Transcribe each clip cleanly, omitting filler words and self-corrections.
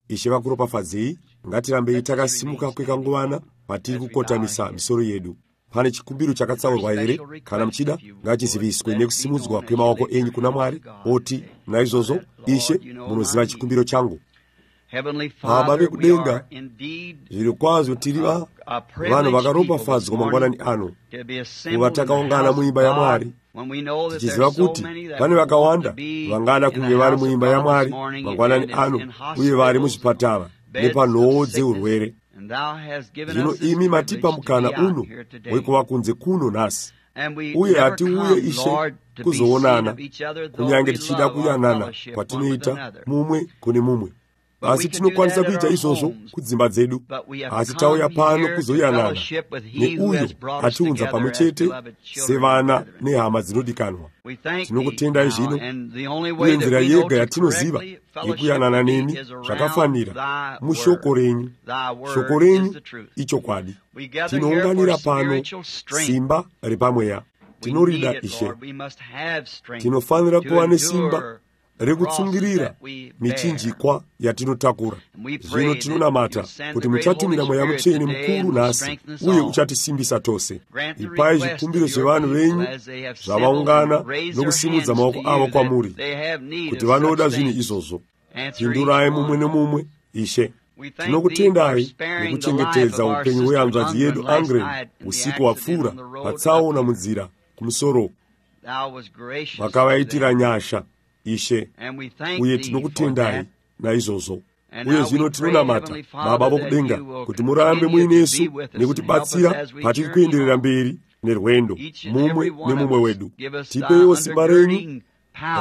ishe vakuropafadzei. Ngatirambe takasimuka kwekanguvana patiri kukotamisa misoro yedu. Pane chikumbiro chakatsaurwa here? Kana muchida ngachiziviswe nekusimudzwa kwemaoko enyu kuna Mwari. Oti naizvozvo ishe munoziva chikumbiro changu. Baba vekudenga, zviri kwazvo tiri vanhu vakaropafadzwa mangwanani ano kuva takaungana muimba yaMwari, tichiziva kuti pane vakawanda vangada kunge vari muimba yaMwari mangwanani ano, uye vari muzvipatara nepanhoo dzeurwere. Zvino imi matipa mukana uno wekuva kunze kuno nhasi, uye hatiuye ishe kuzoonana kunyange tichida kuyanana kwatinoita mumwe kune mumwe. Asi tinokwanisa kuita izvozvo kudzimba dzedu, asi tauya pano kuzoyanana neuyo atiunza pamwe chete sevana nehama dzinodikanwa. Tinokutendai zvino, uye nzira yega yatinoziva yekuyanana nemi zvakafanira mushoko renyu. Shoko renyu ichokwadi. Tinounganira pano simba repamweya. Tinorida ishe, tinofanira kuva nesimba rekutsungirira michinjikwa yatinotakura. Zvino tinonamata kuti muchatumira Mweya Mutsvene mukuru nhasi, uye uchatisimbisa tose. Ipai zvikumbiro zvevanhu venyu zvavaungana nokusimudza maoko avo kwamuri, kuti vanoda zvinhu izvozvo. Pindurai mumwe nemumwe ishe. Tinokutendai nekuchengetedza upenyu hwehanzvadzi yedu Angren usiku wapfuura patsaona munzira kumusoro. Vakavaitira nyasha ishe, uye tinokutendai naizvozvo. Uye zvino tinonamata Baba vokudenga kuti murambe muinesu nekutibatsira patiri kuenderera mberi nerwendo mumwe nemumwe wedu. Tipeiwo simba renyu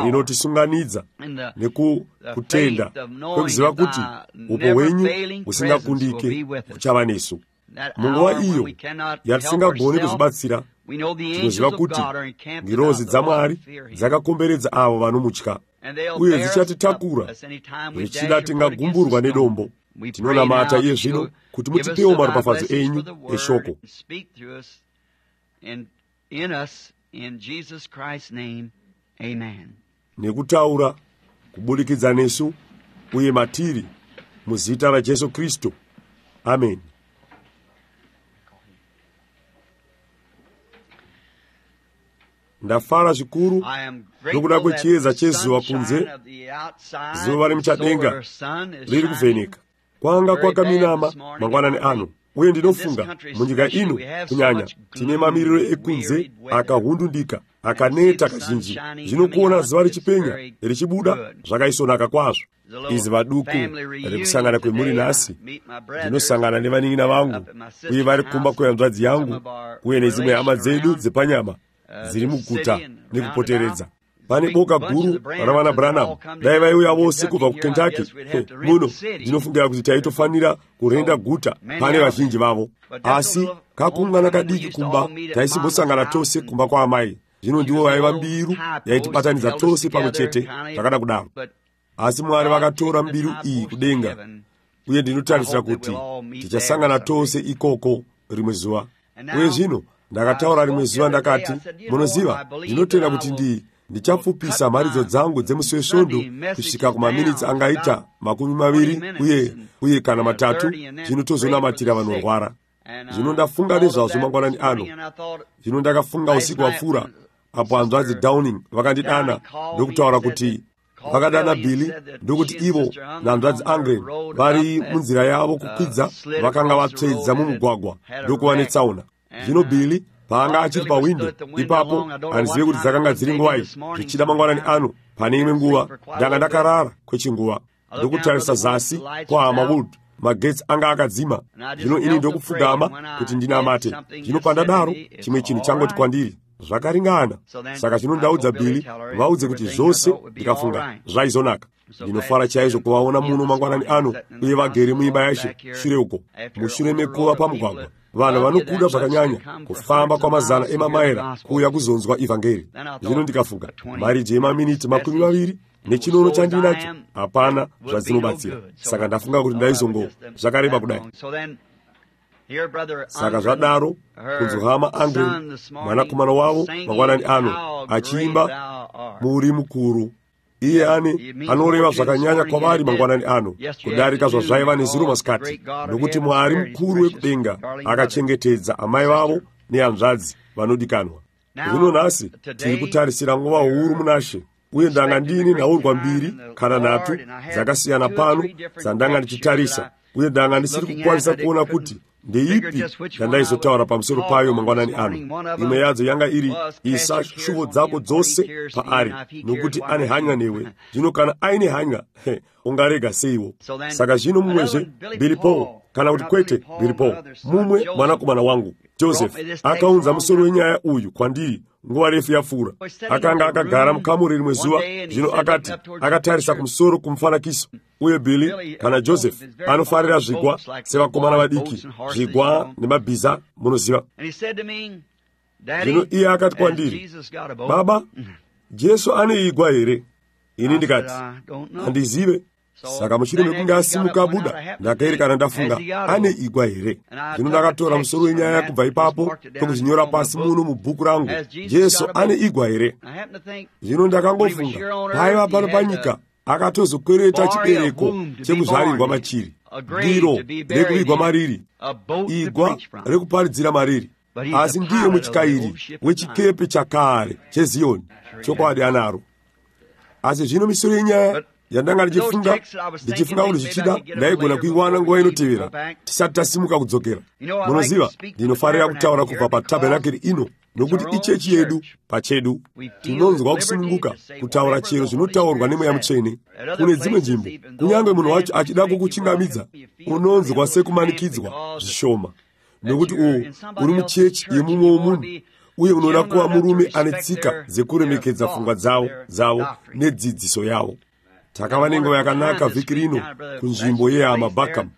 rinotisunganidza nekutenda kwekuziva kuti upo hwenyu husingakundike kuchava nesu. Munguva iyo yatisingagoni kuzvibatsira, tinoziva kuti ngirozi dzaMwari dzakakomberedza avo vanomutya, uye dzichatitakura zvichida tingagumburwa nedombo. Tinonamata iye zvino kuti mutipewo maropafadzo enyu eshoko. Nekutaura kubudikidza nesu uye matiri muzita raJesu Kristu. Amen. Ndafara zvikuru nokuda kwechiedza chezuva kunze. Zuva rimuchadenga riri kuvheneka. Kwanga kwakaminama mangwanani ano, uye ndinofunga munyika ino kunyanya tine mamiriro ekunze akahundundika, akaneta kazhinji. Zvinokuona zuva richipenya richibuda zvakaisonaka kwazvo. Izuva duku rekusangana kwemuri nhasi. Ndinosangana nevanin'ina vangu, uye vari kumba kwehanzvadzi yangu, uye nedzimwe hama dzedu dzepanyama dziri muguta nekupoteredza. Pane boka guru ravana Branham. Dai vaiuya vose kubva kuKentucky muno, ndinofungira kuti taitofanira kurenda guta pane vazhinji vavo. Asi kakungana kadiki kumba taisimbosangana tose kumba kwaamai. Zvino ndivo vaiva mbiru yaitibatanidza tose pamwe chete zvakada kudaro. Asi Mwari vakatora mbiru iyi kudenga, uye ndinotarisira kuti tichasangana tose ikoko rimwe zuva. Uye zvino ndakataura rimwe zuva ndakati, munoziva, ndinotenda kuti ndichapfupisa mharidzo dzangu dzemusi wesvondo kusvika kumaminitsi angaita 20 uye kana 3, zvino tozonamatira vanorwara. Zvino ndafunga nezvazvo mangwanani ano. Zvino ndakafunga usiku wapfuura, apo hanzvadzi Downing vakandidana ndokutaura kuti vakadana Billy, ndokuti ivo nahanzvadzi Angren vari munzira yavo kukwidza vakanga vatsvedza mumugwagwa ndokuva netsaona. Zvino Billy paanga achiri pawindo ipapo, handizive kuti dzakanga dziri nguwai, zvichida mangwanani ano pane imwe nguva ndanga ndakarara kwechinguva ndokutarisa zasi kwahama Wood, magetsi anga akadzima. Zvino ini ndokupfugama kuti ndinamate. Zvino pandadaro chimwe chinhu changoti kwandiri, zvakaringana. Saka zvino ndaudza Billy vaudze kuti zvose ndikafunga zvaizonaka. Ndinofara chaizvo kuvaona muno mangwanani ano, uye vagere muimba yaShe shure uko, mushure mekuva pamugwagwa. Vanhu vanokuda zvakanyanya kufamba kwamazana emamaira kuuya kuzonzwa ivhangeri. Zvino ndikafunga marije emaminiti 20 nechinono chandinacho hapana zvadzinobatsira. Saka ndafunga kuti ndaizongo zvakareba kudai. Saka zvadaro kunzohama Angren mwanakomana wavo mangwanani ano achiimba muri mukuru iye anoreva zvakanyanya kwavari mangwanani ano kudarika zvazvaiva nezuro masikati, nokuti Mwari mukuru wekudenga akachengetedza amai vavo nehanzvadzi vanodikanwa. Zvino nhasi tiri kutarisira nguva huru munashe, uye ndanga ndini nhaurwa 2 kana 3 dzakasiyana pano dzandanga ndichitarisa, uye ndanga ndisiri kukwanisa kuona kuti ndeipi yandaizotaura pamusoro payo mangwanani ano. Imwe yadzo yanga iri isa shuvo dzako dzose paari, nokuti ane hanya newe. Zvino kana aine hanya, ungarega seiwo? Saka zvino mumwezve Billy Paul, kana kuti kwete Billy Paul, mumwe mwanakomana wangu Joseph akaunza musoro wenyaya uyu kwandiri nguva refu yapfuura. Akanga akagara mukamuri rimwe zuva, zvino akatarisa kumusoro kumufanakiso. Uye Billy kana Joseph anofarira zvigwa sevakomana vadiki, zvigwa nemabhiza, munoziva. Zvino iye akati kwandiri, baba, Jesu ane igwa here? Ini ndikati, handizive. Saka mushure mekunge asimuka abuda, ndakaerekana ndafunga, ane igwa here? Zvino ndakatora musoro wenyaya kubva ipapo ndokuzvinyora pasi muno mubhuku rangu, Jesu ane igwa here? Zvino ndakangofunga, paiva pano panyika akatozokwereta chibereko chekuzvarirwa machiri, diro rekuvigwa mariri, igwa rekuparidzira mariri. Asi ndiye mutyayiri wechikepe chakare cheZioni, chokwadi anaro. Asi zvino misoro yenyaya yandanga ndichifunga kuti zvichida ndaigona kuiwana nguva inotevera tisati tasimuka kudzokera. Munoziva, ndinofarira kutaura kubva patabhenakeri ino, nokuti ichechi yedu pachedu tinonzwa kusununguka kutaura chero zvinotaurwa nemweya mutsvene. Kune dzimwe nzvimbo, kunyange munhu wacho achida kukuchingamidza, unonzwa sekumanikidzwa zvishoma, nokuti uri muchechi yemumwe womunhu, uye unoda kuva murume ane tsika dzekuremekedza pfungwa dzavo nedzidziso yavo. Takava nenguva yakanaka vhiki rino kunzvimbo yehama Buckham.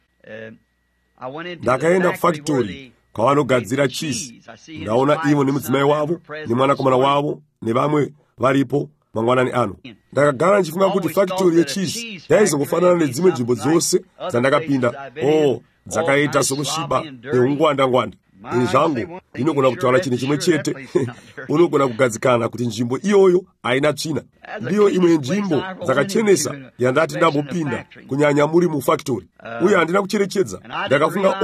Ndakaenda kufactory kwavanogadzira cheese. Ndaona ivo nemudzimai wavo nemwanakomana wavo nevamwe varipo mangwanani ano. Ndakagara ndichifunga kuti factory yecheese yaizongofanana nedzimwe nzvimbo dzose dzandakapinda. Dzakaita sokusviba neungwanda-ngwanda. Ini zvangu ndinogona kutaura chinhu chimwe chete. Unogona kugadzikana kuti nzvimbo iyoyo haina tsvina. Ndiyo imwe nzvimbo dzakachenesa yandati ndambopinda, kunyanya muri mufactory. Uye handina kucherechedza. Ndakafunga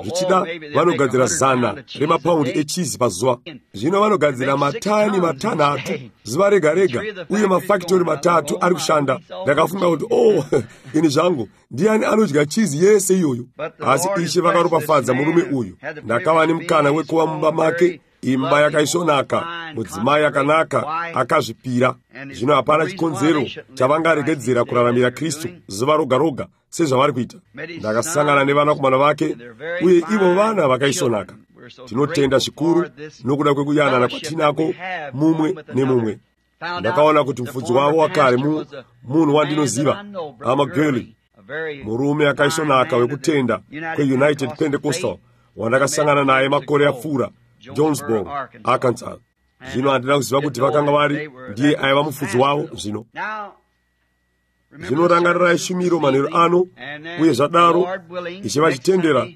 zvichida vanogadzira 100 remapaundi echizi pazuva. Zvino vanogadzira matani 3 zuva rega-rega, uye mafactory 3 ari kushanda. Ndakafunga kuti ini zvangu ndiani anodya chizi yese iyoyo. Asi Ishe vakaropafadza murume uyu. Ndakava nemukana wekuva mumba make, imba yakaisvonaka, mudzimai akanaka akazvipira. Zvino hapana chikonzero chavangaregedzera kuraramira Kristu zuva roga-roga sezvavari kuita. Ndakasangana nevanakomana vake, uye ivo vana vakaisvonaka. Tinotenda zvikuru nokuda kwekuyanana kwatinako mumwe nemumwe. Ndakaona kuti mufudzi wavo wakare munhu wandinoziva, Amageli, murume akaisvonaka wekutenda kweUnited Pentecostal wandakasangana naye makore apfuura, Jonesboro, Arkansas. Zvino handina kuziva kuti vakanga vari ndiye aiva mufudzi wavo. Zvino rangarirai shumiro manheru ano, uye zvadaro Ishe vachitendera,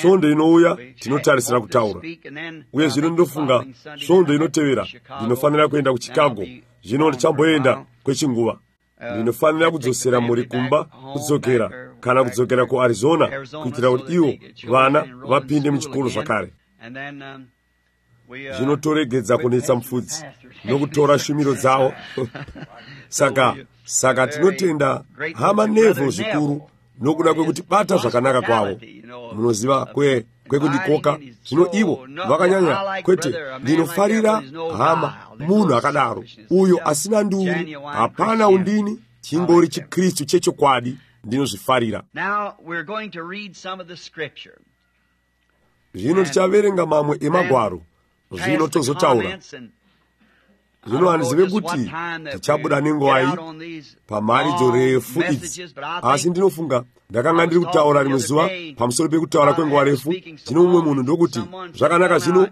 svondo inouya tinotarisira kutaura. Uye zvino ndofunga svondo inotevera ndinofanira kuenda kuChicago. Zvino ndichamboenda kwechinguva. Ndinofanira kudzosera muri kumba kudzokera, kana kudzokera kuArizona, kuitira kuti ivo vana vapinde muchikoro zvakare. Zvinotoregedza kunetsa mufudzi nokutora shumiro dzavo. Saka tinotenda hama Neville zvikuru nokuda kwekuti bata zvakanaka kwavo. Munoziva kwekundikoka. Zvino ivo vakanyanya kwete. Ndinofarira hama munhu akadaro, uyo asina nduru, hapana undini, chingori chiKristu chechokwadi. Ndinozvifarira. Zvino tichaverenga mamwe emagwaro. Zvino tozotaura. Zvino handizive kuti tichabuda nenguva iyi pamharidzo refu idzi. Asi ndinofunga ndakanga ndiri kutaura rimwe zuva pamusoro pekutaura kwenguva refu. Zvino mumwe munhu ndokuti, zvakanaka zvino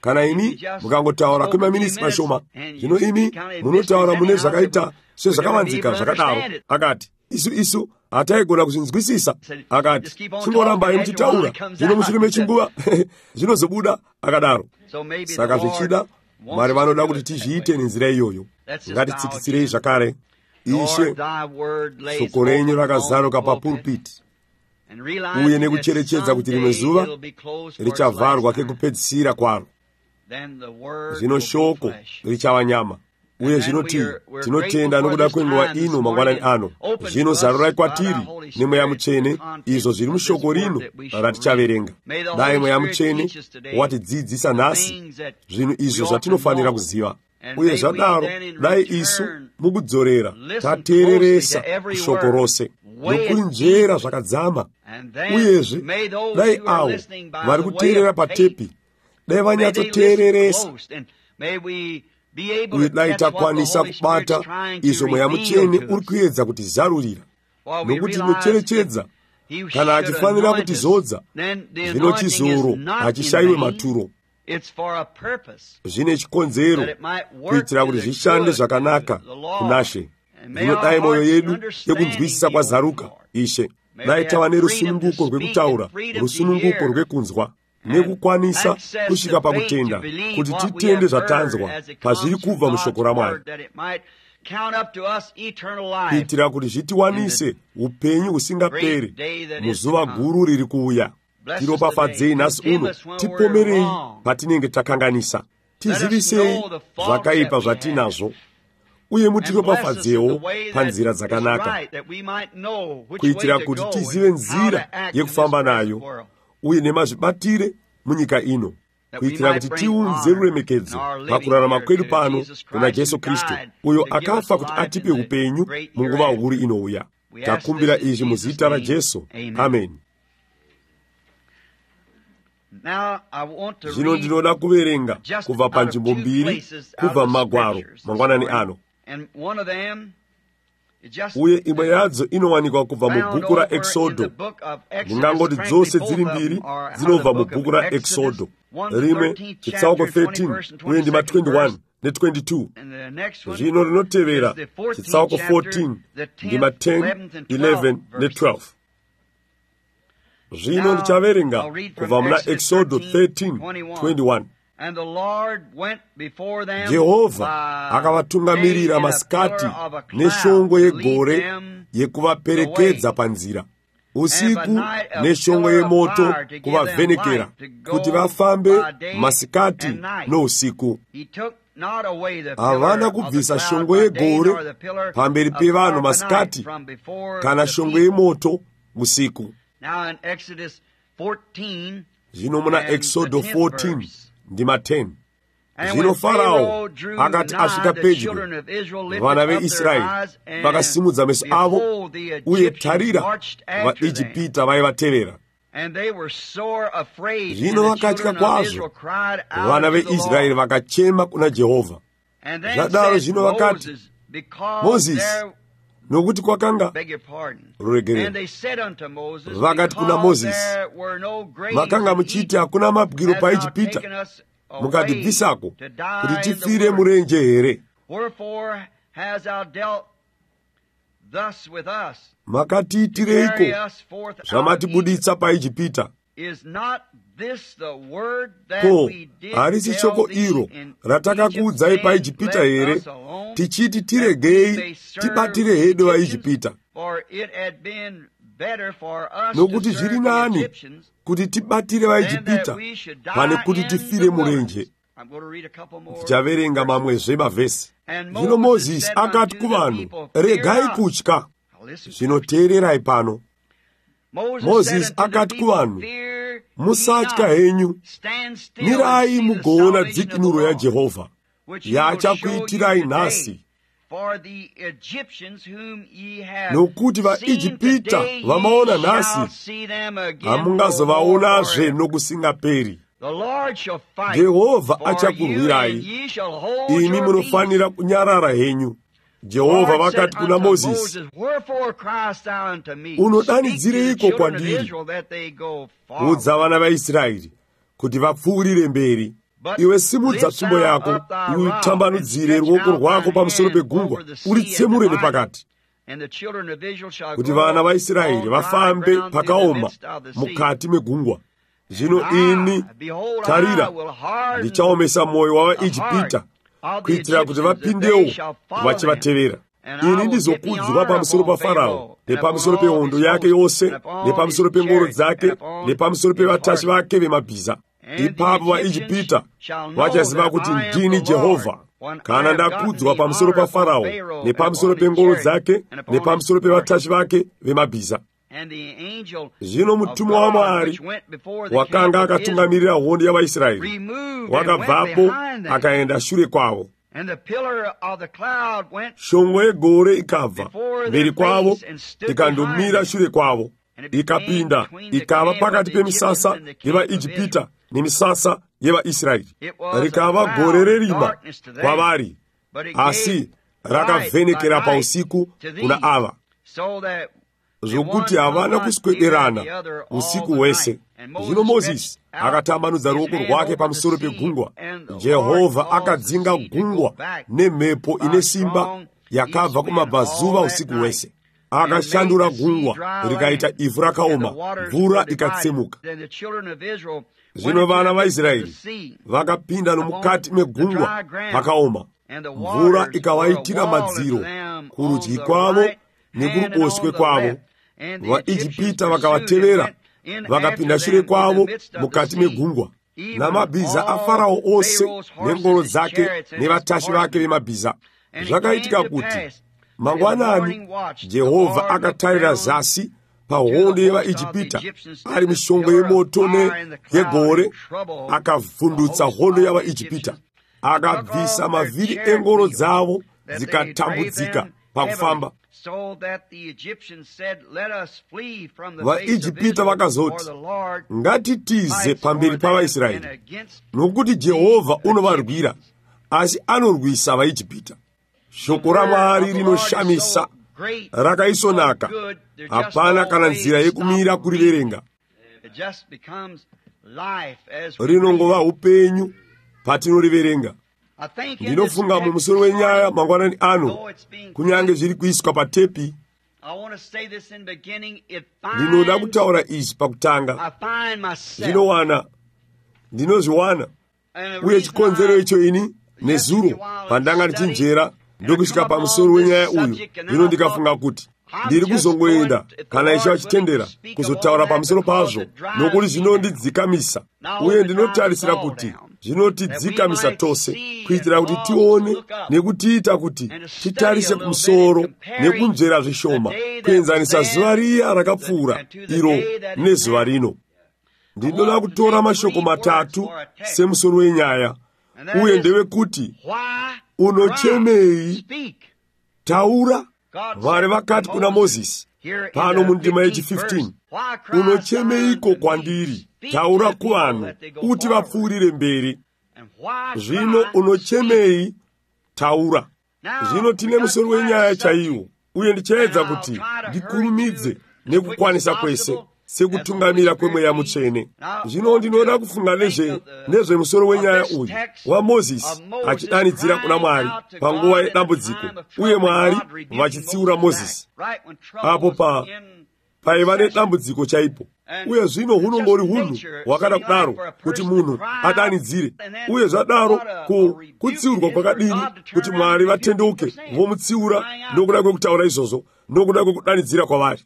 kana imi mukangotaura kwemaminitsi mashoma. Zvino imi munotaura mune zvakaita sezvakavanzika zvakadaro. Akati, isu hataigona kuzvinzwisisa. Akati, chingorambai muchitaura, zvino mushure mechinguva zvinozobuda akadaro. Saka zvichida Mwari vanoda kuti tizviite nenzira iyoyo. Ngatitsikitsirei zvakare. ishe shoko renyu rakazaruka papulpiti uye nekucherechedza kuti rimwe zuva richavharwa kekupedzisira kwaro, zvino shoko richava nyama. Uye zvinoti tinotenda nokuda kwenguva ino mangwanani ano, zvino zarurai kwatiri nemweya mutsvene izvo zviri mushoko rino ratichaverenga. Dai mweya mutsvene watidzidzisa nhasi zvinhu izvo zvatinofanira kuziva, uye zvadaro dai isu mukudzorera tateereresa shoko rose nokunjera zvakadzama. Uyezve dai avo vari kuteerera patepi dai vanyatsoteereresa, uye dai takwanisa kubata izvo mweya mutsvene uri kuedza kutizarurira, nokuti tinocherechedza kana achifanira kutizodza, zvino chizoro hachishayiwe maturo. Zvine chikonzero kuitira kuti zvishande zvakanaka kunashe. Zvino dai mwoyo yedu yekunzwisisa kwazaruka, Ishe. Dai tava nerusununguko rwekutaura, rusununguko rwekunzwa, nekukwanisa kusvika pakutenda, kuti titende zvatanzwa pazviri kubva mushoko raMwari, kuitira kuti zvitiwanise upenyu husingaperi muzuva guru riri kuuya. Tiropafadzei nhasi uno, tipomerei patinenge takanganisa, tizivisei zvakaipa zvatinazvo, uye mutiropafadzewo panzira dzakanaka, kuitira kuti tizive nzira yekufamba nayo, uye nemazvibatire munyika ino, kuitira kuti tiunze ruremekedzo pakurarama kwedu pano kuna Jesu Kristu, uyo akafa kuti atipe upenyu munguva huru inouya. Takumbira izvi muzita raJesu. Amen. Zvino ndinoda kuverenga kubva panzvimbo mbiri kubva mumagwaro mangwanani ano, uye imwe yadzo inowanikwa kubva mubhuku raExodo. Ndingangoti dzose dziri mbiri dzinobva mubhuku raExodo. Rimwe chitsauko 13 uye ndima 21 ne22. Zvino rinotevera chitsauko 14 ndima 10, 11 ne12. Zvino ndichaverenga kubva muna Exodo 13:21. Jehovha akavatungamirira masikati neshongwe yegore yekuvaperekedza panzira, usiku neshongwe yemoto kuvavhenekera, kuti vafambe masikati nousiku. Havana kubvisa shongwe yegore pamberi pevanhu masikati, kana shongwe yemoto usiku. Zvino muna Exodo 14 ndima 10. Zvino Farao akati asvika pedyo, vana veIsraeri vakasimudza meso avo, uye tarira, vaIjipita vaivatevera. Zvino vakatya kwazvo, vana veIsraeri vakachema kuna Jehovha. Zvadaro zvino vakati, Mozisi, nokuti kwakanga ruregerero. Vakati kuna Mozisi, makanga muchiti hakuna mabwiro paIjipita, mukatibvisako kuti tifire murenje here? Makatiitireiko zvamatibuditsa paIjipita? Ko, harisi shoko iro ratakakuudzai paIjipita here, tichiti tiregei tibatire hedu vaIjipita? Nokuti zviri nani kuti tibatire vaIjipita pane kuti tifire murenje. Tichaverenga mamwezve mavhesi. Zvino Mozisi akati kuvanhu, regai kutya. Zvinoteererai pano. Mozisi akati kuvanhu, musatya henyu, mirai mugoona dzikinuro yaJehovha yachakuitirai nhasi. Nokuti vaIjipita vamaona nhasi, hamungazovaonazve nokusingaperi. Jehovha achakurwirai, imi munofanira kunyarara henyu. Jehovha vakati kuna Mozisi, unodanidzireiko kwandiri? Udza vana vaIsraeri kuti vapfuurire mberi. Iwe simudza tsvimbo yako, uitambanudzire ruoko rwako pamusoro pegungwa, uritsemure nepakati, kuti vana vaIsraeri vafambe pakaoma mukati megungwa. Zvino ini, tarira, ndichaomesa mwoyo wavaIjipita, kuitira kuti vapindewo vachivatevera. ini ndizokudzwa pamusoro pa Farao nepamusoro pehondo yake yose nepamusoro pengoro dzake nepamusoro pevatasvi vake vemabhiza. Ipapo vaIjipita vachaziva kuti ndini Jehovha kana ndakudzwa pamusoro pa Farao nepamusoro pengoro dzake nepamusoro pevatasvi vake vemabhiza. Zvino mutumwa wa Mwari wakanga akatungamirira hondo yavaIsraeri wakabvapo akaenda shure kwavo. Shongwe yegore ikabva mberi kwavo ikandomira shure kwavo, ikapinda ikava pakati pemisasa yevaIjipita nemisasa yevaIsraeri. Rikava gore rerima kwavari, asi rakavhenekera pausiku kuna ava, zvokuti havana kuswederana usiku hwese. Zvino Mozisi akatambanudza ruoko rwake pamusoro pegungwa. Jehovha akadzinga gungwa nemhepo ine simba yakabva kumabvazuva usiku hwese. Akashandura gungwa rikaita ivhu rakaoma, mvura ikatsemuka. Zvino vana vaIsraeri vakapinda nomukati megungwa pakaoma, mvura ikavaitira madziro kurudyi kwavo nekuruboshwe kwavo. VaIjipita vakavatevera vakapinda shure kwavo mukati megungwa, namabhiza aFarao ose nengoro dzake nevatasvi vake vemabhiza. Zvakaitika kuti mangwanani Jehovha akatarira zasi pahondo yevaIjipita ari mushongwe yemoto neyegore, akavhundutsa hondo yavaIjipita, akabvisa mavhiri engoro dzavo dzikatambudzika pakufamba. VaIjipita vakazoti, ngatitize pamberi pavaIsraeri, nokuti Jehovha unovarwira, asi anorwisa vaIjipita. Shoko raMwari rinoshamisa, rakaisonaka, hapana kana nzira yekumira kuriverenga. Rinongova upenyu patinoriverenga. Ndinofunga mumusoro wenyaya mangwanani ano, kunyange zviri kuiswa patepi. Ndinoda kutaura izvi pakutanga. Ndinozviwana, uye chikonzero icho ini nezuro pandanga ndichinjera ndokusvika pamusoro wenyaya uyu. Zvino ndikafunga kuti ndiri kuzongoenda kana Ishe achitendera kuzotaura pamusoro pazvo, nokuti zvinondidzikamisa, uye ndinotarisira kuti zvinotidzikamisa tose, kuitira kuti tione nekutiita kuti titarise kumusoro nekunzvera zvishoma, kuenzanisa zuva riya rakapfuura iro nezuva rino. Ndinoda kutora mashoko matatu semusoro wenyaya, uye ndewekuti unochemei? Taura. Mwari vakati kuna Mozisi pano mundima yechi15, unochemeiko kwandiri? Taura kuvanhu uti vapfuurire mberi. Zvino unochemei? Taura. Zvino tine musoro wenyaya chaiwo, uye ndichaedza kuti ndikurumidze nekukwanisa kwese sekutungamira kwemweya mutsvene. Zvino ndinoda kufunga nezvemusoro wenyaya uyu waMozisi achidanidzira kuna Mwari panguva yedambudziko, uye Mwari vachitsiura Mozisi apo paiva nedambudziko chaipo. Uye zvino hunongori hunhu hwakada kudaro kuti munhu adanidzire, uye zvadaro kutsiurwa kwakadini kuti Mwari vatendeuke vomutsiura nokuda kwekutaura izvozvo, nokuda kwekudanidzira kwavari.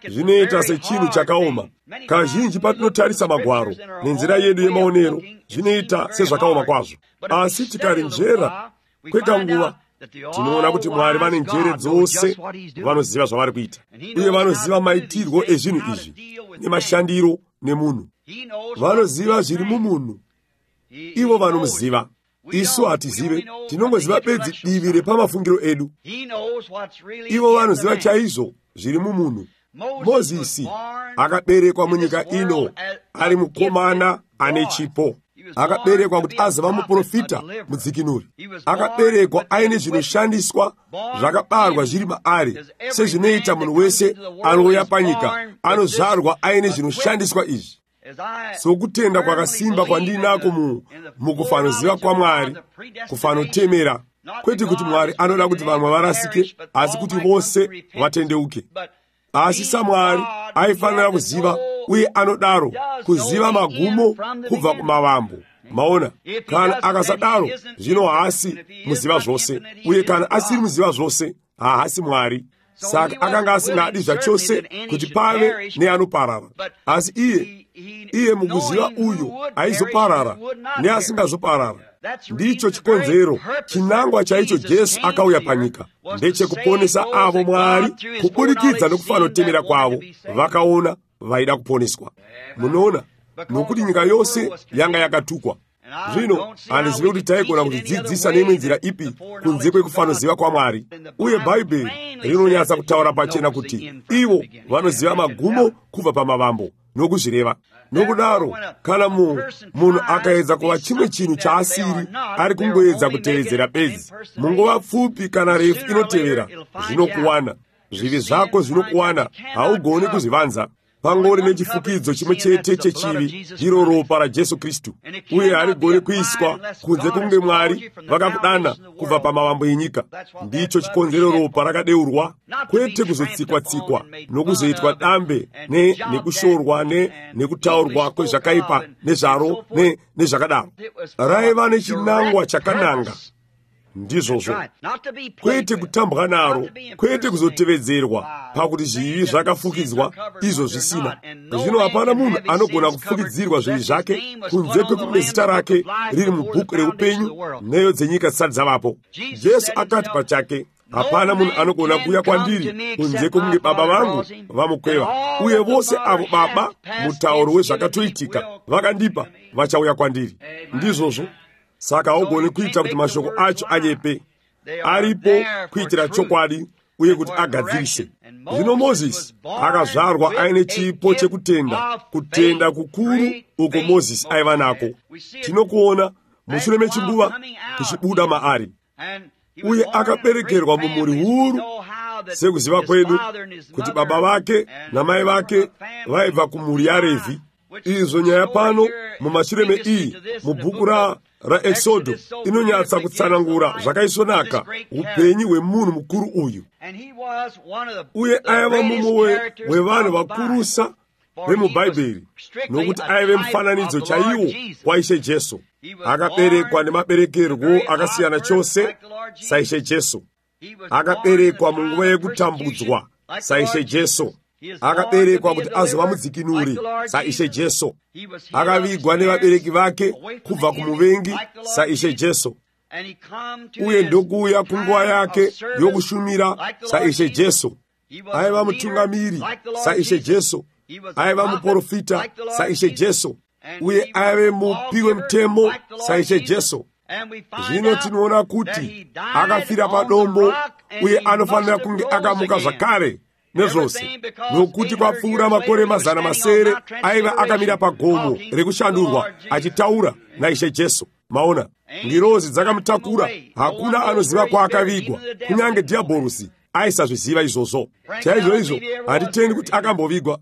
Zvinoita sechinhu chakaoma. Kazhinji patinotarisa magwaro nenzira yedu yemaonero, zvinoita sezvakaoma kwazvo. Asi tikarinzvera kwekanguva, tinoona kuti Mwari vane njere dzose, vanoziva zvavari kuita, uye vanoziva maitirwo ezvinhu izvi nemashandiro nemunhu. Vanoziva zviri mumunhu, ivo vanomuziva. Isu hatizive, tinongoziva bedzi divi repamafungiro edu. Ivo vanoziva chaizvo zviri mumunhu. Mozisi akaberekwa munyika ino ari mukomana ane chipo. Akaberekwa kuti azova muprofita mudzikinuri. Akaberekwa aine zvinoshandiswa zvakabarwa zviri maari, sezvinoita munhu wese anouya panyika, anozvarwa aine zvinoshandiswa izvi. Sokutenda kwakasimba kwandinako mukufanoziva kwaMwari, kufanotemera, kwete kuti Mwari anoda kuti vamwe varasike, asi kuti vose vatendeuke. Asi saMwari aifanira kuziva, uye anodaro kuziva magumo kubva kumavambo, maona, kana akasadaro zvino haasi muziva zvose, uye kana asiri muziva zvose haasi Mwari. Saka akanga asingadi zvachose kuti pave neanoparara, asi iye mukuziva uyo aizoparara neasingazoparara. Ndicho chikonzero chinangwa chaicho Jesu akauya panyika, ndechekuponesa avo Mwari kuburikidza nekufa nokutemera kwavo vakaona vaida kuponeswa. Munoona, nokuti nyika yose yanga yakatukwa. Zvino handizivi kuti taigona kutidzidzisa neimwe nzira ipi kunze kwekufanoziva kwaMwari. Uye Bhaibheri rinonyatsa kutaura pachena kuti ivo vanoziva magumo kubva pamavambo nokuzvireva. Nokudaro, kana munhu akaedza kuva chimwe chinhu chaasiri, ari kungoedza kutevedzera bedzi. Munguva pfupi kana refu inotevera, zvinokuwana. Zvivi zvako zvinokuwana, haugoni kuzvivanza. Pangori nechifukidzo chimwe chete chechivi, ndiro ropa raJesu Kristu, uye harigoni kuiswa kunze kunge Mwari vakakudana kubva pamavambo enyika. Ndicho chikonzero ropa rakadeurwa, kwete kuzotsikwa-tsikwa nokuzoitwa dambe nekushorwa nekutaurwa kwezvakaipa nezvaro nezvakadaro. Raiva nechinangwa chakananga. Ndizvozvo, kwete kutambwa naro, kwete kuzotevedzerwa, pakuti zvivi zvakafukidzwa izvo zvisina. Zvino hapana munhu anogona kufukidzirwa zvivi zvake kunze kwekunge zita rake riri mubhuku reupenyu neyo dzenyika dzisati dzavapo. Jesu akati pachake, hapana munhu anogona kuuya kwandiri kunze kwokunge Baba vangu vamukweva, uye vose avo Baba mutauro wezvakatoitika vakandipa vachauya kwandiri. Ndizvozvo, saka haugoni kuita kuti mashoko acho anyepe. Aripo kuitira chokwadi uye kuti agadzirise. Zvino Mozisi akazvarwa aine chipo chekutenda, kutenda kukuru uko Mozisi aiva nako. Tinokuona mushure mechinguva kuchibuda maari, uye akaberekerwa mumhuri huru, sekuziva kwedu kuti baba vake namai vake vaibva kumhuri yaRevhi. Izvo nyaya pano mumashure meiyi mubhuku raExodo inonyatsa kutsanangura zvakaisvonaka upenyu hwemunhu mukuru uyu. Uye aiva mumwe wevanhu vakurusa vemubhaibheri, nokuti aive mufananidzo chaiwo waIshe Jesu. Akaberekwa nemaberekerwo akasiyana chose saIshe Jesu. Akaberekwa munguva yekutambudzwa saIshe Jesu. Akaberekwa kuti azova mudzikinuri saIshe Jesu. Akavigwa nevabereki vake kubva kumuvengi saIshe Jesu. Uye ndokuuya kunguva yake yokushumira saIshe Jesu. Aiva mutungamiri saIshe Jesu. Aiva muprofita saIshe Jesu. Uye aive mupi wemutemo saIshe Jesu. Zvino tinoona kuti akafira padombo, uye anofanira kunge akamuka zvakare nezvose, nokuti kwapfuura makore 700 aiva akamira pagomo rekushandurwa achitaura naIshe Jesu. Maona, ngirozi dzakamutakura, hakuna anoziva kwaakavigwa, kunyange dhiabhorosi aisazviziva izvozvo. Chaizvo handitendi kuti akambovigwa.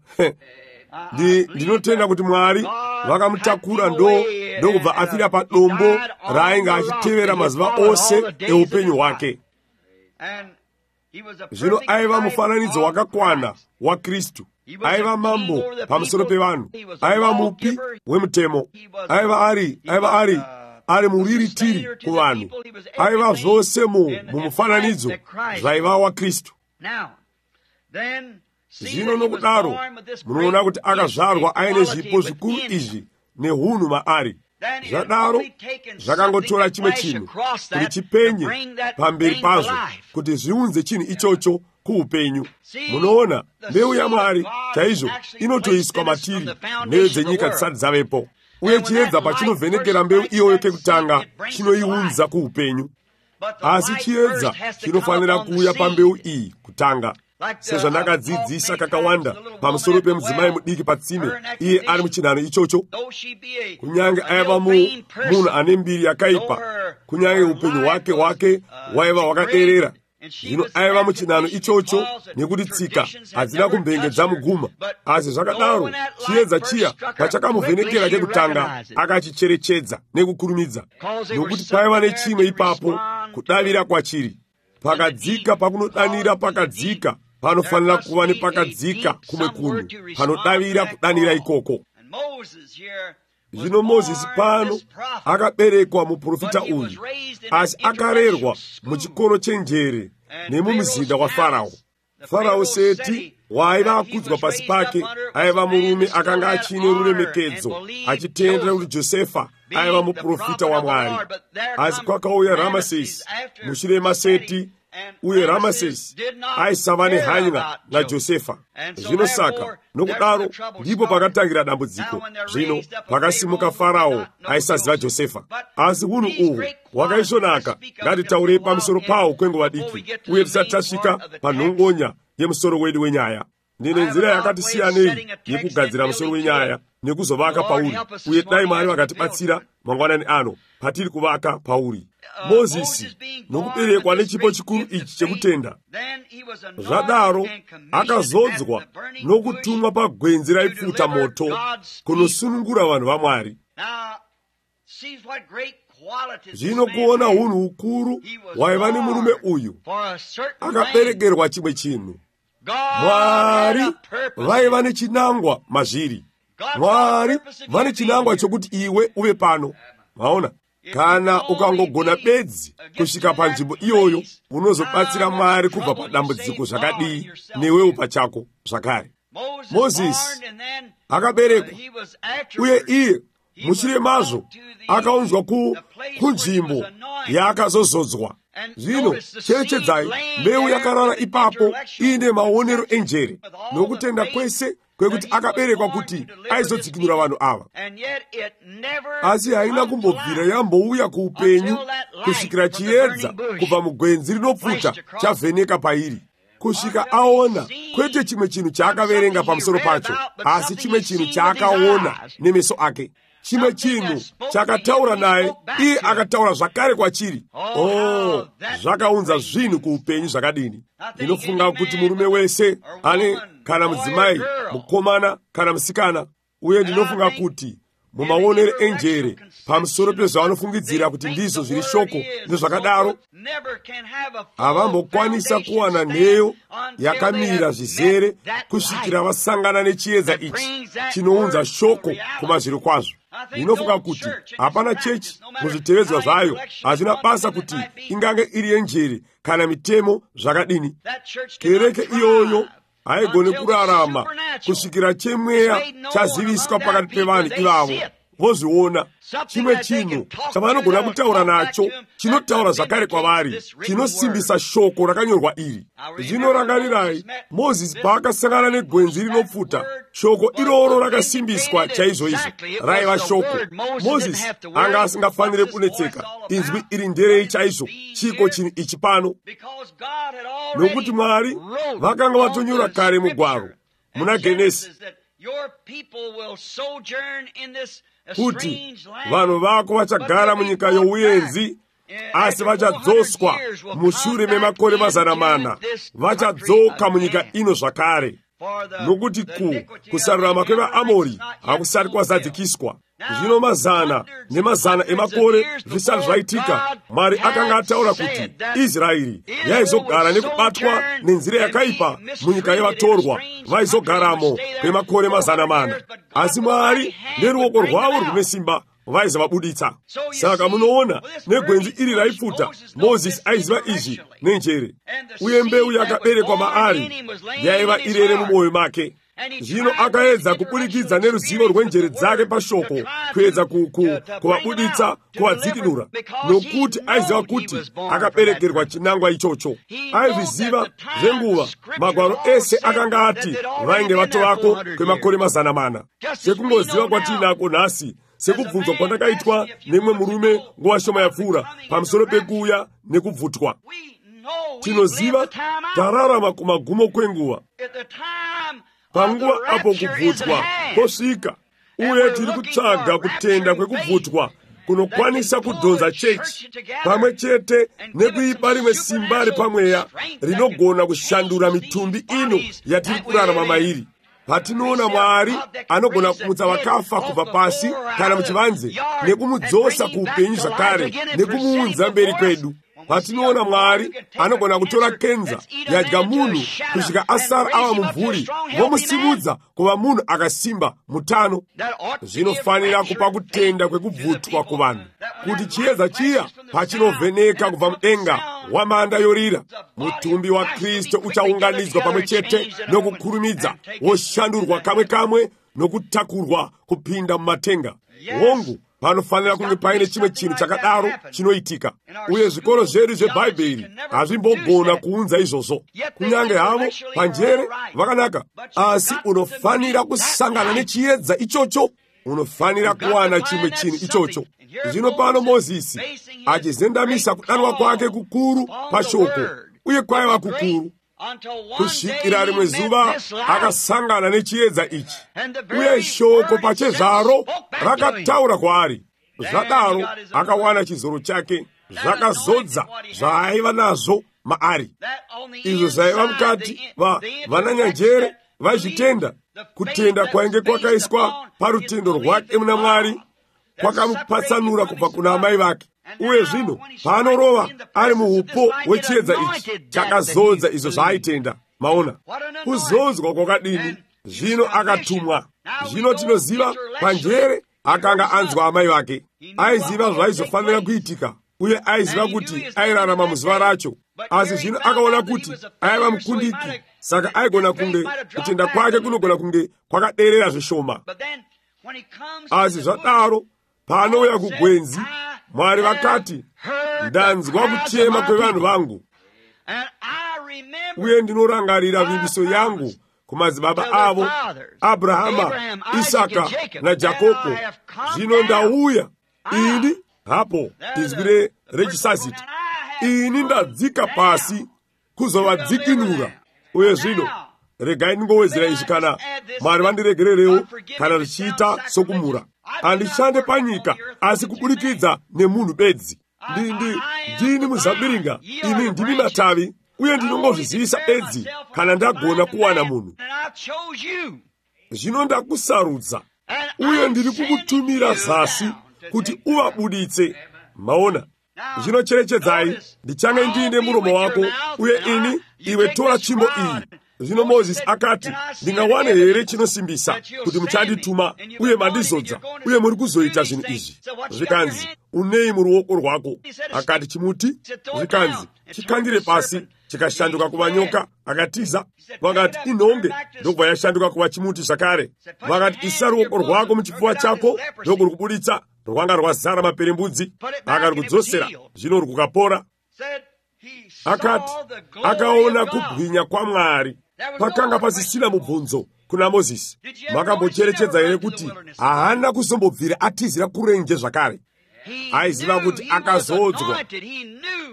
Ndinotenda kuti Mwari vakamutakura ndokubva afira padombo raainge achitevera mazuva ose eupenyu hwake. Zvino aiva mufananidzo wakakwana waKristu. Aiva mambo pamusoro pevanhu. Aiva mupi wemutemo. Aiva ari muriritiri kuvanhu. Aiva zvose mumufananidzo zvaiva waKristu. Zvino nokudaro munoona kuti akazvarwa aine zvipo zvikuru izvi nehunhu maari. Zvadaro zvakangotora chimwe chinhu kuti chipenye pamberi pazvo, kuti zviunze chinhu ichocho kuupenyu. Munoona, mbeu yaMwari chaizvo inotoiswa matiri neyo dzenyika dzisati dzavepo, uye chiedza pachinovhenekera mbeu iyoyo kekutanga chinoiunza kuupenyu. Asi chiedza chinofanira kuuya pambeu iyi kutanga, sezvandakadzidzisa kakawanda pamusoro pemudzimai mudiki patsime, iye ari muchinhano ichocho. Kunyange aiva munhu ane mbiri yakaipa, kunyange upenyu hwake hwaiva hwakaderera, zvino aiva muchinhano ichocho, nekuti tsika hadzina kumbengedza muguma. Asi zvakadaro chiedza chiya pachakamuvhenekera kekutanga akachicherechedza nekukurumidza, nokuti paiva nechimwe ipapo kudavira kwachiri. Pakadzika pakunodanira pakadzika, panofanira kuva nepakadzika kumwe kunhu panodavira kudanira ikoko. Zvino Mozisi pano akaberekwa muprofita uyu, asi akarerwa muchikoro chenjere nemumuzinda wa Farao. Farao Seti waiva akudzwa pasi pake aiva murume akanga achine ruremekedzo, achitendera kuti Josefa aiva muprofita waMwari. Asi kwakauya Ramasesi mushure maSeti, uye Ramasesi aisava nehanya naJosefa. Zvino saka nokudaro ndipo pakatangira dambudziko. Zvino pakasimuka Farao aisaziva Josefa. Asi hunhu uhu hwakaisvonaka ngatitaurei pamusoro pawo kwenguva diki, uye tisati tasvika panhongonya yemusoro wedu wenyaya. Ndine nzira yakati siyanei yekugadzira musoro wenyaya nekuzovaka pauri, uye dai Mwari vakatibatsira mangwanani ano patiri kuvaka pauri. Mozisi nokuberekwa nechipo chikuru ichi chekutenda, zvadaro akazodzwa nokutumwa pagwenzi raipfuta moto kunosunungura vanhu vaMwari. Zvino kuona hunhu hukuru waiva nemurume uyu, akaberekerwa chimwe chinhu. Mwari vaiva nechinangwa mazviri. Mwari vane chinangwa chokuti iwe uve pano. Maona, kana ukangogona bedzi kusvika panzvimbo iyoyo, unozobatsira Mwari kubva padambudziko zvakadii newewo pachako zvakare. Mozisi akaberekwa, uye iye mushure mazvo akaunzwa kunzvimbo yaakazozodzwa. Zvino cherechedzai, mbeu yakarara ipapo ine maonero enjere nokutenda kwese kwekuti akaberekwa kuti aizodzikinura vanhu ava. Asi haina kumbobvira yambouya kuupenyu kusvikira chiedza kubva mugwenzi rinopfuta chavheneka pairi, kusvika aona kwete chimwe chinhu chaakaverenga pamusoro pacho, asi chimwe chinhu chaakaona nemeso ake. Chimwe chinhu chakataura naye, iye akataura zvakare kwachiri. Zvakaunza zvinhu kuupenyu zvakadini. Ndinofunga kuti murume wese ane kana mudzimai, mukomana kana musikana, uye ndinofunga kuti mumaonere enjere pamusoro pezvavanofungidzira kuti ndizvo zviri shoko nezvakadaro, havambokwanisa kuwana nheyo yakamira zvizere kusvikira vasangana nechiedza ichi chinounza shoko kumazviro kwazvo. Ndinofunga kuti hapana chechi muzvitevedzwa zvayo hazvina basa kuti ingange iri yenjere kana mitemo zvakadini. Kereke iyoyo haigone kurarama kusvikira chemweya chaziviswa pakati pevanhu ivavo, vozviona chimwe chinhu chavanogona kutaura nacho chinotaura zvakare kwavari, chinosimbisa shoko rakanyorwa iri. Zvinorangarirai Mozisi paakasangana negwenzi rinopfuta, shoko iroro rakasimbiswa chaizvoizvo, raiva shoko. Mozisi anga asingafanire kunetseka, inzwi iri nderei chaizvo, chiko chinhu ichi pano, nokuti Mwari vakanga vatonyora kare mugwaro muna Genesi kuti vanhu vako vachagara munyika youyenzi, asi vachadzoswa mushure memakore 400, vachadzoka munyika ino zvakare, nokuti kusarurama kwevaAmori hakusati kwazadzikiswa. Zvino 100 nemazana emakore zvisati zvaitika, Mwari akanga ataura kuti Israeri yaizogara nekubatwa nenzira yakaipa munyika yevatorwa, vaizogaramo kwemakore 400. Asi Mwari neruoko rwavo rwune simba vaizovabuditsa. Saka munoona negwenzi iri raipfuta, Mozisi aiziva izvi nenjere, uye mbeu yakaberekwa maari yaiva irere mumwoyo make. Zvino akaedza kuburikidza neruzivo rwenjere dzake pashoko kuedza kuvabuditsa, kuvadzikinura, nokuti aiziva kuti akaberekerwa chinangwa ichocho. Aizviziva zvenguva magwaro ese akanga ati vainge vatovako kwemakore 400. Sekungoziva kwatinako nhasi, sekubvunzwa kwandakaitwa nemwe murume nguva shoma yapfuura pamusoro pekuuya nekubvutwa. Tinoziva tararama kumagumo kwenguva. Panguva apo kubvutwa kwosvika, uye tiri kutsvaga kutenda kwekubvutwa kunokwanisa kudhonza chechi pamwe chete nekuipa rimwe simba ripamweya rinogona kushandura mitumbi ino yatiri kurarama mairi. Patinoona Mwari anogona kumutsa vakafa kubva pasi kana muchivanze, nekumudzosa kuupenyu zvakare, nekumuunza mberi kwedu. patinoona Mwari anogona kutora kenza yadya munhu kusvika asara ava mumvuri vomusimudza kuva munhu akasimba mutano. Zvinofanira kupa kutenda kwekubvutwa kuvanhu kuti chiedza chiya pachinovheneka kubva mudenga wamanda yorira, mutumbi wa Kristu uchaunganidzwa pamwe chete nokukurumidza, woshandurwa kamwe kamwe nokutakurwa kupinda mumatenga. Hongu, panofanira kunge paine chimwe chinhu chakadaro chinoitika, uye zvikoro zvedu zvebhaibheri hazvimbogona kuunza izvozvo. Kunyange havo panjere vakanaka, asi unofanira kusangana nechiedza ichocho, unofanira kuwana chimwe chinhu ichocho. Zvino pano Mozisi achizendamisa kudanwa kwake kukuru pashoko, uye kwaiva kukuru kusvikira rimwe zuva akasangana nechiedza ichi, uye shoko pachezvaro rakataura kwaari. Zvadaro akawana chizoro chake, zvakazodza zvaaiva nazvo maari. Izvo zvaiva mukati vananyanjere vaizvitenda. Kutenda kwainge kwakaiswa parutendo rwake muna Mwari kwakamupatsanura kubva kuna amai vake. Uye zvino paanorova ari muupo hwechiedza ichi, chakazodza izvo zvaaitenda. Maona kuzodzwa kwakadini. Zvino akatumwa. Zvino tinoziva panjere akanga anzwa amai vake, aiziva zvaizofanira kuitika, uye aiziva kuti airarama muzuva racho. Asi zvino akaona kuti aiva mukundiki, saka aigona kunge kutenda kwake kunogona kunge kwakaderera zvishoma. Asi zvadaro paanouya kugwenzi, Mwari vakati, ndanzwa kuchema kwevanhu vangu, uye ndinorangarira vimbiso yangu kumadzibaba avo Abrahama, Isaka naJakobo. Zvino ndauya ini hapo izwi rechisaziti, ini ndadzika pasi kuzovadzikinura. Uye zvino regai ndingowedzera izvi, kana Mwari vandiregererewo kana richiita sokumura. Handishande panyika asi kuburikidza nemunhu bedzi. Ndini muzabiringa, ini ndimi matavi, uye ndinongozvizivisa bedzi kana ndagona kuwana munhu. Zvino ndakusarudza, uye ndiri kukutumira zasi kuti uvabuditse. Maona, zvino cherechedzai, ndichange ndiine muromo wako, uye iwe tora tsvimbo iyi. Zvino Mozisi akati, ndingawane here chinosimbisa kuti muchandituma uye mandizodza, uye muri kuzoita zvinhu izvi? Zvikanzi, unei muruoko rwako? Akati, chimuti. Zvikanzi, chikandire pasi. Chikashanduka kuva nyoka. Akatiza. Vakati, inhonge. Ndobva yashanduka kuva chimuti zvakare. Vakati, isa ruoko rwako muchipfuva chako, ndokuri kubuditsa. Rwanga rwazara maperembudzi. Akati kudzosera, zvino rukapora. Akati, akaona kubwinya kwaMwari. Pakanga pasisina mubvunzo kuna Mozisi. Makambocherechedza here kuti haana kuzombobvira atizira kurenje zvakare? Aiziva kuti akazodzwa.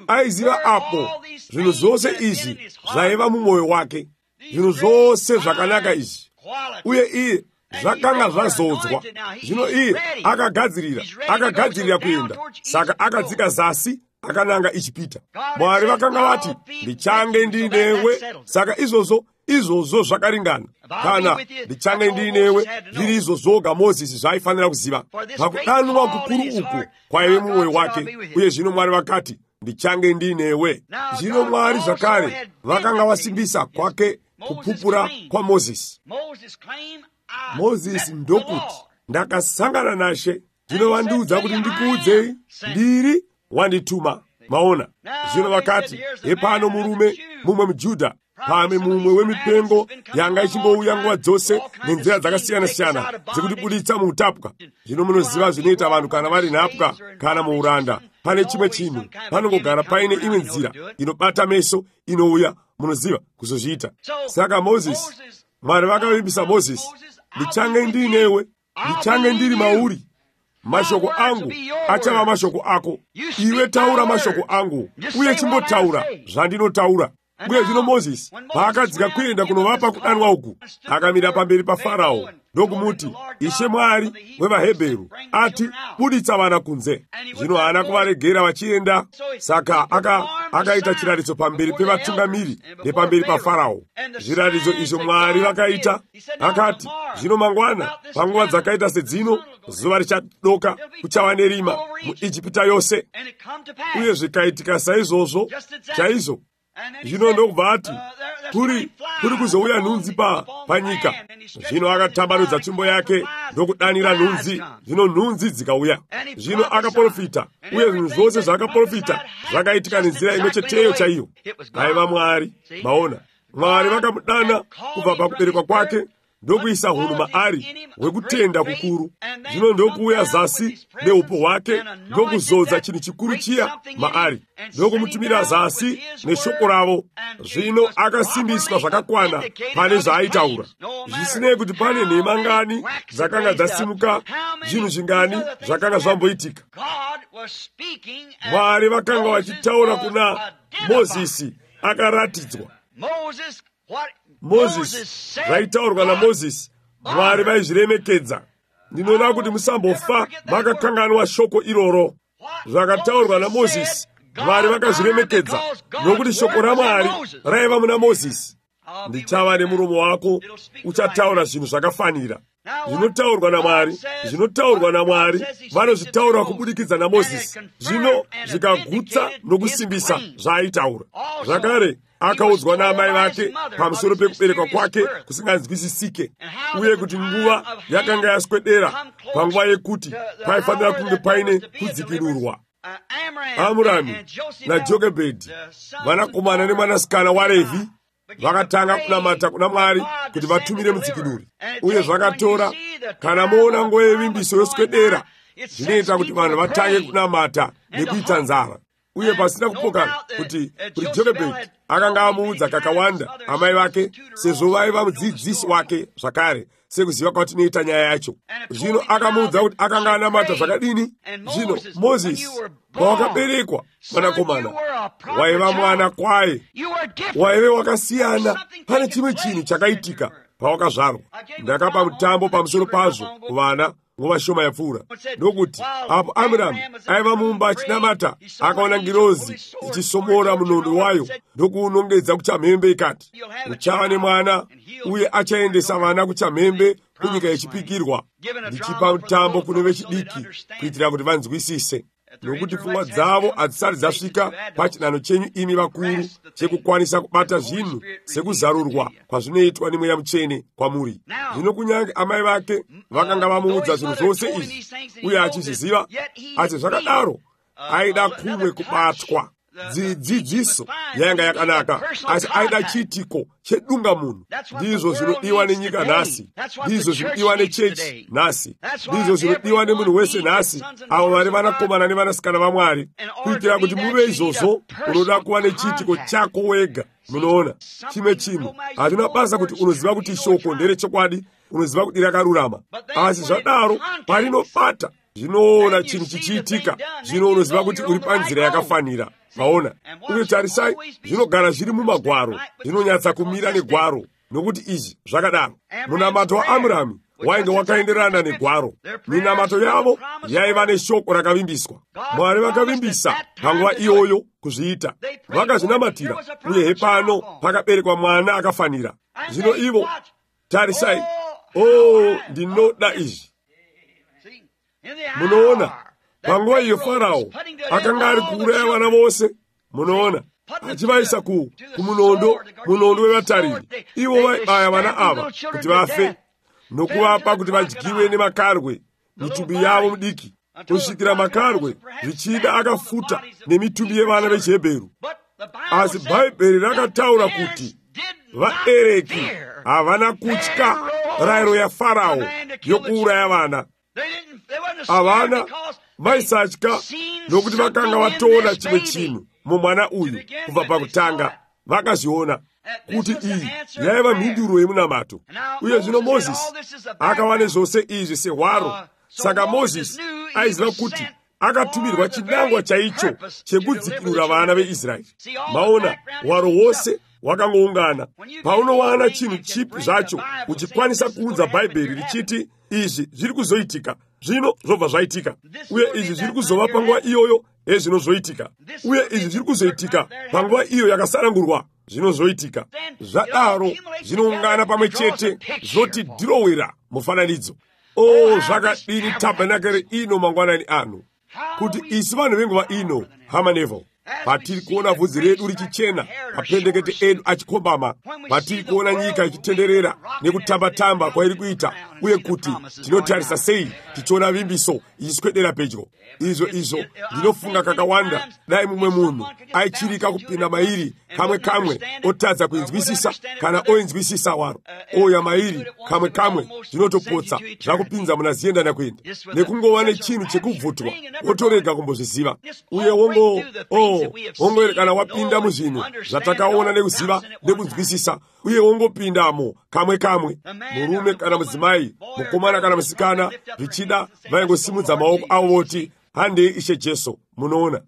Aiziva apo zvinhu zvose izvi zvaiva mumwoyo wake, zvinhu zvose zvakanaka izvi, uye iye zvakanga zvazodzwa. Zvino iye akagadzirira kuenda, saka akadzika zasi akananga ichipita. Mwari vakanga vati, ndichange ndinewe. Saka izvozvo zvakaringana. Kana ndichange ndinewe, zviri izvo zvoga Mozisi zvaifanira kuziva. Pakudanwa kukuru uku kwaive mumwoyo wake, uye zvino Mwari vakati, ndichange ndinewe. Zvino Mwari zvakare vakanga vasimbisa kwake kupupura kwa Mozisi. Mozisi ndokuti, ndakasangana naShe, zvino vandiudza kuti ndikuudzei, ndiri wandituma. Maona, zvino vakati, hepano murume mumwe muJudha, pamwe mumwe wemipengo yanga ichingouya nguva dzose nenzira dzakasiyana-siyana dzekutibuditsa muutapwa. Zvino munoziva zvinoita vanhu kana vari nhapwa kana muuranda. Pane chimwe chinhu, panongogara paine imwe nzira inobata meso inouya, munoziva kuzozviita. Saka Mozisi, Mwari vakavimbisa Mozisi, ndichange ndinewe, ndichange ndiri mauri. Mashoko angu achava mashoko ako. Iwe taura mashoko angu, uye chimbotaura zvandinotaura. Bwe zvino Mozisi paakadzika kuenda kunovapa kudanwa uku, akamira pamberi pa Farao ndokumuti, Ishe Mwari wevaHebheru ati, buditsa vana kunze. Zvino haana kuvaregera vachienda, saka akaita chiratidzo pamberi pevatungamiri nepamberi pa Farao. Zviratidzo izvo Mwari vakaita, akati, zvino mangwana panguva dzakaita sedzino, zuva richadoka kuchava nerima muIjipita yose. Uye zvikaitika saizvozvo chaizvo. Zvino ndokubva ati kuri kuzouya nhunzi panyika. Zvino akatambanudza tsvimbo yake ndokudanira nhunzi. Zvino nhunzi dzikauya. Zvino akaprofita, uye zvinhu zvose zvaakaprofita zvakaitika nenzira imwe cheteyo chaiyo. Aiva Mwari. Maona, Mwari vakamudana kubva pakuberekwa kwake ndokuisa hunhu maari hwekutenda kukuru. Zvino ndokuuya zasi neupo hwake ndokuzodza chinhu chikuru chiya maari, ndokumutumira zasi neshoko ravo. Zvino akasimbiswa zvakakwana pane zvaaitaura, zvisinei kuti pane nhema ngani dzakanga dzasimuka, zvinhu zvingani zvakanga zvamboitika. Mwari vakanga vachitaura kuna Mozisi akaratidzwa. Mozisi zvaitaurwa naMozisi, Mwari vaizviremekedza. Ndinoda kuti musambofa makakanganwa shoko iroro. Zvakataurwa naMozisi, Mwari vakazviremekedza, nokuti shoko raMwari raiva muna Mozisi. Ndichava nemuromo wako, uchataura zvinhu zvakafanira. Zvinotaurwa naMwari, zvinotaurwa naMwari, vanozvitaura kubudikidza naMozisi. Zvino zvikagutsa nokusimbisa zvaaitaura. Zvakare akaudzwa naamai vake pamusoro pekuberekwa kwake kusinganzwisisike, uye kuti nguva yakanga yaswedera panguva yekuti paifanira kunge paine kudzikinurwa. Amurami naJokebhedhi, vanakomana nemwanasikana waRevhi, vakatanga kunamata kuna Mwari kuti vatumire mudzikinuri. Uye zvakatora, kana moona nguva yevimbiso yoswedera, zvinoita kuti vanhu vatange kunamata nekuita nzara. Uye pasina kupoka kuti Jokebhedhi akanga amuudza kakawanda amai vake, sezvo vaiva mudzidzisi wake zvakare, sekuziva kwatinoita nyaya yacho. Zvino akamuudza kuti akanga anamata zvakadini. Zvino Mozisi, pawakaberekwa mwanakomana, waiva mwana kwaye, waive wakasiyana. Pane chimwe chinhu chakaitika pawakazvarwa. Ndakapa mutambo pamusoro pazvo kuvana nguva shoma yapfuura, ndokuti apo Amuramu aiva mumba achinamata, akaona ngirozi ichisomora munondo wayo ndokuunongedza kuchamhembe, ikati, uchava nemwana, uye achaendesa vana kuchamhembe kunyika yechipikirwa, ndichipa mutambo kune vechidiki kuitira kuti vanzwisise. Nokuti pfungwa dzavo hadzisati dzasvika pachinano chenyu imi vakuru, chekukwanisa kubata zvinhu sekuzarurwa kwazvinoitwa neMweya Mutsvene kwamuri. Zvino kunyange amai vake vakanga vamuudza zvinhu zvose izvi, uye achizviziva, asi zvakadaro aida kumwe kubatwa. Dzidziso yanga yakanaka, asi aida chiitiko chedunga munhu. Ndizvo zvinodiwa nenyika nhasi, ndizvo zvinodiwa nechechi nhasi, ndizvo zvinodiwa nemunhu wese nhasi, avo vari vanakomana nevanasikana vaMwari. Kuitira kuti muve izvozvo, unoda kuva nechiitiko chako wega. Munoona, chimwe chinhu hatina basa kuti unoziva kuti shoko nderechokwadi, unoziva kuti rakarurama, asi zvadaro parinobata zvinoona chinhu chichiitika, zvino unoziva kuti uri panzira yakafanira. Maona, uye tarisai, zvinogara zviri mumagwaro, zvinonyatsa kumira negwaro, nokuti izvi zvakadaro. Munamato waAmurami wainge wakaenderana negwaro. Minamato yavo yaiva neshoko rakavimbiswa. Mwari vakavimbisa panguva iyoyo kuzviita, vakazvinamatira, uye hepano pakaberekwa mwana akafanira. Zvino ivo, tarisai, ndinoda izvi. Munoona, panguva iyo Farao akanga ari kuuraya vana vose, munoona, achivaisa kumunondo wevatariri. Ivo vaibaya vana ava kuti vafe, nokuvapa kuti vadyiwe nemakarwe mitumbi yavo mudiki, kusvikira makarwe zvichida akafuta nemitumbi yevana vechiHebheru. Asi Bhaibheri rakataura kuti vaereki havana kutya rayiro yaFarao yokuuraya vana. Havana vaisatya nokuti vakanga vatoona chimwe chinhu mumwana uyu kubva pakutanga. Vakazviona kuti iyi yaiva mhinduro yemunamato. Uye zvino Mozisi akava nezvose izvi sehwaro. Saka Mozisi aiziva kuti akatumirwa chinangwa chaicho chekudzikinura vana veIsraeri. Maona, hwaro hwose wakangoungana. Paunowana chinhu chipi zvacho uchikwanisa kuudza Bhaibheri richiti izvi zviri kuzoitika, zvino zvobva zvaitika, uye izvi zviri kuzova panguva iyoyo, zvinozoitika, uye izvi zviri kuzoitika panguva iyo yakasarangurwa, zvinozoitika. Zvadaro zvinoungana pamwe chete zvoti dhirowera mufananidzo. Zvakadini tabhenakeri ino mangwanani ano, kuti isi vanhu venguva ino, hama Neville, patiri kuona vhudzi redu richichena, mapendekete edu achikombama, patiri kuona nyika ichitenderera nekutamba-tamba kwairi kuita, uye kuti tinotarisa sei tichiona vimbiso ichiswedera pedyo. Izvo ndinofunga kakawanda dai mumwe munhu aichirika kupinda mairi kamwe otadza kuinzwisisa kana oinzwisisa waro. Oya mairi kamwe zvinotopotsa zvakupinza muna ziyendana kuenda nekungova nechinhu chekubvutwa wotorega kumbozviziva, uye wongoerekana wapinda muzvinhu zvatakaona nekuziva nekunzwisisa, uye wongopindamo kamwe. Murume kana mudzimai, mukomana kana musikana, zvichida vaingosimudza maoko avo voti handei Ishe Jesu. Munoona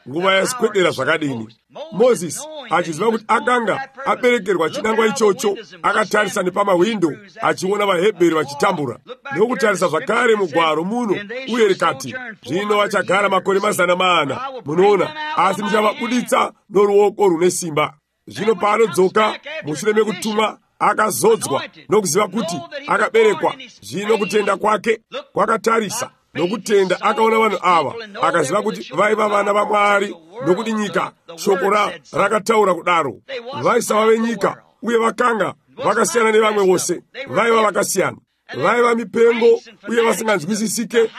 nguva yaswedera zvakadini. Mozisi achiziva kuti akanga aberekerwa chinangwa ichocho, akatarisa nepamawindo achiona vaHebheru vachitambura, nekutarisa zvakare mugwaro muno, uye rikati zvino vachagara makore 400. Munoona, asi muchavabuditsa noruoko rune simba. Zvino paanodzoka mushure mekutumwa, akazodzwa nokuziva kuti akaberekwa. Zvino kutenda kwake kwakatarisa nokutenda akaona vanhu ava, akaziva kuti vaiva vana vaMwari, nokuti nyika shoko rakataura kudaro. Vaisava venyika, uye vakanga vakasiyana nevamwe vose, vaiva vakasiyana, vaiva mipengo uye vasinganzwisisike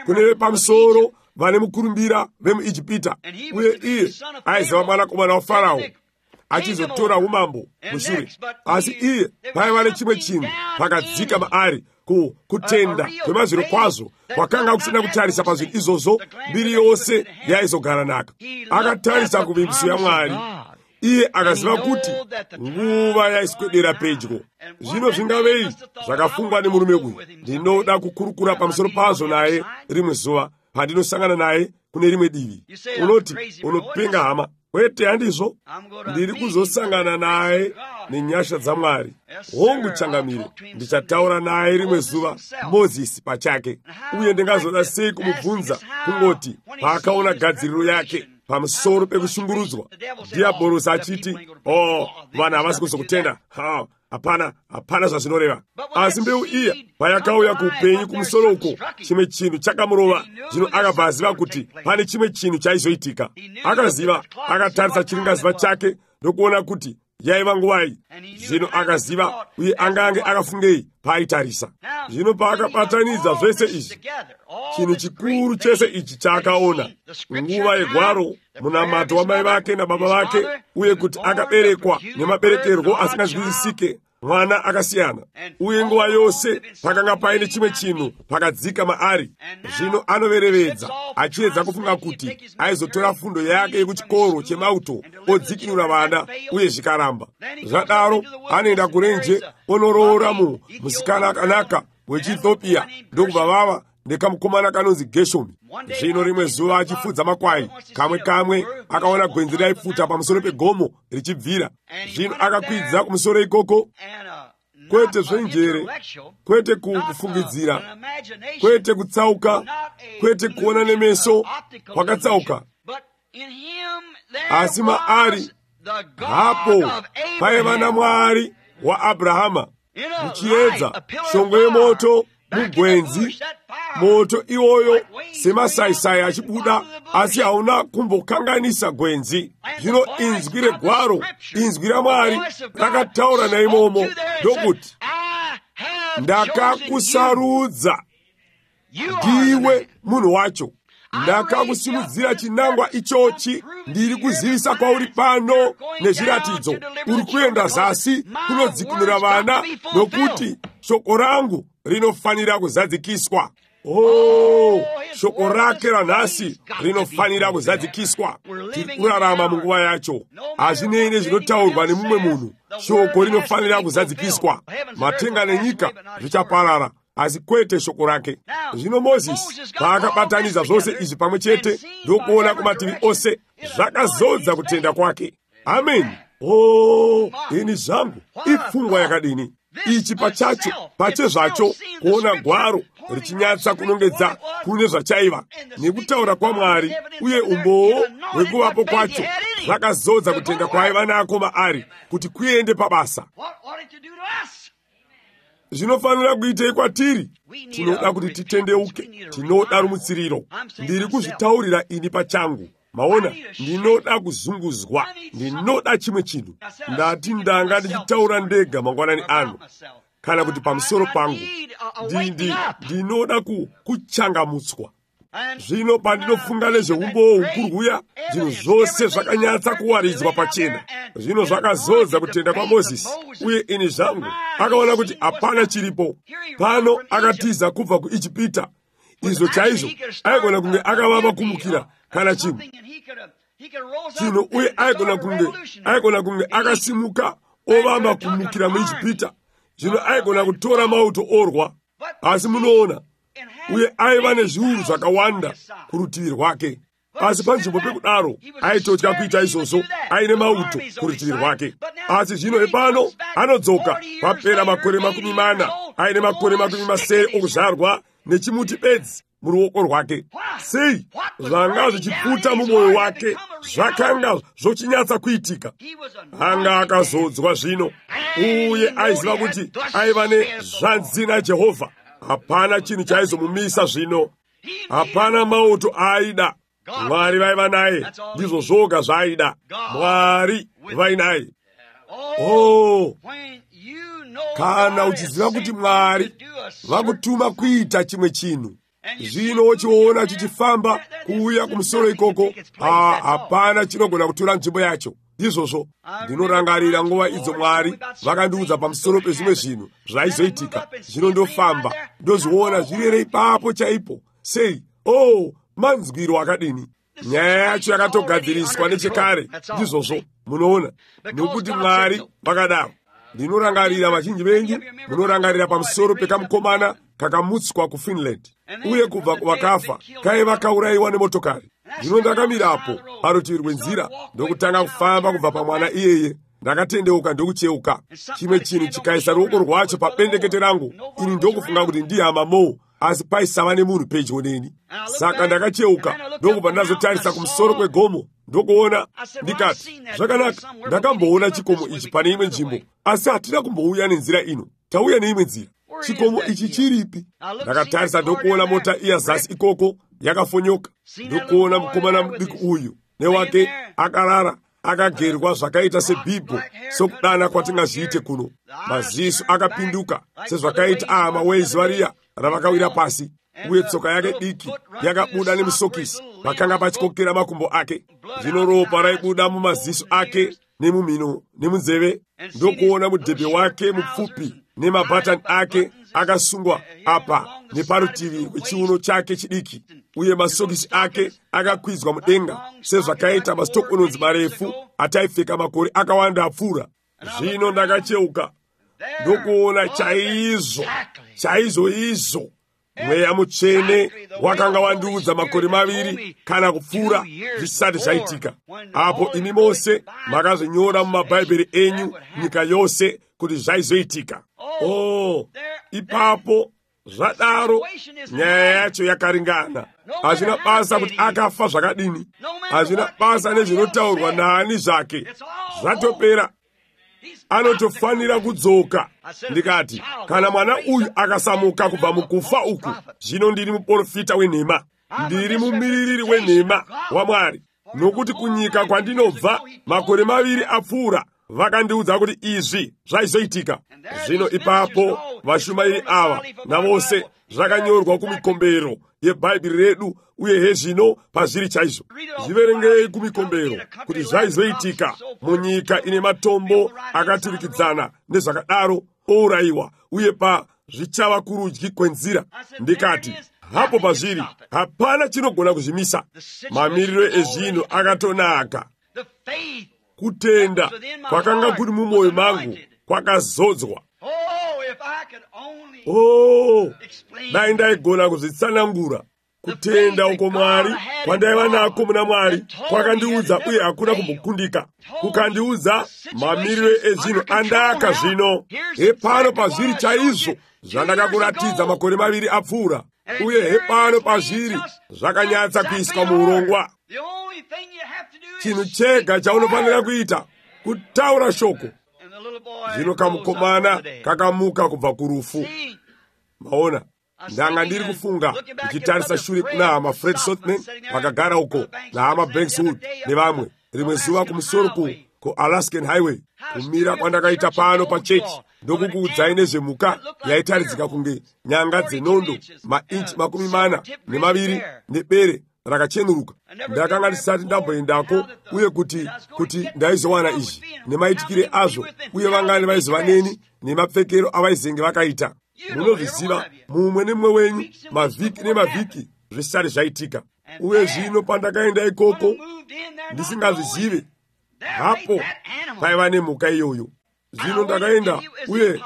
kune vepamusoro vane mukurumbira vemuIjipita, uye iye aiziva mwanakomana waFarao achizotora umambo mushure. Asi iye paiva nechimwe chinhu pakadzika maari, kutenda kwemazviro kwazvo kwakanga kusina kutarisa pazvinhu izvozvo. Mbiri yose yaizogara naka. Akatarisa kuvimbiso yaMwari. Iye akaziva kuti nguva yaiswedera pedyo. Zvino zvingavei zvakafungwa nemurume uyu. Ndinoda kukurukura pamusoro pazvo naye rimwe zuva pandinosangana naye kune rimwe divi. Unoti unopenga hama, kwete handizvo, ndiri kuzosangana naye nenyasha dzaMwari. Hongu changamire, ndichataura naye rimwe zuva, Mozisi pachake, uye ndingazoda sei kumubvunza kungoti paakaona gadziriro yake pamusoro pekushungurudzwa, dhiabhorosi achiti vanhu havasi kuzokutenda, hapana zvazvinoreva. Asi mbeu iya payakauya kuupenyu kumusoro uko, chimwe chinhu chakamurova. Zvino akabva aziva kuti pane chimwe chinhu chaizoitika. Akaziva, akatarisa chiringaziva chake ndokuona kuti yaiva nguvai. Zvino akaziva, uye angange akafungei paaitarisa. Zvino paakabatanidza zvese izvi, chinhu chikuru chese ichi chaakaona, nguva yegwaro, munamato wamai vake nababa vake, uye kuti akaberekwa nemaberekerwo asinganzwisisike, mwana akasiyana, uye nguva yose pakanga paine chimwe chinhu pakadzika maari. Zvino anoverevedza achiedza kufunga kuti aizotora fundo yake yekuchikoro chemauto odzikinura vana, uye zvikaramba. Zvadaro anoenda kurenje onoroora musikana akanaka wechiEthiopia, ndokubva vava ndekamukomana kanonzi Geshomi. Zvino rimwe zuva achifudza makwai, kamwe akaona gwenzi raipfuta pamusoro pegomo richibvira. Zvino akakwidza kumusoro ikoko, kwete zvenjere, kwete kufungidzira, kwete kutsauka, kwete kuona nemeso kwakatsauka, asi maari hapo paiva naMwari waAbhurahama, muchiedza shongwe yemoto mugwenzi. Moto iwoyo semasaisai achibuda, asi hauna kumbokanganisa gwenzi. Zvino inzwi regwaro, inzwi raMwari rakataura naimomo ndokuti, ndakakusarudza ndiwe munhu wacho, ndakakusimudzira chinangwa ichochi. Ndiri kuzivisa kwauri pano nezviratidzo. Uri kuenda zasi kunodzikinura vana, nokuti shoko rangu rinofanira kuzadzikiswa. Shoko rake ranhasi rinofanira kuzadzikiswa. Tiri kurarama munguva yacho. Hazvinei nezvinotaurwa nemumwe munhu, shoko rinofanira kuzadzikiswa. Matenga nenyika zvichaparara, asi kwete shoko rake. Zvino Mozisi paakabatanidza zvose izvi pamwe chete, ndokuona kumativi ose zvakazodza kutenda kwake. Amen. Ini zangu ifungwa yakadini ichi pachezvacho kuona gwaro richinyatsa kunongedza kune zvachaiva nekutaura kwaMwari uye umboo hwekuvapo kwacho zvakazodza kutenga kwaiva nako maari kuti kuende pabasa. Zvinofanira kuitei kwatiri. Tinoda kuti titendeuke, tinoda rumutsiriro. Ndiri kuzvitaurira ini pachangu. Maona, ndinoda kuzunguzwa, ndinoda chimwe chinhu. Ndati ndanga ndichitaura ndega mangwanani ano, kana kuti pamusoro pangu. Ndinoda kuchangamutswa. Zvino pandinofunga nezveumboo hukuruya, zvinhu zvose zvakanyatsa kuwaridzwa pachena. Zvino zvakazodza kutenda kwa Mozisi, uye ini zvangu akaona kuti hapana chiripo. Pano akatiza kubva kuIjipita. Izvo chaizvo aigona kunge akavava kumukira kana chimwe chino, uye aigona kunge akasimuka ovamba kumukira muIjipita. Zvino aigona kutora mauto orwa, asi munoona, uye aiva nezviuru zvakawanda kurutivi rwake. Asi panzvimbo pekudaro aitotya kuita izvozvo, aine mauto kurutivi rwake. Asi zvino epano anodzoka papera makore 40, aine makore 70 okuzvarwa nechimuti bedzi muruoko rwake. Sei zvanga zvichipfuta mumwoyo wake zvakanga zvochinyatsa kuitika. Anga akazodzwa zvino, uye aiziva kuti aiva nezvanzi naJehovha. Hapana chinhu chaizomumisa zvino, hapana mauto aaida. Mwari vaiva naye, ndizvo zvoga zvaaida. Mwari vainaye. Kana uchiziva kuti Mwari vakutuma kuita chimwe chinhu, zvino wochiona chichifamba kuuya kumusoro ikoko, hapana chinogona kutora nzvimbo yacho. Izvozvo ndinorangarira nguva idzo Mwari vakandiudza pamusoro pezvimwe zvinhu zvaizoitika. Zvino ndofamba ndozviona zvirere ipapo chaipo. Sei, manzwiro akadini. Nyaya yacho yakatogadziriswa nechekare. Ndizvozvo munoona, nokuti Mwari vakadaro. Ndinorangarira vazhinji venyu munorangarira pamusoro pekamukomana kakamutswa kuFinland, uye kubva kuvakafa kaiva kaurayiwa nemotokari. Zvino ndakamirapo parutivi rwenzira ndokutanga kufamba kubva pamwana iyeye. Ndakatendeuka ndokucheuka. Chimwe chinhu chikaisa ruoko rwacho pabendekete rangu. Ini ndokufunga kuti ndihama Mo, asi paisava nemunhu pedyo neni. Saka ndakacheuka ndokubva ndazotarisa kumusoro kwegomo ndokuona. Ndikati, zvakanaka, ndakamboona chikomo ichi pane imwe nzvimbo, asi hatina kumbouya nenzira ino. Tauya neimwe nzira. Chikomo ichi chiripi? Ndakatarisa ndokuona mota iya zasi ikoko yakafonyoka. Ndokuona mukomana muduku uyu newake akarara akagerwa zvakaita sebhibho, sokudana kwatingazviite kuno. Maziso akapinduka sezvakaita ahama variya ravakawira pasi, uye tsoka yake diki yakabuda nemusokisi pakanga pachikokera makumbo ake. Zvino ropa raibuda mumaziso ake nemumhino nemunzeve. Ndokuona mudhebhe wake mupfupi nemabhatani ake akasungwa apa neparutivi rwechiuno chake chidiki, uye masokisi ake akakwidzwa mudenga sezvakaita mastokononzi marefu ataipfeka makore akawanda apfuura. Zvino ndakacheuka ndokuona chaizvo izvo mweya mutsvene wakanga wandiudza makore 2 kana kupfuura zvisati zvaitika. Apo imi mose makazvinyora mumabhaibheri enyu nyika yose kuti zvaizoitika. Ipapo zvadaro nyaya yacho yakaringana. Hazvina basa kuti akafa zvakadini, hazvina basa nezvinotaurwa naani zvake, zvatopera. Anotofanira kudzoka. Ndikati, kana mwana uyu akasamuka kubva mukufa uku, zvino ndiri muprofita wenhema, ndiri mumiririri wenhema waMwari. Nokuti kunyika kwandinobva makore 2 apfuura vakandiudza kuti izvi zvaizoitika. Zvino ipapo vashumairi ava navose zvakanyorwa kumikombero yebhaibheri redu, uye hezvino pazviri chaizvo. Zviverengei kumikombero kuti zvaizoitika munyika ine matombo akaturikidzana nezvakadaro, ourayiwa, uye zvichava kurudyi kwenzira. Ndikati, hapo pazviri hapana chinogona kuzvimisa. Mamiriro ezvinhu akatonaka. Kutenda kwakanga kuri mumwoyo mangu kwakazodzwa. Dai ndaigona kuzvitsanangura. kutenda uko mwari kwandaiva nako muna mwari kwakandiudza uye hakuna kumbokundika, kukandiudza mamiriro ezvinhu andaka zvino. Hepano pazviri chaizvo zvandakakuratidza makore 2 apfuura, uye hepano pazviri zvakanyatsa kuiswa muurongwa. Chinhu chega chaunofanira kuita kutaura shoko. Zvino kamukomana kakamuka kubva kurufu. Maona, ndanga ndiri kufunga ndichitarisa shure kuna hama Fred Sotman vakagara uko nahama Bankswood nevamwe rimwe zuva kumusoro kuAlaskan Highway, kumira kwandakaita pano pachechi ndokukuudzai nezvemhuka yaitaridzika kunge nyanga dzenondo mainchi 42 nebere rakachenuruka. Ndakanga ndisati ndamboendako, uye kuti ndaizowana izvi nemaitikire azvo, uye vangani vaizova neni nemapfekero avaizenge vakaita. Munozviziva mumwe nemumwe wenyu mavhiki nemavhiki zvisati zvaitika. Uye zvino pandakaenda ikoko ndisingazvizive, hapo paiva nemhuka iyoyo. Zvino ndakaenda, uye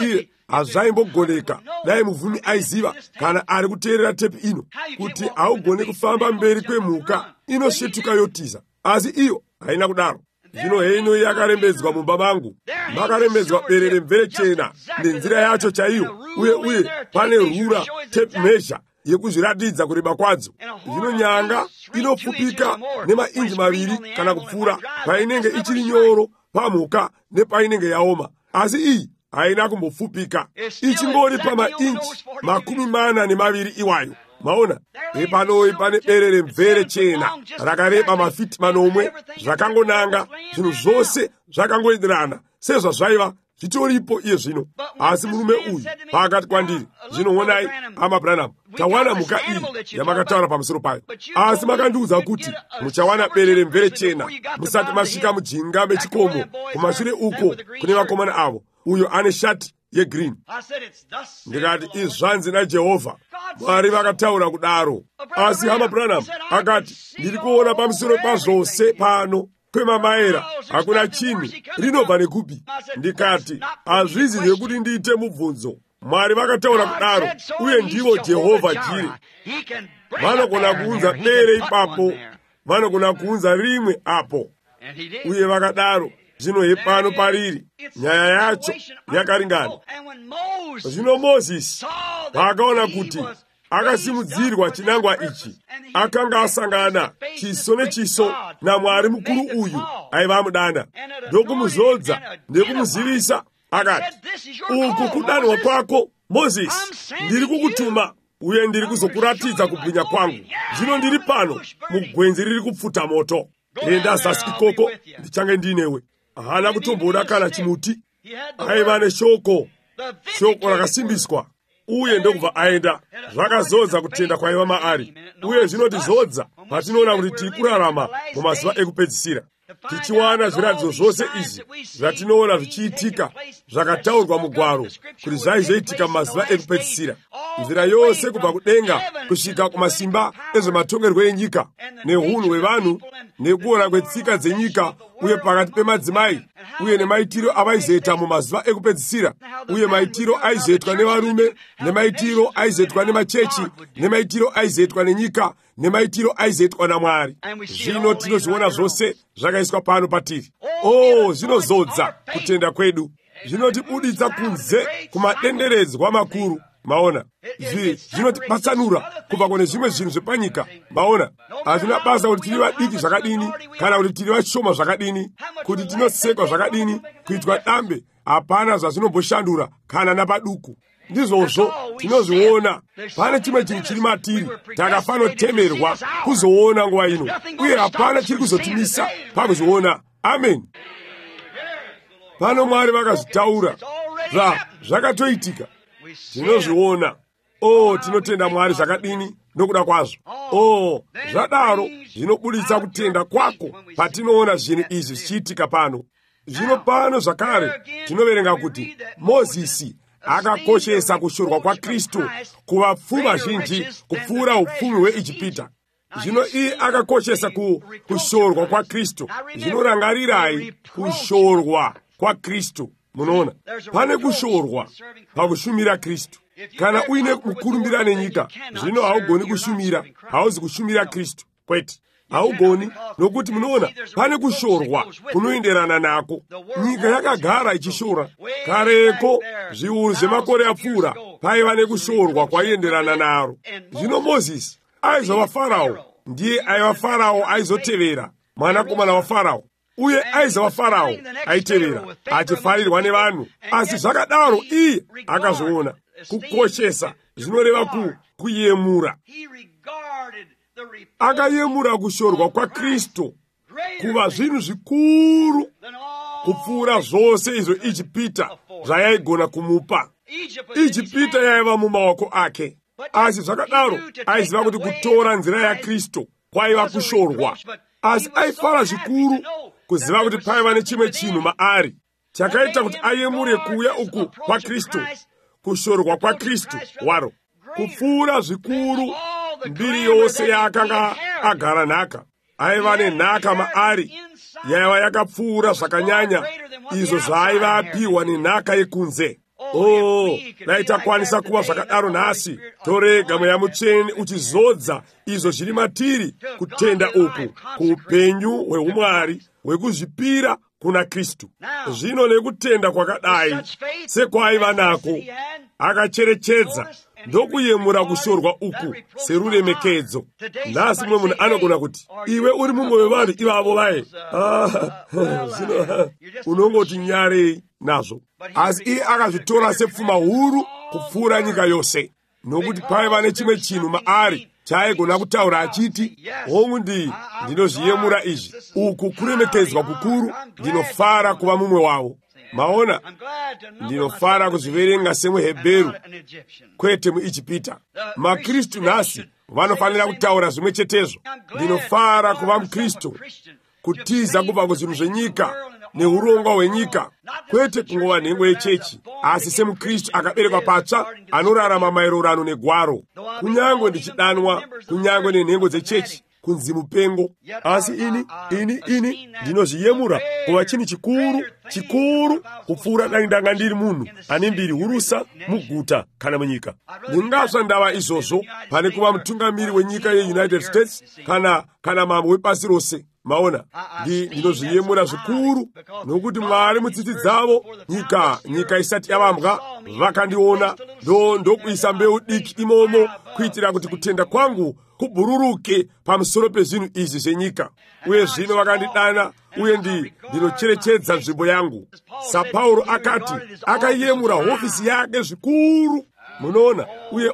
iye hazvaimbogoneka dai muvhumi aiziva kana ari kuteerera tepi ino kuti haugone kufamba mberi kwemhuka inosvetuka yotiza, asi iyo haina kudaro. Zvino heino yakarembedzwa mumba mangu, makarembedzwa berere mvere chena nenzira yacho chaiyo, uye pane rura tape measure yekuzviratidza kureba kwadzo. Zvino nyanga inopfupika nemainji 2 kana kupfuura painenge ichiri nyoro pamhuka nepainenge yaoma, asi iyi haina kumbopfupika, ichingori pamainchi 42 iwayo. Maona, epanoyi pane berere mvere chena rakareba mafiti 8 zvakangonanga, zvinhu zvose zvakangoenderana sezvazvaiva zvitoripo iye zvino. Asi murume uyu paakati kwandiri, zvinoonai hama Branham, tawana mhuka iyi yamakataura pamusoro payo, asi makandiudza kuti muchawana berere mvere chena musati masvika mujinga mechikomo kumashure uko kune vakomana avo, uyo ane shati yegreen. Ndikati izvanzi naJehovha, Mwari vakataura kudaro. Asi hama Branham akati, ndiri kuona pamusoro pazvose pano kwemamaera hakuna chinhu, rinobva nekupi? Ndikati hazvizi zvekuti ndiite mubvunzo. Mwari vakataura kudaro, uye ndivo Jehovha Jire. Vanogona kuunza bere ipapo, vanogona kuunza rimwe apo, uye vakadaro. Zvino hepano pariri nyaya yacho yakaringana. Zvino Mozisi paakaona kuti akasimudzirwa chinangwa ichi, akanga asangana chiso nechiso naMwari mukuru uyu aiva amudana, ndokumuzodza nekumuzivisa, akati, uku kudanwa kwako Mozisi, ndiri kukutuma uye ndiri kuzokuratidza kubwinya kwangu. Zvino ndiri pano mugwenzi riri kupfuta moto. Enda zasi ikoko, ndichange ndinewe. Hana kutomboda kana chimuti, aiva neshoko rakasimbiswa, uye ndokubva aenda. Zvakazodza kutenda kwaiva maari, uye zvinotizodza patinoona kuti tiri kurarama mumazuva ekupedzisira, tichiwana zviratidzo zvose izvi zvatinoona zvichiitika zvakataurwa mugwaro kuti zvaizoitika mumazuva ekupedzisira. Nzira yose kubva kudenga kusvika kumasimba ezvematongerwo enyika, neunhu hwevanhu, nekuora kwetsika dzenyika, uye pakati pemadzimai, uye nemaitiro avaizoita mumazuva ekupedzisira, uye maitiro aizoitwa nevarume, nemaitiro aizoitwa nemachechi, nemaitiro aizoitwa nenyika, nemaitiro aizoitwa naMwari. Zvino tinozviona zvose zvakaiswa pano patiri. Zvinozodza kutenda kwedu, zvinotibuditsa kunze kumadenderedzwa makuru. Maona, zvinotipatsanura kubva kune zvimwe zvinhu zvepanyika. Maona, hazvina basa kuti tiri vadiki zvakadini kana kuti tiri vashoma zvakadini, kuti tinosekwa zvakadini, kuitwa dambe, hapana zvazvinomboshandura kana napaduku. Ndizvozvo tinozviona pane chimwe chinhu chiri matiri takafanotemerwa kuzoona nguva ino, uye hapana chiri kuzotimisa pakuzviona. Amen. Pano Mwari vakazvitaura, zvakatoitika, tinozviona. Tinotenda Mwari zvakadini nokuda kwazvo. Zvadaro zvinobuditsa kutenda kwako patinoona zvinhu izvi zvichiitika pano. Zvino pano zvakare tinoverenga kuti Mozisi akakoshesa kushorwa kwaKristu kuvapfumi vazhinji kupfuura upfumi hweIjipita. Zvino iye akakoshesa kushorwa kwaKristu. Zvinorangarirai kushorwa kwaKristu. munoona pane kushorwa pakushumira Kristu. Kana uine mukurumbira nenyika, zvino haugoni kushumira, hauzi kushumira Kristu, kwete haugoni, nokuti munoona pane kushorwa kunoenderana nako. Nyika yakagara ichishora kareko, zviuru zvemakore apfuura paiva nekushorwa kwaienderana naro. Zvino Mozisi aizova Farao, ndiye aiva Farao aizotevera mwanakomana waFarao, uye aizova Farao aitevera achifarirwa nevanhu. Asi zvakadaro iye akazviona kukoshesa, zvinoreva kuyemura. Akayemura kushorwa kwaKristu kuva zvinhu zvikuru kupfuura zvose izvo Ijipita zvayaigona kumupa. Ijipita yaiva mumaoko ake, asi zvakadaro aiziva kuti kutora nzira yaKristu kwaiva kushorwa. Asi aifara zvikuru kuziva kuti paiva nechimwe chinhu maari chakaita kuti ayemure kuuya uku kwaKristu, kushorwa kwaKristu waro kupfuura zvikuru mbiri yose yaakanga agara nhaka. Aiva nenhaka maari yaiva yakapfuura zvakanyanya izvo zvaaiva apiwa nenhaka yekunze. Dai takwanisa kuva zvakadaro nhasi, torega Mweya Mutsvene uchizodza izvo zviri matiri, kutenda uku kuupenyu hweumwari hwekuzvipira kuna Kristu. Zvino nekutenda kwakadai sekwaiva nako, akacherechedza ndokuyemura kushorwa uku seruremekedzo. Nhasi mumwe munhu anogona kuti iwe uri mumwe wevanhu ivavo vaye, zvino unongoti nyarei nazvo. Asi iye akazvitora sepfuma huru kupfuura nyika yose, nokuti paiva nechimwe chinhu maari chaaigona kutaura achiti, hongu ndinozviyemura izvi, uku kuremekedzwa kukuru, ndinofara kuva mumwe wavo. Maona, ndinofara kuzviverenga semuHebheru, kwete muIjipita. MaKristu nhasi vanofanira kutaura zvimwe chetezvo. Ndinofara kuva muKristu, kutiza kubva kuzvinhu zvenyika neurongwa hwenyika, kwete kungova nhengo yechechi, asi semuKristu akaberekwa patsva, anorarama maererano negwaro. Kunyange ndichidanwa, kunyange nenhengo dzechechi kunzi mupengo, asi ini ndinozviyemura kuva chinhu chikuru kupfuura dai ndanga ndiri munhu ane mbiri hurusa muguta kana munyika. Ndingasva ndava izvozvo pane kuva mutungamiri wenyika yeUnited States kana mambo wepasi rose. Maona, ndinozviyemura zvikuru, nokuti Mwari mutsitsi dzavo nyika isati yavambwa vakandiona, ndokuisa mbeu diki imomo kuitira kuti kutenda kwangu kubhururuke pamusoro pezvinhu izvi zvenyika. Uye zvino vakandidana, uye ndinocherechedza nzvimbo yangu. SaPauro akati akayemura hofisi yake zvikuru, munoona. Uye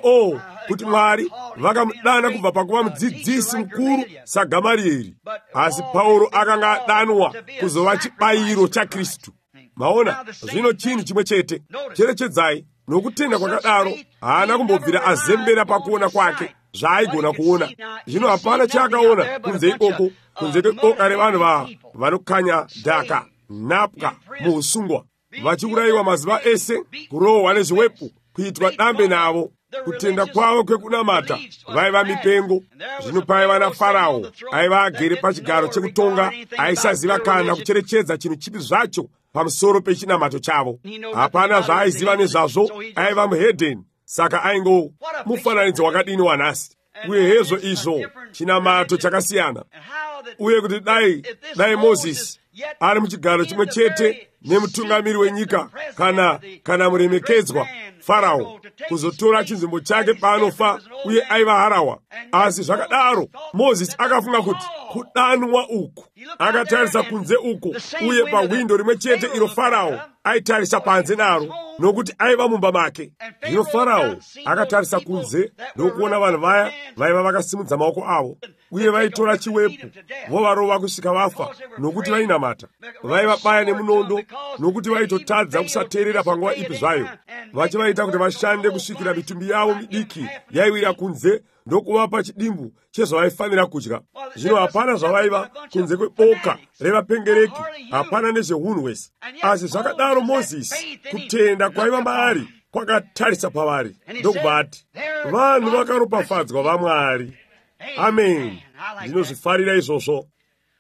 kuti Mwari vakamudana kubva pakuva mudzidzisi mukuru saGamarieri, asi Pauro akanga adanwa kuzova chibayiro chaKristu. Maona, zvino chinhu chimwe chete. Cherechedzai, nokutenda kwakadaro haana kumbobvira azembera pakuona kwake zvaaigona kuona. Zvino hapana chaakaona kunze ikoko, kunze kweboka revanhu vanokanya dhaka, nhapwa muusungwa, vachiurayiwa mazuva ese, kurohwa nezviwepo, kuitwa dambe navo. Kutenda kwavo kwekunamata vaiva mipengo. Zvino paiva naFarao aiva agere pachigaro chekutonga, aisaziva kana kucherechedza chinhu chipi zvacho pamusoro pechinamato chavo. Hapana zvaaiziva nezvazvo, aiva muhedheni, saka aingo mufananidzo wakadini wanhasi. Uye hezvo izvo chinamato chakasiyana. Uye kuti dai Mozisi ari muchigaro chimwe chete nemutungamiri wenyika kana muremekedzwa Farao, kuzotora chinzvimbo chake paanofa, uye aiva harawa. Asi zvakadaro Mozisi akafunga kuti kudanwa uku, akatarisa kunze uku, uye pawindo rimwe chete iro Farao aitarisa panze naro, nokuti aiva mumba make. Zvino Farao akatarisa kunze ndokuona vanhu vaya vaiva vakasimudza maoko avo, uye vaitora chiwepo vovarova kusvika vafa, nokuti vainamata. Vaivabaya nemunondo, nokuti vaitotadza kusateerera panguva ipi zvayo, vachivaita kuti vashande kusvikira mitumbi yavo midiki yaiwira kunze ndokuvapa chidimbu chezvavaifanira kudya. Zvino hapana zvavaiva kunze kweboka revapengereki, hapana nezveunhwesi. Asi zvakadaro Mozisi, kutenda kwaiva maari kwakatarisa pavari, ndokubati vanhu vakaropafadzwa vaMwari. Amen. Ndinozvifarira izvozvo.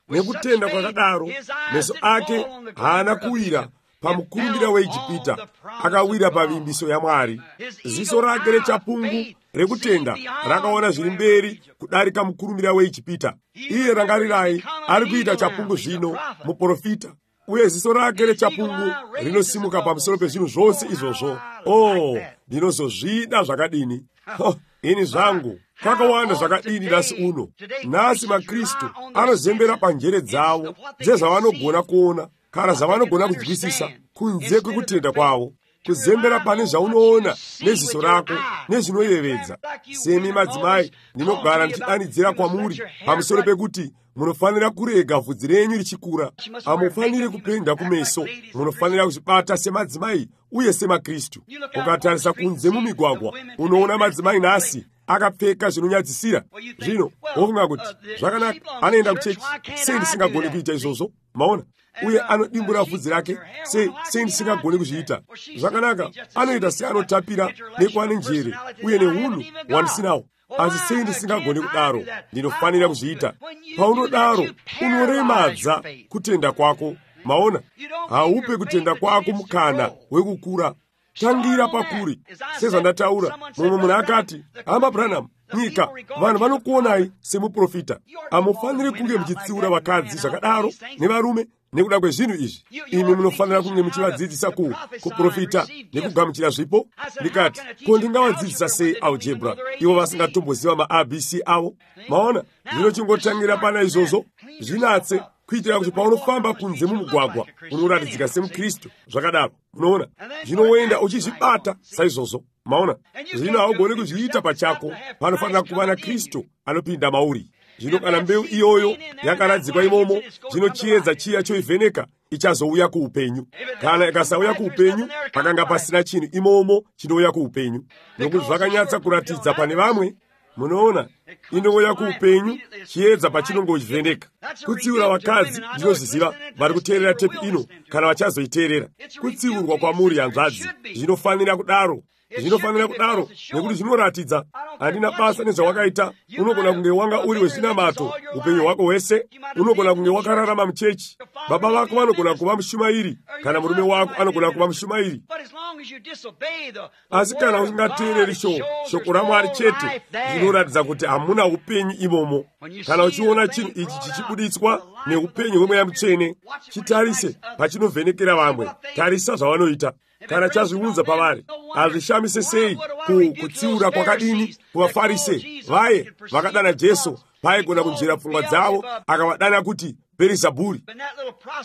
Nekutenda kwakadaro meso ake haana kuwira pamukurumbira weIjipita akawira pavimbiso ya Mwari. Ziso rake rechapungu rekutenda rakaona zviri mberi kudarika mukurumbira weIjipita. Iye rangarirai ari kuita chapungu zvino muprofita, uye ziso rake rechapungu rinosimuka pamusoro pezvinhu zvose izvozvo. Ndinozozvida zvakadini! Ini zvangu kakawanda zvakadini nhasi uno. Nhasi maKristu anozembera panjere dzavo dzezvavanogona kuona kana zvavanogona kunzwisisa kunze kwekutenda kwavo, kuzembera pane zvaunoona neziso rako nezvinoyevedza. Semi madzimai, ndinogara ndichidanidzira kwamuri pamusoro pekuti munofanira kurega vhudzi renyu richikura. Hamufaniri kupenda kumeso, munofanira kuzvibata semadzimai uye semaKristu. Ukatarisa kunze mumigwagwa unoona madzimai nhasi akapfeka zvinonyadzisira. Zvino wofunga kuti zvakanaka, anoenda kuchechi, sei ndisingagoni kuita izvozvo? Maona, uye anodimbura vhudzi rake, sei ndisingagoni kuzviita? Zvakanaka, anoita seanotapira nekuane njere uye nehunhu wandisinawo. Asi sei ndisingagoni kudaro? Ndinofanira kuzviita. Paunodaro unoremadza kutenda kwako. Maona, haupe kutenda kwako mukana wekukura. Tangira pakuri. Sezvandataura, mumwe munhu akati, hama Branham, nyika vanhu vanokuonai semuprofita. Hamufaniri kunge muchitsiura vakadzi zvakadaro nevarume nekuda kwezvinhu izvi. Imi munofanira kunge muchivadzidzisa kuprofita nekugamuchira zvipo. Ndikati, ko ndingavadzidzisa sei algebra ivo vasingatomboziva maABC avo? Maona, zvinochingotangira pana izvozvo. Zvinatse kuitira kuti paunofamba kunze mumugwagwa unoratidzika semuKristu zvakadaro. Unoona, zvinoenda uchizvibata saizvozvo. Maona, zvino haugoni kuzviita pachako. Panofanira kuva naKristu anopinda mauri. Zvino kana mbeu iyoyo yakaradzikwa imomo, zvino chiedza chiya choivheneka ichazouya kuupenyu. Kana ikasauya kuupenyu, pakanga pasina chinhu imomo chinouya kuupenyu. Nokuti zvakanyatsa kuratidza pane vamwe. Munoona, inouya kuupenyu chiedza pachinongovheneka. Kutsiura vakadzi ndinozviziva vari kuteerera tepi ino kana vachazoiteerera. Kutsiurwa kwamuri hanzvadzi zvinofanira kudaro. Zvinofanira kudaro nekuti zvinoratidza handina basa nezvawakaita. Unogona kunge wanga uri wezvinamato upenyu hwako hwese. Unogona kunge wakararama muchechi. Baba vako vanogona kuva mushumairi kana murume wako anogona kuva mushumairi. Asi kana usingateereri shoko raMwari chete, zvinoratidza kuti hamuna upenyu imomo. Kana uchiona chinhu ichi chichibuditswa neupenyu hwemweya mutsvene, chitarise pachinovhenekera vamwe. Tarisa zvavanoita. Kana chazviunza pavari, hazvishamise sei kutsiura kwakadini kuvaFarise. Vaye vakadana Jesu, vaigona kunzvera pfungwa dzavo, akavadana kuti Bherizabhuri.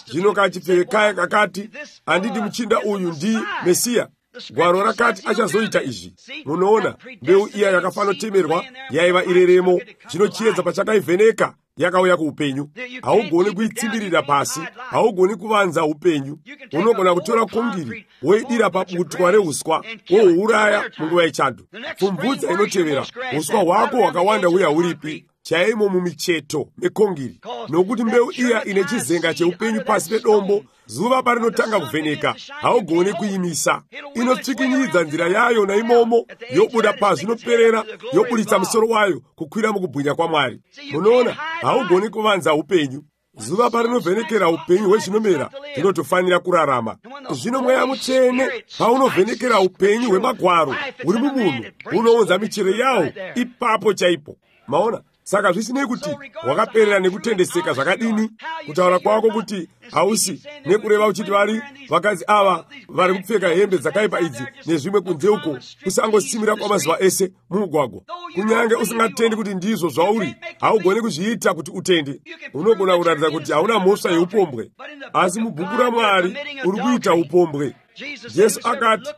Zvino kachipfekaya kakati, handidi muchinda uyu ndi Mesiya. Gwaro rakati achazoita izvi. Munoona, mbeu iya yakafanotemerwa yaiva ireremo. Zvino chiedza pachakaivheneka yakauya kuupenyu. Haugoni kuitsimbirira pasi, haugoni kuvanza upenyu. Unogona kutora kongiri woidira pabutwa reuswa wohuuraya munguva yechando. Pfumvudza inotevera, uswa hwako hwakawanda uye hauripi chaimo mumicheto mekongiri. Nokuti mbeu iya ine chizenga cheupenyu pasi pedombo, zuva parinotanga kuvheneka, haugoni kuimisa. Inotsikinyidza nzira yayo naimomo, yobuda pasi inoperera, yobuditsa musoro wayo kukwira mukubwinya kwaMwari. Munoona, haugoni kuvanza upenyu. Zuva parinovhenekera upenyu hwezvinomera, tinotofanira kurarama. Zvino mweya mutsvene paunovhenekera upenyu hwemagwaro huri mumunhu, unounza michero yawo ipapo chaipo. Maona, saka zvisinei kuti wakaperera nekutendeseka zvakadini, kutaura kwako kuti hausi, nekureva uchiti vakadzi ava vari kupfeka hembe dzakaipa idzi nezvimwe kunze uko, kusangosimira kwamazuva ese mumugwagwa. Kunyange usingatendi kuti ndizvo zvauri, haugoni kuzviita kuti utende. Unogona kuratidza kuti hauna mhosva yeupombwe, asi mubhuku raMwari uri kuita upombwe. Jesu akati,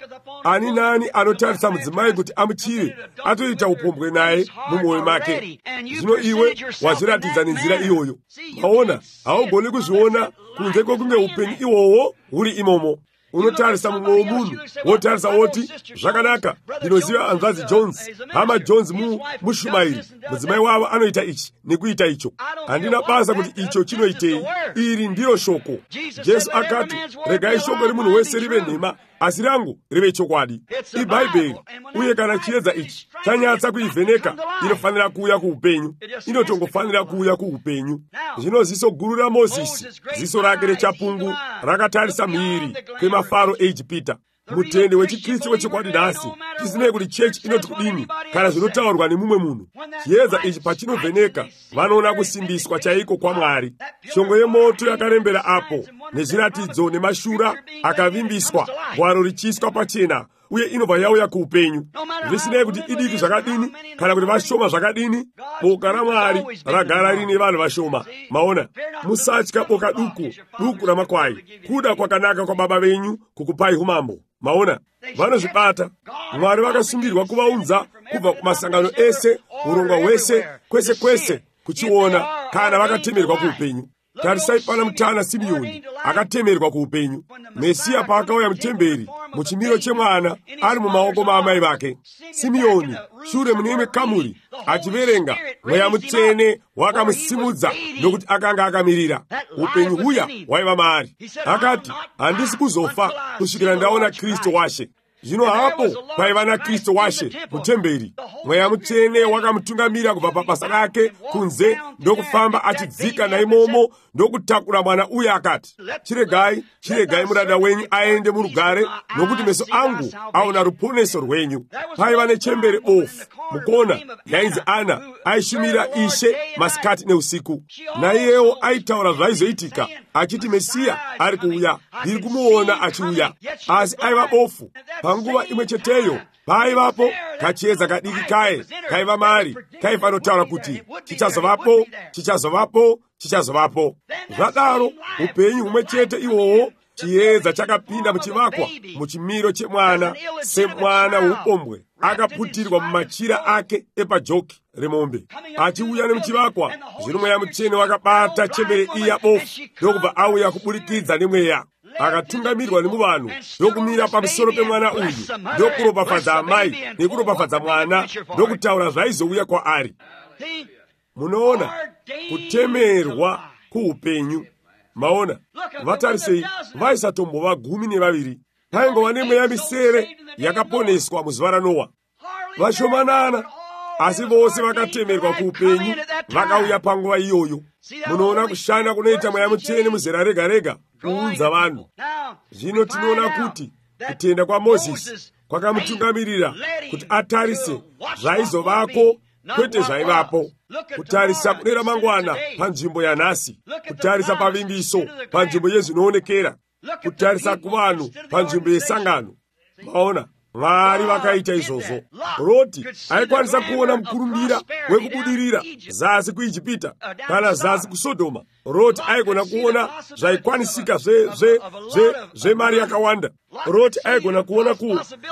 ani nani anotarisa mudzimai kuti amuchive, atoita upombwe naye mumwoyo make. Zvino iwe wazviratidza nenzira iyoyo. Maona, haugoni kuzviona kunze kwokunge upenyu ihwohwo huri imomo. unotarisa mumwe womunhu wotarisa woti zvakanaka ndinoziva anzvadzi Jones, hama Jones mushumairi, mudzimai wavo anoita ichi nekuita icho. Handina basa kuti icho chinoitei, iri ndiro shoko. Jesu akati, regai shoko remunhu wese rive nhema, asi rangu rive chokwadi. IBhaibheri, uye kana chiedza ichi chanyatsa kuivheneka, inofanira kuuya kuupenyu. Inotongofanira kuuya kuupenyu. Zvino ziso guru raMozisi, ziso rake rechapungu, rakatarisa mhiri kwemafaro eIjipita. Mutende wechikristu wechikwadi nhasi, tisinei kuti chechi inoti kudini kana zvinotaurwa nemumwe munhu. Chiedza ichi pachinovheneka, vanoona kusimbiswa chaiko kwaMwari. Shongwe yemoto yakarembera apo, nezviratidzo nemashura akavimbiswa, gwaro richiiswa pachena, uye inobva yauya kuupenyu. Zvisinei kuti idiki zvakadini kana kuti vashoma zvakadini, boka raMwari ragara rine vanhu vashoma. Maona, musatya boka duku ramakwai. Kuda kwakanaka kwa Baba venyu kukupai umambo. Maona, vanozvibata. Mwari vakasungirwa kuvaunza kubva kumasangano ese, urongwa hwese, kwese kuchiona kana vakatemerwa kuupenyu. Tarisai pana mutana Simeoni akatemerwa kuupenyu. Mesiya paakauya mutemberi muchimiro chemwana ari mumaoko maamai vake. Simeoni shure muneimwe kamuri achiverenga, Mweya Mutsvene wakamusimudza nokuti akanga akamirira. Upenyu huya hwaiva maari. Akati, handisi kuzofa kusvikira ndaona Kristu washe. Zvino hapo paiva naKristu washe mutemberi. Mweya Mutsvene wakamutungamira kubva pabasa rake kunze, ndokufamba achidzika naimomo ndokutakura mwana uye akati, chiregai muranda wenyu aende murugare, nokuti meso angu aona ruponeso rwenyu. Paiva nechembere bofu mukona yainzi Ana, aishumira Ishe masikati neusiku. Naiyewo aitaura zvaizoitika, achiti Mesiya ari kuuya, ndiri kumuona achiuya. Asi aiva bofu. Panguva imwe cheteyo paivapo kachiedza kadiki kaye kaiva mari, kaifanotaura kuti chichazovapo. Zvadaro upenyu humwe chete ihwohwo, chiedza chakapinda muchivakwa muchimiro chemwana, semwana woupombwe akaputirwa mumachira ake epajoki remombe. Achiuya nemuchivakwa, zvino Mweya Mutsvene wakabata chembere iya bofu, ndokubva auya kuburikidza nemweya. Akatungamirwa nemuvanhu, ndokumira pamusoro pemwana uyu, ndokuropafadza amai nekuropafadza mwana, ndokutaura zvaizouya kwaari. Munoona kutemerwa kuupenyu. Maona, vatarisei, vaisatombova 12. Paingova nemweya misere yakaponeswa muzuva raNoa. Vashomanana, asi vose vakatemerwa kuupenyu vakauya panguva iyoyo. Munoona kushanda kunoita Mweya Mutsvene muzera rega rega kuunza vanhu. Zvino tinoona kuti kutenda kwaMozisi kwakamutungamirira kuti atarise zvaizovako kwete zvaivapo. Kutarisa kune ramangwana panzvimbo yanhasi, kutarisa pavimbiso panzvimbo yezvinoonekera, kutarisa kuvanhu panzvimbo yesangano. Maona, Mwari vakaita izvozvo. Roti aikwanisa kuona mukurumbira wekubudirira zasi kuIjipita kana zasi kuSodhoma. Roti aigona kuona zvaikwanisika zvemari yakawanda. Roti aigona kuona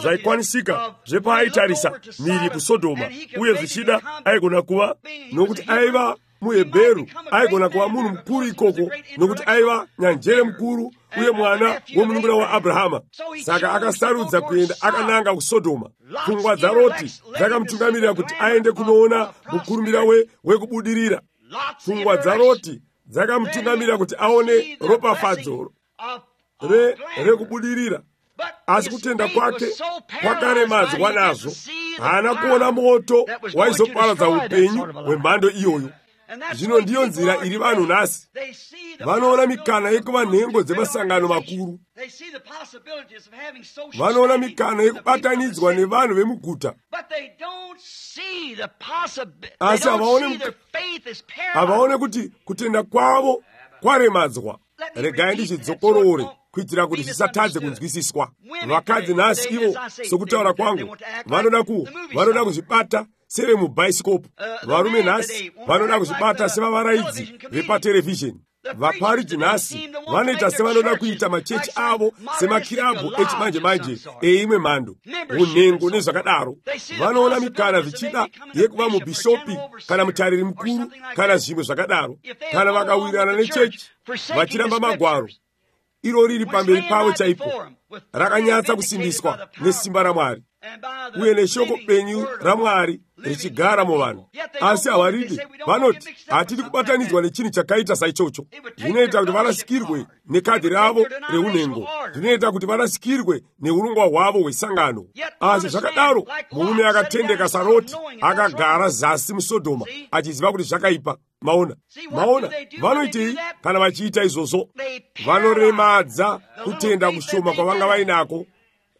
zvaikwanisika zvepaaitarisa mhiri kuSodhoma, uye zvichida aigona kuva, nokuti aiva muHebheru, aigona kuva munhu mukuru ikoko, nokuti aiva nyanjere mukuru uye mwana womunun'una waAbhrahama. Saka akasarudza kuenda akananga kuSodhoma. Pfungwa dzaRoti dzakamutungamirira kuti aende kunoona mukurumbira wekubudirira. Pfungwa dzaRoti dzakamutungamirira kuti aone ropafadzo rekubudirira. Asi kutenda kwake kwakaremadzwa nazvo. Haana kuona moto waizoparadza upenyu hwemhando iyoyo. Zvino ndiyo nzira iri vanhu nhasi. Vanoona mikana yekuva nhengo dzemasangano makuru. Vanoona mikana yekubatanidzwa nevanhu vemuguta. Asi havaone kuti kutenda kwavo kwaremadzwa. Regai ndichidzokorore kuitira kuti zvisatadze kunzwisiswa. Vakadzi nhasi ivo, sokutaura kwangu, vanoda kuzvibata sevemubhaisikopu. Varume nhasi vanoda kuzvibata sevavaraidzi vepaterevhizheni. Vaparidzi nhasi vanoita sevanoda kuita machechi avo semakirabhu echimanje-manje eimwe mhando, unhengo nezvakadaro. Vanoona mikana zvichida yekuva mubhishopi kana mutariri mukuru kana zvimwe zvakadaro. Kana vakawirirana nechechi vachiramba magwaro, ilo lili pamberi pawo chaipo, rakanyatsa kusimbiswa nesimba la Mwari, uye neshoko penyu la Mwari richigara mu vanhu. Asi hawaridi vanoti hatidi kubatanidzwa nechinhu chakaita saichocho. Zvinoita kuti varasikirwe nekadhi ravo reunhengo, zvinoita kuti varasikirwe neurongwa hwavo hwesangano. Asi zvakadaro murume akatendeka saRoti akagara zasi muSodhoma achiziva kuti zvakaipa. Maona vanoitei kana vachiita izvozvo? Vanoremadza kutenda kushoma kwavanga vainako,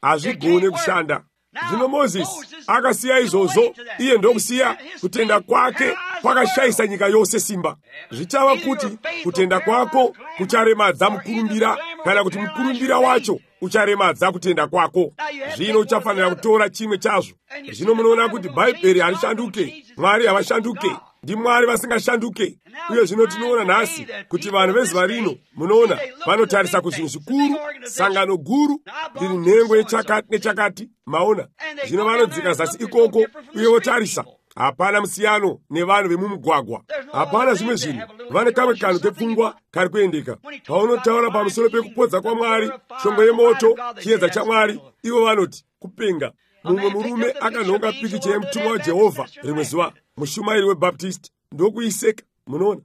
hazvigone kushanda. Zvino Mozisi akasiya izvozvo, iye ndokusiya kutenda kwake kwakashayisa nyika yose simba. Zvichava kuti kutenda kwako kucharemadza mukurumbira, kana kuti mukurumbira wacho ucharemadza kutenda kwako. Zvino uchafanira kutora chimwe chazvo. Zvino munoona kuti Bhaibheri harishanduke, Mwari havashanduke, ndi Mwari vasingashanduke. Uye zvino tinoona nhasi kuti vanhu vezuva rino, munoona, vanotarisa kuzvinhu zvikuru, sangano guru riri nhengo yechakati nechakati. Maona, zvino vanodzika zasi ikoko uye votarisa. Hapana musiyano nevanhu vemumugwagwa, hapana zvimwe zvinhu. Vane kamwe kanhu kepfungwa kari kuendeka. Paunotaura pamusoro pekupodza kwaMwari, shongwe yemoto, chiedza chaMwari, ivo vanoti kupenga. Mumwe murume akanhonga pikicha yemutumwa waJehovha rimwe zuva, mushumairi weBaptist, ndokuiseka. Munoona,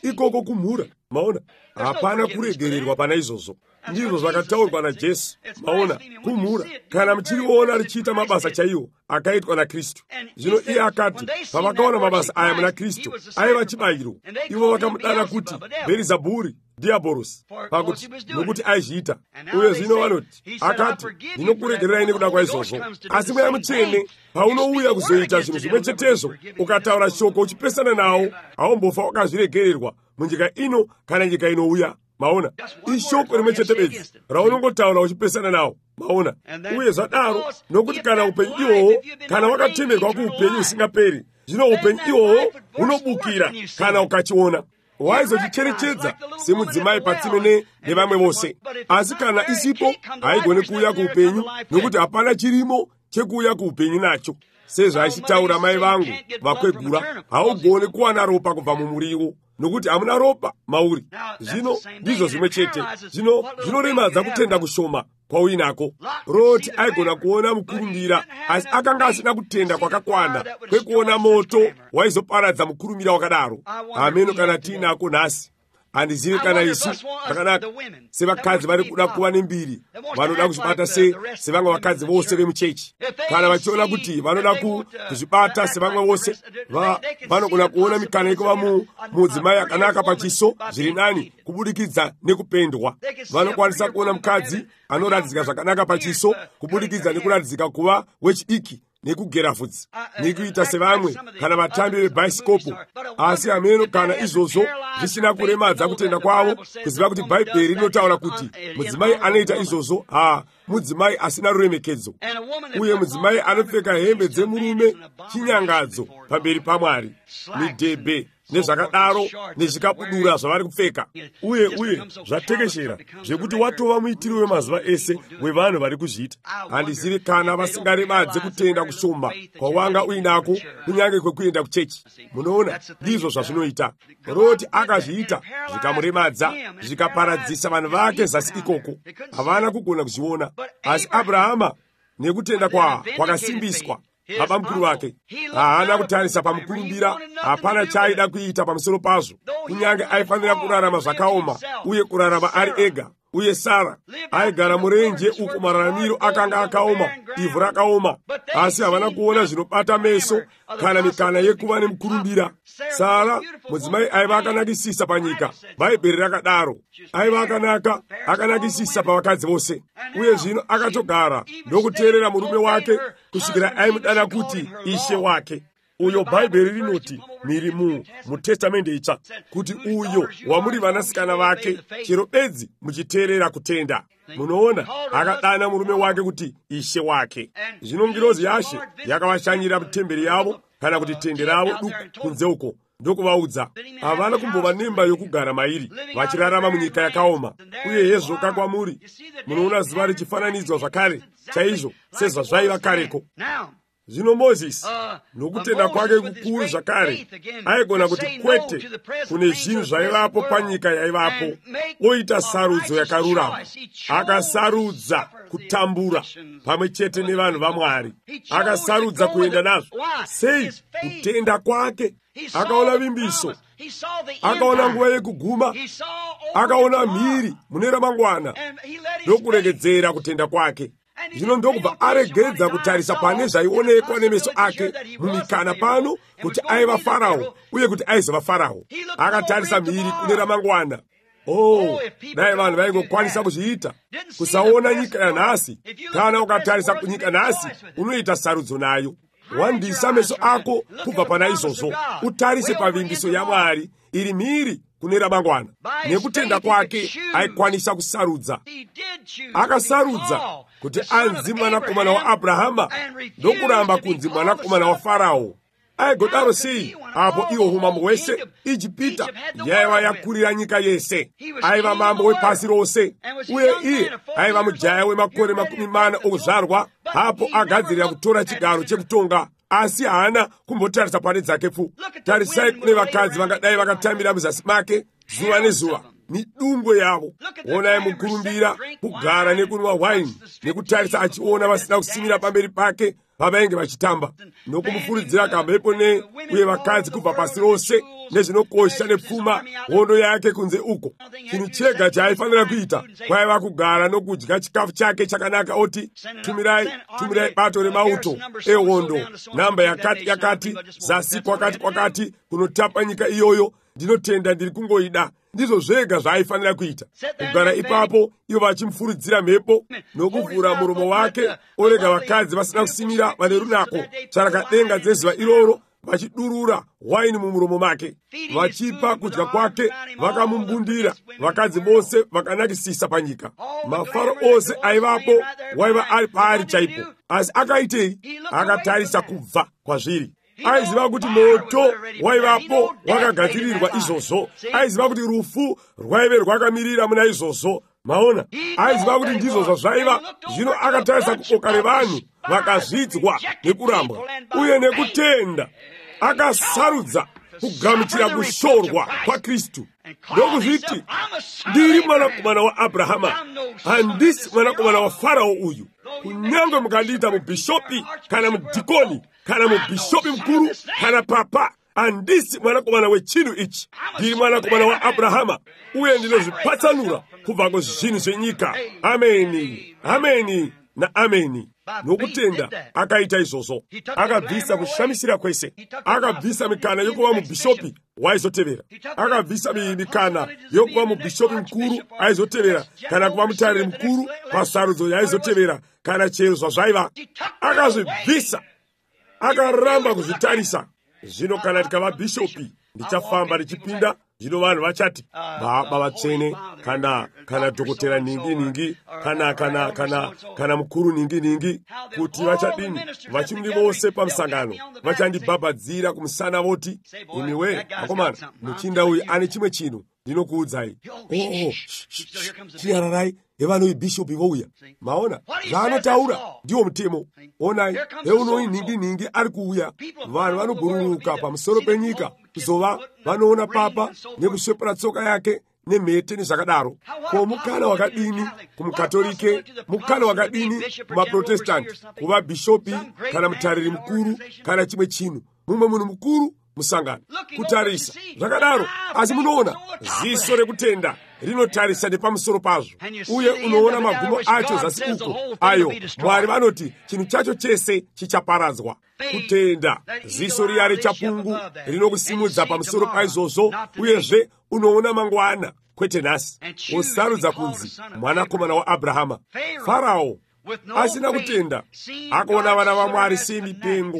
ikoko kumhura. Maona, hapana kuregererwa pana izvozvo. Ndizvo zvakataurwa naJesu. Maona, kumhura kana muchiriona richiita mabasa chaiwo akaitwa naKristu. Zvino iye akati pavakaona mabasa aya muna Kristu aiva chibayiro, ivo vakamudana kuti Bherizabhuri, Diabhorosi, pakuti nokuti aizviita. Uye zvino vanoti, akati ndinokuregererai nekuda kwaizvozvo. Asi Mweya Mutsvene paunouya kuzoita zvinhu zvimwe chetezvo, ukataura shoko uchipesana nawo, haumbofa wakazviregererwa munyika ino kana nyika inouya. Maona, ishoko rimwe chete bedzi raunongotaura uchipesana nawo. Maona, uye zvadaro nokuti kana upenyu ihwohwo, kana wakatemerwa kuupenyu usingaperi, zvino upenyu ihwohwo hunobukira kana ukachiona. Waizochicherechedza semudzimai patsime nevamwe vose. Asi kana isipo, haigone kuuya kuupenyu, nokuti hapana chirimo chekuuya kuupenyu nacho. Sezvaishitaura mai vangu vakwegura, haugone kuwana ropa kubva mumuriwo, nokuti hamuna ropa mauri. Zvino ndizvo zvimwe chete. Zvinoremadza kutenda kushoma kwauinako. Roti aigona kuona mukurumbira, asi akanga asina kutenda kwakakwana kwekuona moto waizoparadza mukurumbira wakadaro. Ameno kana tiinako nhasi. Handizivi kana isu zvakanaka sevakadzi vari kuda kuva nembiri, vanoda kuzvibata sevamwe vakadzi vose vemuchechi. Kana vachiona kuti vanoda kuzvibata sevamwe vose, vanogona kuona mikana yekuva mudzimai akanaka pachiso zviri nani kubudikidza nekupendwa. Vanokwanisa kuona mukadzi anoratidzika zvakanaka pachiso kubudikidza nekuratidzika kuva wechidiki nekugera vhudzi nekuita sevamwe kana vatambi vebhaisikopo. Asi ameno kana izvozvo zvisina kuremadza kutenda kwavo, kuziva kuti Bhaibheri rinotaura kuti mudzimai anoita izvozvo mudzimai asina ruremekedzo, uye mudzimai anopfeka hembe dzemurume chinyangadzo pamberi paMwari, midhebhe nezvakadaro nezvikabudura zvavari kupfeka. Uye zvatekeshera zvekuti watova muitiri wemazuva ese wevanhu vari kuzviita. Handizivi kana vasingaremadze kutenda kushoma kwawanga uinako kunyange kwekuenda kuchechi. Munoona, ndizvo zvazvinoita. Roti akazviita zvikamuremadza, zvikaparadzisa vanhu vake zasi ikoko. Havana kugona kuzviona. Asi Abrahama nekutenda kwakasimbiswa, baba mukuru wake haana kutarisa pamukurumbira. Hapana chaaida kuita pamusoro pazvo. Kunyange aifanira kurarama zvakaoma uye kurarama ari ega. Uye Sara aigara murenje uko mararamiro akanga akaoma, ivhu rakaoma. Asi havana kuona zvinobata meso kana mikana yekuva nemukurumbira. Sara mudzimai aiva akanakisisa panyika. Bhaibheri rakadaro. Aiva akanakisisa pavakadzi vose. Uye zvino akatogara ndokuteerera murume wake kusvikira aimudana kuti ishe wake. Uyo Bhaibheri rinoti miri muTestamende itsva kuti uyo wamuri vanasikana vake chero bedzi muchiteerera kutenda. Munoona, akadana murume wake kuti ishe wake. Zvino ngirozi yaShe yakavashanyira mutemberi yavo kana kuti tende ravo duku kunze uko, ndokuvaudza havana kumbova nemba yokugara mairi vachirarama munyika yakaoma. Uye hezvoka kwamuri, munoona zuva richifananidzwa zvakare chaizvo sezvazvaiva kareko. Zvino Mozisi nokutenda kwake kukuru zvakare aigona kuti kwete kune zvinhu zvaivapo panyika yaivapo, oita sarudzo yakarurama. Akasarudza kutambura pamwe chete nevanhu vaMwari, akasarudza kuenda nazvo. Sei? Kutenda kwake. Akaona vimbiso, akaona nguva yekuguma, akaona mhiri mune ramangwana, ndokuregedzera kutenda kwake. Zvino ndokubva aregedza kutarisa pane zvaionekwa nemeso ake mumikana pano kuti aiva Farao uye kuti aizova Farao. Akatarisa mhiri kune ramangwana. Dai vanhu vaingokwanisa kuzviita, kusaona nyika yanhasi. Kana ukatarisa kunyika nhasi, unoita sarudzo nayo. Wandisa meso ako kubva pana izvozvo, utarise pavimbiso yaMwari iri mhiri kune ramangwana. Nekutenda kwake aikwanisa kusarudza. Akasarudza kuti anzi mwanakomana waAbhrahama ndokuramba kunzi mwanakomana waFarao. Aigodaro sei apo iwo umambo hwese Ijipita yaiva yakurira nyika yese. Aiva mambo wepasi rose, uye iye aiva mujaya wemakore 40 okuzvarwa. Hapo agadzirira kutora chigaro chekutonga, asi haana kumbotarisa pane dzake pfu. Tarisai kune vakadzi vangadai vakatambira muzasi make zuva nezuva midungwe yavo. Onai mukurumbira kugara nekunwa waini nekutarisa achiona vasina kusimira pamberi pake pavainge vachitamba, nokumufuridzira kamhepo uye vakadzi kubva pasi rose nezvinokosha nepfuma hondo yake kunze uko. Chinhu chega chaaifanira kuita kwaiva kugara nokudya chikafu chake chakanaka, oti tumirai bato remauto ehondo, namba yakati zasi kwakati kunotapa nyika iyoyo. Ndinotenda ndiri kungoida. Ndizvo zvega zvaaifanira kuita, kugara ipapo ivo vachimufuridzira mhepo nokuvhura muromo wake, orega vakadzi vasina kusimira vane runako charakadenga dzezuva iroro vachidurura waini mumuromo make. Vachipa kudya kwake vakamumbundira, vakadzi vose vakanakisisa panyika. Mafaro ose aivapo waiva ari paari chaipo. Asi akaitei? Akatarisa kubva kwazviri. Aiziva kuti moto waivapo wakagadzirirwa izvozvo. Aiziva kuti rufu rwaive rwakamirira muna izvozvo. Maona, aiziva kuti ndizvo zvazvaiva. Zvino akatarisa kuboka revanhu vakazvidzwa nekurambwa uye nekutenda, akasarudza kugamuchira kushorwa kwaKristu ndokuzviti, ndiri mwanakomana waAbhrahama, handisi mwanakomana waFarao uyu. Kunyange mukandiita mubhishopi kana mudhikoni kana mubhishopi mukuru kana papa, handisi mwanakomana wechinhu ichi. Ndiri mwanakomana waAbhrahama uye ndinozvipatsanura kubva kuzvinhu zvenyika. Ameni, ameni naameni. Nokutenda akaita izvozvo. Akabvisa kushamisira kwese, akabvisa mikana yokuva mubhishopi waizotevera, akabvisa mikana yokuva mubhishopi mukuru aizotevera, kana kuva mutariri mukuru pasarudzo yaizotevera, kana chero zvazvaiva. Akazvibvisa, akaramba kuzvitarisa. Zvino kana tikava bhishopi, ndichafamba ndichipinda. Zvino vanhu vachati baba vatsvene, kana dhokotera ningi, kana mukuru ningi, kuti vachadini. Vachimuri vose pamusangano vachandibhabhadzira kumusana voti, imiwe akomana, muchinda uyu ane chimwe chinhu ndinokuudzai. Chinyararai, evanoyi bhishopi vouya. Maona zvaanotaura ndiwo mutemo. Onai, eunoyi ningi ari kuuya. Vanhu vanobhururuka pamusoro penyika kuzova vanoona papa nekuswepera tsoka yake nemhete nezvakadaro. Ko mukana wakadini kumukatolike, mukana wakadini kumaprotestanti kuva bhishopi kana mutariri mukuru kana chimwe chinhu, mumwe munhu mukuru musangano kutarisa zvakadaro. Asi munoona ziso rekutenda rinotarisa nepamusoro pazvo, uye unoona magumo acho zasi uko. Ayo Mwari vanoti chinhu chacho chese chichaparadzwa. Kutenda ziso riya rechapungu rinokusimudza pamusoro paizvozvo, uyezve unoona mangwana kwete nhasi. Usarudza kunzi mwanakomana waAbhrahama. Farao asina kutenda akaona vana vaMwari semipengo.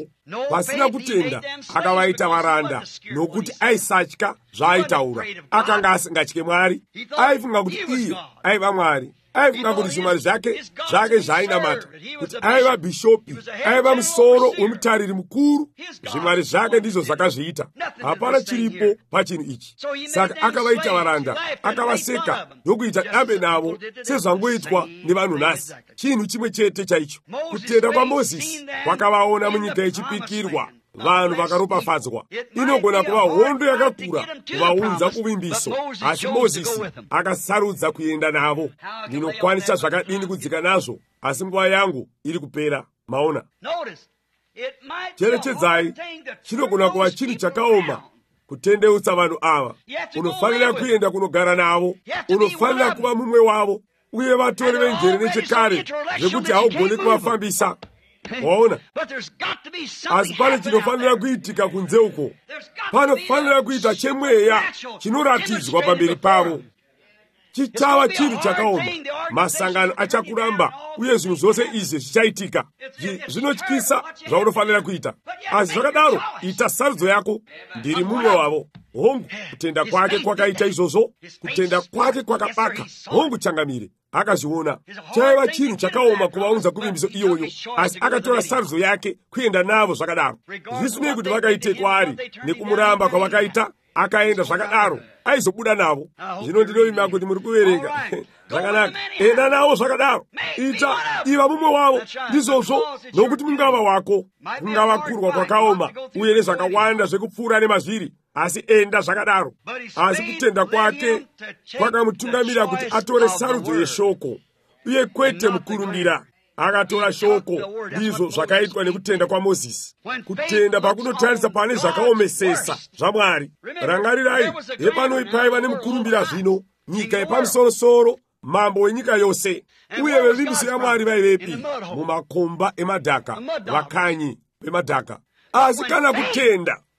Pasina kutenda akavaita varanda, nokuti aisatya zvaaitaura. Akanga asingatye Mwari. Aifunga kuti iye aiva Mwari, aifunga kuti zvimwari zvake zvainamata, kuti aiva bhishopi, aiva musoro wemutariri mukuru. Zvimwari zvake ndizvo zvakazviita, hapana chiripo pachinhu ichi. Saka akavaita varanda, akavaseka ndokuita dambe navo sezvangoitwa nevanhu nhasi. Chinhu chimwe chete chaicho. Kutenda kwaMozisi kwakavaona munyika yechipikirwa, vanhu vakaropafadzwa. Inogona kuva hondo yakakura kuvaunza kuvimbiso, asi Mozisi akasarudza kuenda navo. Ndinokwanisa zvakadini kudzika nazvo, asi nguva yangu iri kupera. Maona, cherechedzai, chinogona kuva chinhu chakaoma kutendeutsa vanhu ava. Unofanira kuenda kunogara navo, unofanira kuva mumwe wavo, uye vatori venjere nechekare zvekuti haugoni kuvafambisa. Waona, asi pane chinofanira kuitika kunze uko. Panofanira kuita chemweya chinoratidzwa pamberi pavo. Chichava chinhu chakaoma, masangano achakuramba, uye zvinhu zvose izvi zvichaitika. Zvinotyisa zvaunofanira kuita, asi zvakadaro ita sarudzo yako. Ndiri mumwe wavo. Hongu, kutenda kwake kwakaita izvozvo, kutenda kwake kwakabaka. Hongu, changamire, akazviona. Chaiva chinhu chakaoma kuvaunza kuvimbiso iyoyo, asi akatora sarudzo yake kuenda navo zvakadaro. Zvisinei kuti vakaite kwaari nekumuramba kwavakaita, akaenda zvakadaro, aizobuda navo. Zvino ndinorima kuti muri kuverenga. Zvakanaka, enda navo zvakadaro. Iva mumwe wavo, ndizvozvo, nokuti mungava wako, kungava kurwa kwakaoma, uye nezvakawanda zvekupfuura nemazviri, asi enda zvakadaro. Asi kutenda kwake kwakamutungamira kuti atore sarudzo yeshoko, uye kwete mukurumbira. Akatora shoko. Ndizvo zvakaitwa nekutenda kwa Mozisi. Kutenda pakunotarisa pane zvakaomesesa zvaMwari. Rangarirai, hepano paiva nemukurumbira zvino, nyika yepamusoro-soro, mambo wenyika yose, uye vevimbiso yaMwari vaivepi? Mumakomba emadhaka, vakanyi vemadhaka. Asi kana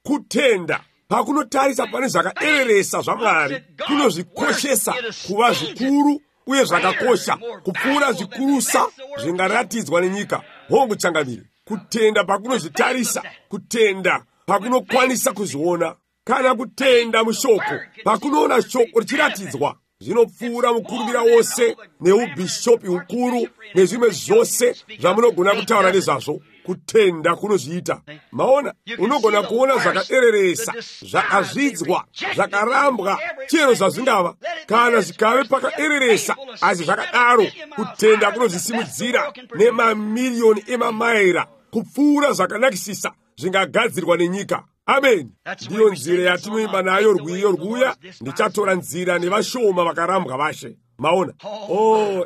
kutenda pakunotarisa pane zvakaereresa zvaMwari, kunozvikoshesa kuva zvikuru uye zvakakosha kupfuura zvikurusa zvingaratidzwa nenyika. Hongu, changamire, kutenda pakunozvitarisa, kutenda pakunokwanisa kuzviona. Kana kutenda mushoko pakunoona shoko richiratidzwa, zvinopfuura mukurumbira wose neubhishopi hukuru nezvimwe zvose zvamunogona kutaura nezvazvo. Kutenda kunozviita. Maona, unogona kuona zvakaereresa, zvakazvidzwa, zvakarambwa, chero zvazvingava, kana zvikave pakaereresa, asi zvakadaro kutenda kunozvisimudzira nemamiliyoni emamaira kupfuura zvakanakisisa zvingagadzirwa nenyika. Amen. Ndiyo nzira yatinoimba nayo rwiyo rwuya, ndichatora nzira nevashoma vakarambwa vashe. Maona,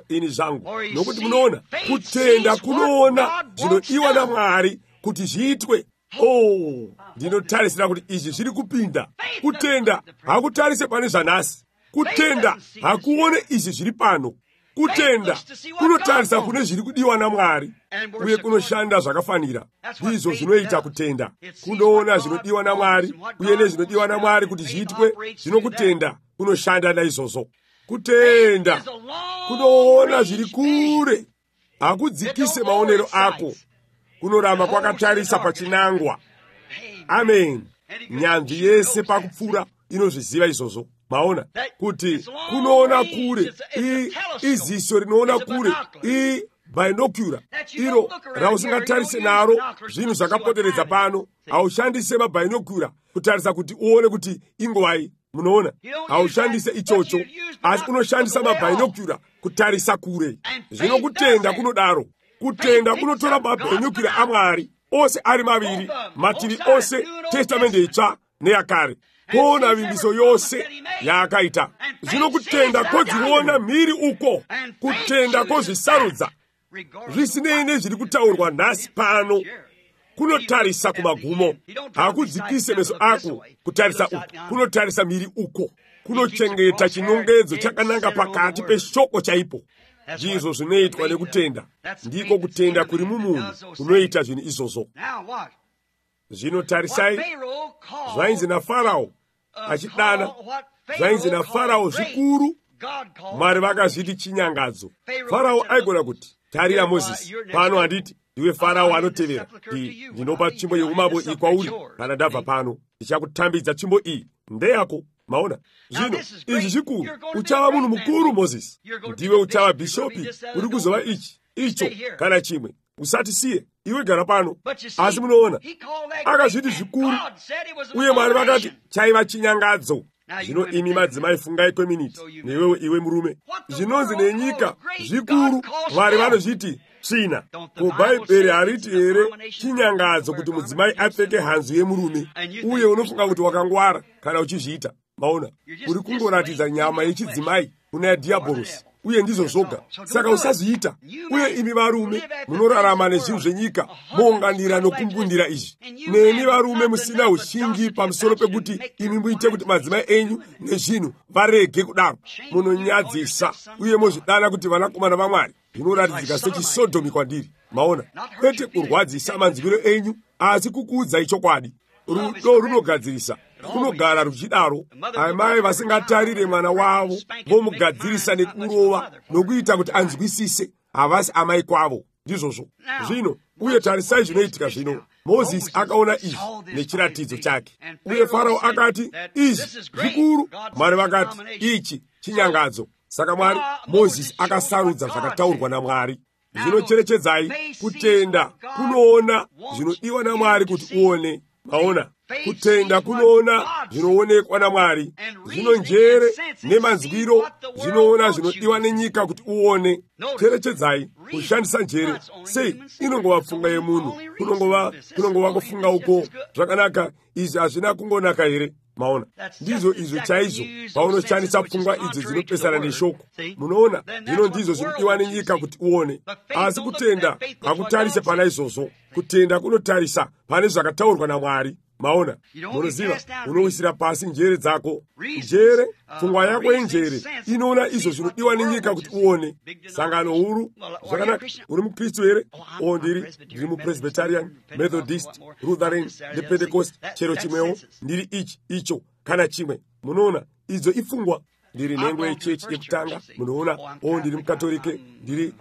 ini zvangu, nokuti munoona, kutenda kunoona zvinodiwa naMwari kuti zviitwe. Ndinotarisira kuti izvi zviri kupinda. Kutenda hakutarise pane zvanhasi. Kutenda hakuone izvi zviri pano. Kutenda kunotarisa kune zviri kudiwa naMwari, uye kunoshanda zvakafanira. Ndizvo zvinoita kutenda. Kunoona zvinodiwa naMwari, uye nezvinodiwa naMwari kuti zviitwe, zvinokutenda kunoshanda naizvozvo. Kutenda kunoona zviri kure, hakudzikise maonero ako, kunoramba kwakatarisa pachinangwa. Amen. Nyanzvi yese pakupfuura inozviziva izvozvo. Maona, kuti kunoona kure, iziso rinoona kure, binocular, iro rausingatarise naro zvinhu zvakapoteredza pano. Haushandise mabinocular kutarisa kuti uone kuti ingowai. Munoona, haushandise ichocho, asi unoshandisa mabinocular kutarisa kure. Zvino kutenda kunodaro. Kutenda kunotora mabinocular aMwari ose ari maviri, mativi ose, testamende itsva neyakare, kuona vimbiso yose yaakaita. Zvino kutenda kodziona mhiri uko, kutenda kozvisarudza, zvisinei nezviri kutaurwa nhasi pano, kunotarisa kumagumo. Hakudzikise meso ako kutarisa uko, kunotarisa mhiri uko, kunochengeta chinongedzo chakananga pakati peshoko chaipo. Ndizvo zvinoitwa nekutenda. Ndiko kutenda kuri mumunhu kunoita zvinhu izvozvo. Zvino tarisai, zvainzi naFarao achidana, zvainzi naFarao zvikuru, Mwari vakazviti chinyangadzo. Farao aigona kuti, tarira Mozisi, pano handiti ndiwe Farao anotevera, ndinopa tsvimbo yeumambo iyi kwauri. Kana ndabva pano, ndichakutambidza tsvimbo iyi ndeyako. maona zvino ichi chikuru uchava munhu mukuru Mozisi ndiwe uchava bishopi uri kuzova icho kana chimwe usatisiye iwe gara pano asi munoona akazviti zvikuru uye Mwari vakati chaiva chinyangadzo zvino imi madzimai fungai kweminiti newewe iwe murume zvinonzi nenyika zvikuru Mwari vanozviti tsvina kubhaibheri hariti here chinyangadzo kuti mudzimai apfeke hanzu yemurume uye unofunga kuti wakangwara kana uchizviita maona uri kungoratidza nyama yechidzimai kuna yadhiabhorosi uye ndizvo zvoga saka usazviita uye imi varume munorarama nezvinhu zvenyika mounganira nokumbundira izvi nemi varume musina ushingi pamusoro pekuti imi muite kuti madzimai enyu nezvinhu varege kudaro munonyadzisa uye mozvidana kuti vanakomana vaMwari zvinoratidzika sechiSodhomi kwandiri maona kwete kurwadzisa manzwiro enyu asi kukuudzai chokwadi rudo runogadzirisa runogara ruchidaro amai vasingatarire mwana wavo vomugadzirisa nekurova nokuita kuti anzwisise havasi amai kwavo ndizvozvo zvino uye tarisai zvinoitika zvino Mozisi akaona izvi nechiratidzo chake uye Farao akati izvi zvikuru Mwari vakati ichi chinyangadzo saka Mwari Mozisi akasarudza zvakataurwa naMwari zvinocherechedzai kutenda kunoona zvinodiwa naMwari kuti uone maona kutenda kunoona zvinoonekwa naMwari zvino njere nemanzwiro zvinoona zvinodiwa nenyika kuti uone cherechedzai kushandisa njere sei inongova pfunga yemunhu kunongova kufunga uko zvakanaka izvi hazvina kungonaka here maona ndizvo izvo chaizvo paunoshandisa pfungwa idzo dzinopesana neshoko munoona zvino ndizvo zvinodiwa nenyika kuti uone asi kutenda hakutarise pana izvozvo kutenda kunotarisa pane zvakataurwa naMwari maona munoziva unowisira pasi njere dzako njere pfungwa yako yenjere inoona izvo zvinodiwa nenyika kuti uone sangano huru zvakanaka uri mukristu here ndiri mupresbyterian methodist lutheran nepentecost chero chimwewo ndiri icho kana chimwe munoona idzo ipfungwa ndiri nhengo yechechi yekutanga munoona ndiri mukatolike ndiri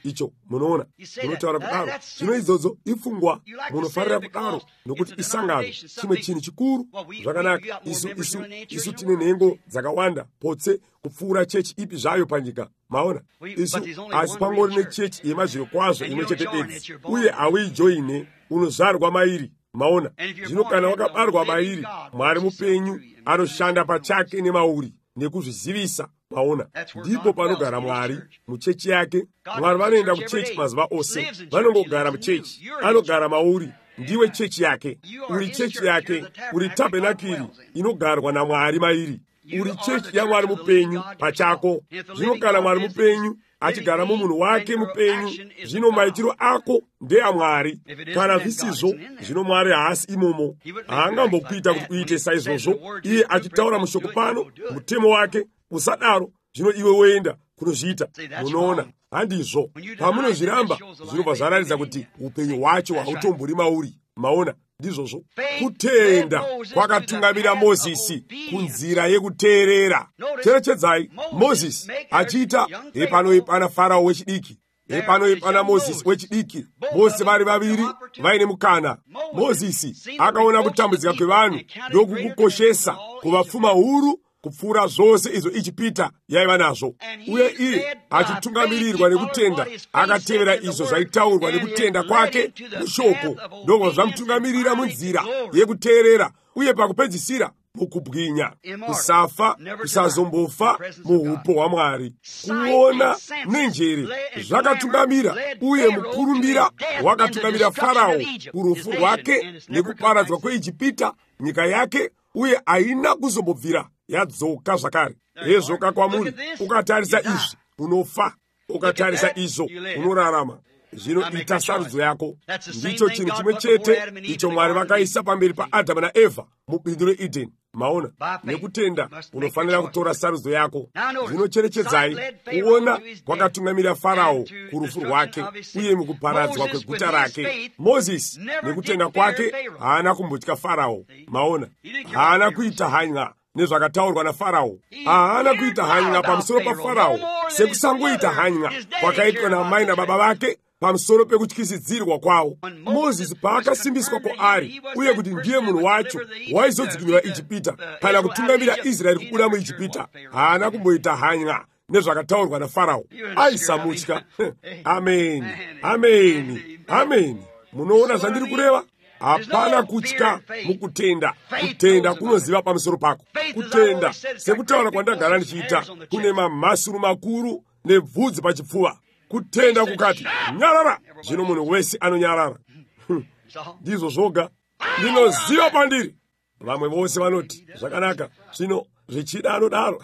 icho munoona munotaura kudaro zvino idzodzo ipfungwa munofarira kudaro nokuti isangano chimwe chinhu chikuru zvakanaka isu tine nhengo dzakawanda potse kupfuura chechi ipi zvayo panyika maona isu asi pangori nechechi yemazviro kwazvo imwe chete bedzi uye hauijoine unozvarwa mairi maona zvino kana wakabarwa mairi Mwari mupenyu anoshanda pachake nemauri nekuzvizivisa maona ndipo panogara Mwari muchechi yake Mwari vanoenda kuchechi mazuva ose vanongogara muchechi anogara mauri ndiwe chechi yake uri chechi yake uri tabhenakiri inogarwa naMwari mairi uri chechi yaMwari mupenyu pachako zvino kana Mwari mupenyu achigara mumunhu wake mupenyu zvino maitiro ako ndeyaMwari kana zvisizvo zvino Mwari haasi imomo haangambokuita kuti uite saizvozvo iye achitaura mushoko pano mutemo wake usadaro zvino iwe woenda kunozviita munoona handizvo pamunozviramba zvinobva zvaratidza kuti upenyu hwacho hautombori mauri maona ndizvozvo kutenda kwakatungamira Mozisi kunzira yekuteerera cherechedzai Mozisi achiita epanoipana Farao wechidiki epanoipana Mozisi wechidiki vose vari vaviri vaine mukana Mozisi akaona kutambudzika kwevanhu ndokukukoshesa kuvapfuma huru kupfuura zvose izvo Ijipita yaiva nazvo uye iye achitungamirirwa nekutenda akatevera izvo zvaitaurwa nekutenda kwake mushoko ndobva zvamutungamirira munzira yekuteerera uye pakupedzisira mukubwinya kusafa kusazombofa muupo hwaMwari kuona nenjere zvakatungamira uye mukurumbira wakatungamira Farao kurufu rwake nekuparadzwa kweIjipita nyika yake uye haina kuzombobvira yadzoka zvakare yedzoka kwamuri ukatarisa izvi unofa ukatarisa izvo unorarama zvino ita sarudzo yako ndicho chinhu chimwe chete icho Mwari vakaisa pamberi paAdhamu naEvha mubindu reEdheni maona nekutenda unofanira kutora sarudzo yako zvinocherechedzai kuona kwakatungamira Farao kurufu rwake uye mukuparadzwa kweguta rake Mozisi nekutenda kwake haana kumbotya Farao maona haana kuita hanya nezvakataurwa naFarao haana kuita hanya pamusoro paFarao sekusangoita hanya kwakaitwa namai nababa vake pamusoro pekutyisidzirwa kwawo. Mozisi paakasimbiswa ari uye kuti ndiye munhu wacho waizodzikinura Ijipita kana kutungamira Israeli kubuda mu Ijipita, haana kumboita hanya nezvakataurwa naFarao. Aisamutya. Ameni, ameni, ameni. Munoona zvandiri kureva? Hapana kutya mukutenda. Kutenda kunoziva pamusoro pako. Kutenda, sekutaura kwandagara ndichiita, kune mamhasuru makuru nebvudzi pachipfuva. Kutenda kukati nyarara, zvino munhu wese anonyarara. Ndizvo zvoga ndinoziva pandiri. Vamwe vose vanoti zvakanaka, zvino zvichida anodaro.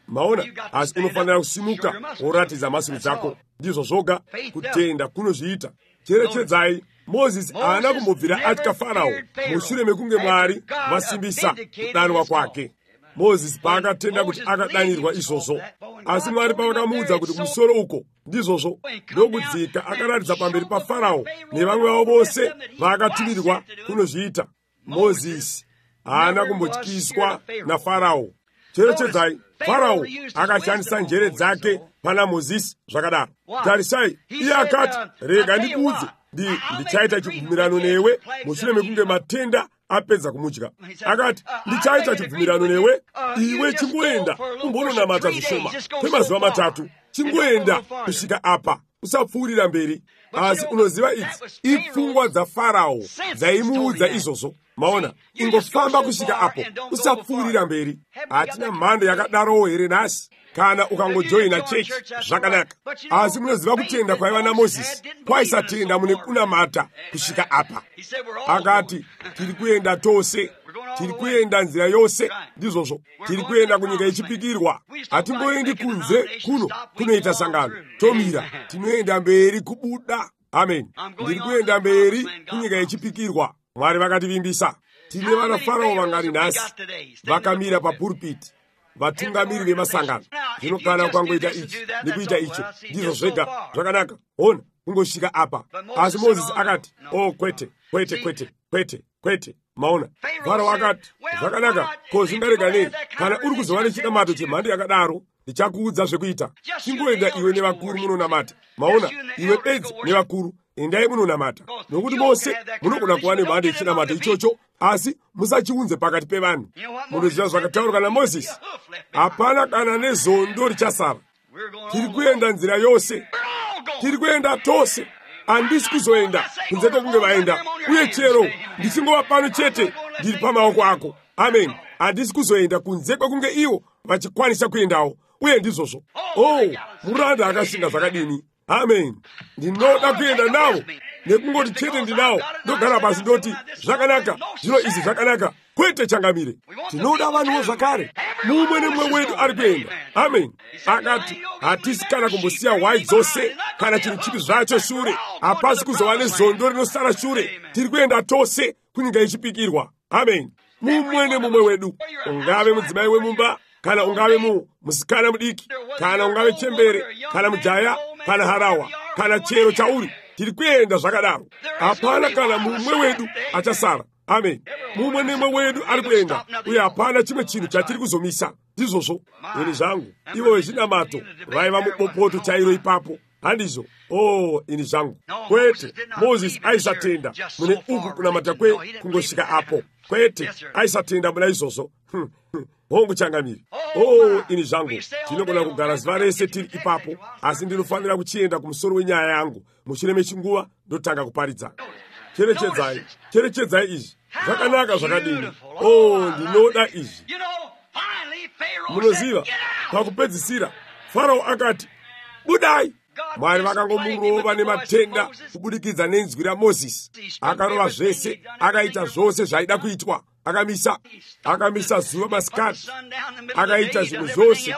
Maona, asi unofanira kusimuka woratidza mhasuru dzako. Ndizvo zvoga kutenda kunozviita. Cherechedzai, Mozisi haana kumbobvira atya Farao mushure mekunge Mwari vasimbisa kudanwa kwake. Mozisi paakatenda kuti akadanirwa izvozvo, asi Mwari pavakamuudza kuti kumusoro uko ndizvozvo ndokudzika, akaratidza pamberi paFarao nevamwe vavo vose vaakatumirwa kunozviita. Mozisi haana kumbotyiswa naFarao. Cherechedzai, Farao akashandisa njere dzake pana Mozisi zvakadaro. Tarisai, iye akati, rega ndikuudze, ndichaita chibvumirano newe mushure mekunge matenda apedza kumudya. Akati, ndichaita chibvumirano newe, iwe chingoenda umbononamata zvishoma kwemazuva 3, chingoenda kusvika apa, usapfuurira mberi. Asi unoziva idzi ipfungwa dzaFarao dzaimuudza izvozvo. Maona, ingofamba kusvika apo, usapfuurira mberi. Hatina mhando yakadarowo here nhasi? Kana ukangojoina chechi zvakanaka. Asi munoziva kutenda kwaiva naMozisi kwaisatenda mune kunamata kusvika apa. Akati, tiri kuenda tose, tiri kuenda nzira yose, ndizvozvo. Tiri kuenda kunyika ichipikirwa. Hatimboendi kunze kunoita sangano. Tomira, tinoenda mberi kubuda. Amen. Ndiri kuenda mberi kunyika ichipikirwa. Mwari vakativimbisa. Tine vana Farao vangani nhasi vakamira papuripiti, vatungamiri vemasangano. Zvino kana ukangoita ichi nekuita icho, ndizvo zvega zvakanaka. Ona, kungosvika apa. Asi Mozisi akati, oh, kwete, kwete, kwete, kwete, kwete. Maona, Farao akati, zvakanaka, ko zvingarega nei? Kana uri kuzova nechidamato chemhando yakadaro, ndichakuudza zvekuita. Chingoenda iwe nevakuru munonamata. Maona, iwe bedzi nevakuru, endai munonamata. Nokuti mose munogona kuva nemhando yechidamato ichocho, asi musachiunze pakati pevanhu. Munoziva zvakataurwa naMozisi, hapana kana nezondo richasara. Tiri kuenda nzira yose, tiri kuenda tose. Handisi kuzoenda kunze kwekunge vaenda, uye chero ndichingova pano chete ndiri pamaoko ako. Amen. Handisi kuzoenda kunze kwekunge ivo vachikwanisa kuendawo, uye ndizvozvo. Oh, muranda akashinga zvakadini. Amen. Ndinoda kuenda nawo, nekungoti chete ndinawo, ndogara pasi ndoti zvakanaka, zvino izvi zvakanaka, kwete changamire. Tinoda vanhuwo zvakare, mumwe nemumwe wedu ari kuenda. Amen. Akati, hatisi kana kumbosiya hwai dzose kana chinhu chipi zvacho shure. Hapasi kuzova nezondo rinosara shure. Tiri kuenda tose kunyika ichipikirwa. Amen. Mumwe nemumwe wedu, ungave mudzimai wemumba, kana ungave musikana mudiki, kana ungave chembere, kana mujaya, kana harawa, kana chero chauri, tiri kuenda zvakadaro. Hapana kana mumwe wedu achasara. Amen. Mumwe nemumwe wedu ari kuenda, uye hapana chimwe chinhu chatiri kuzomisa. Ndizvozvo. Ini zvangu, ivo vezvinamato vaiva mubopoto chairo ipapo. Handizvo. Oh, ini zvangu. Kwete, Mozisi aisatenda mune uku kunamata kungosvika apo. Kwete, aisatenda muna izvozvo. Hongu changamiri. Oh, ini zvangu. Tinogona kugara zuva rese tiri ipapo, asi ndinofanira kuchienda kumusoro wenyaya yangu. Mushure mechinguva ndotanga kuparidza. Cherechedzai izvi. Zvakanaka zvakadini. Oh, ndinoda izvi. Munoziva, pakupedzisira Farao akati, budai. Mwari vakangomurova nematenda kubudikidza nenzwi raMozisi. Akarova zvese, akaita zvose zvaida kuitwa. Akamisa zuva masikati, akaita zvinhu zvose.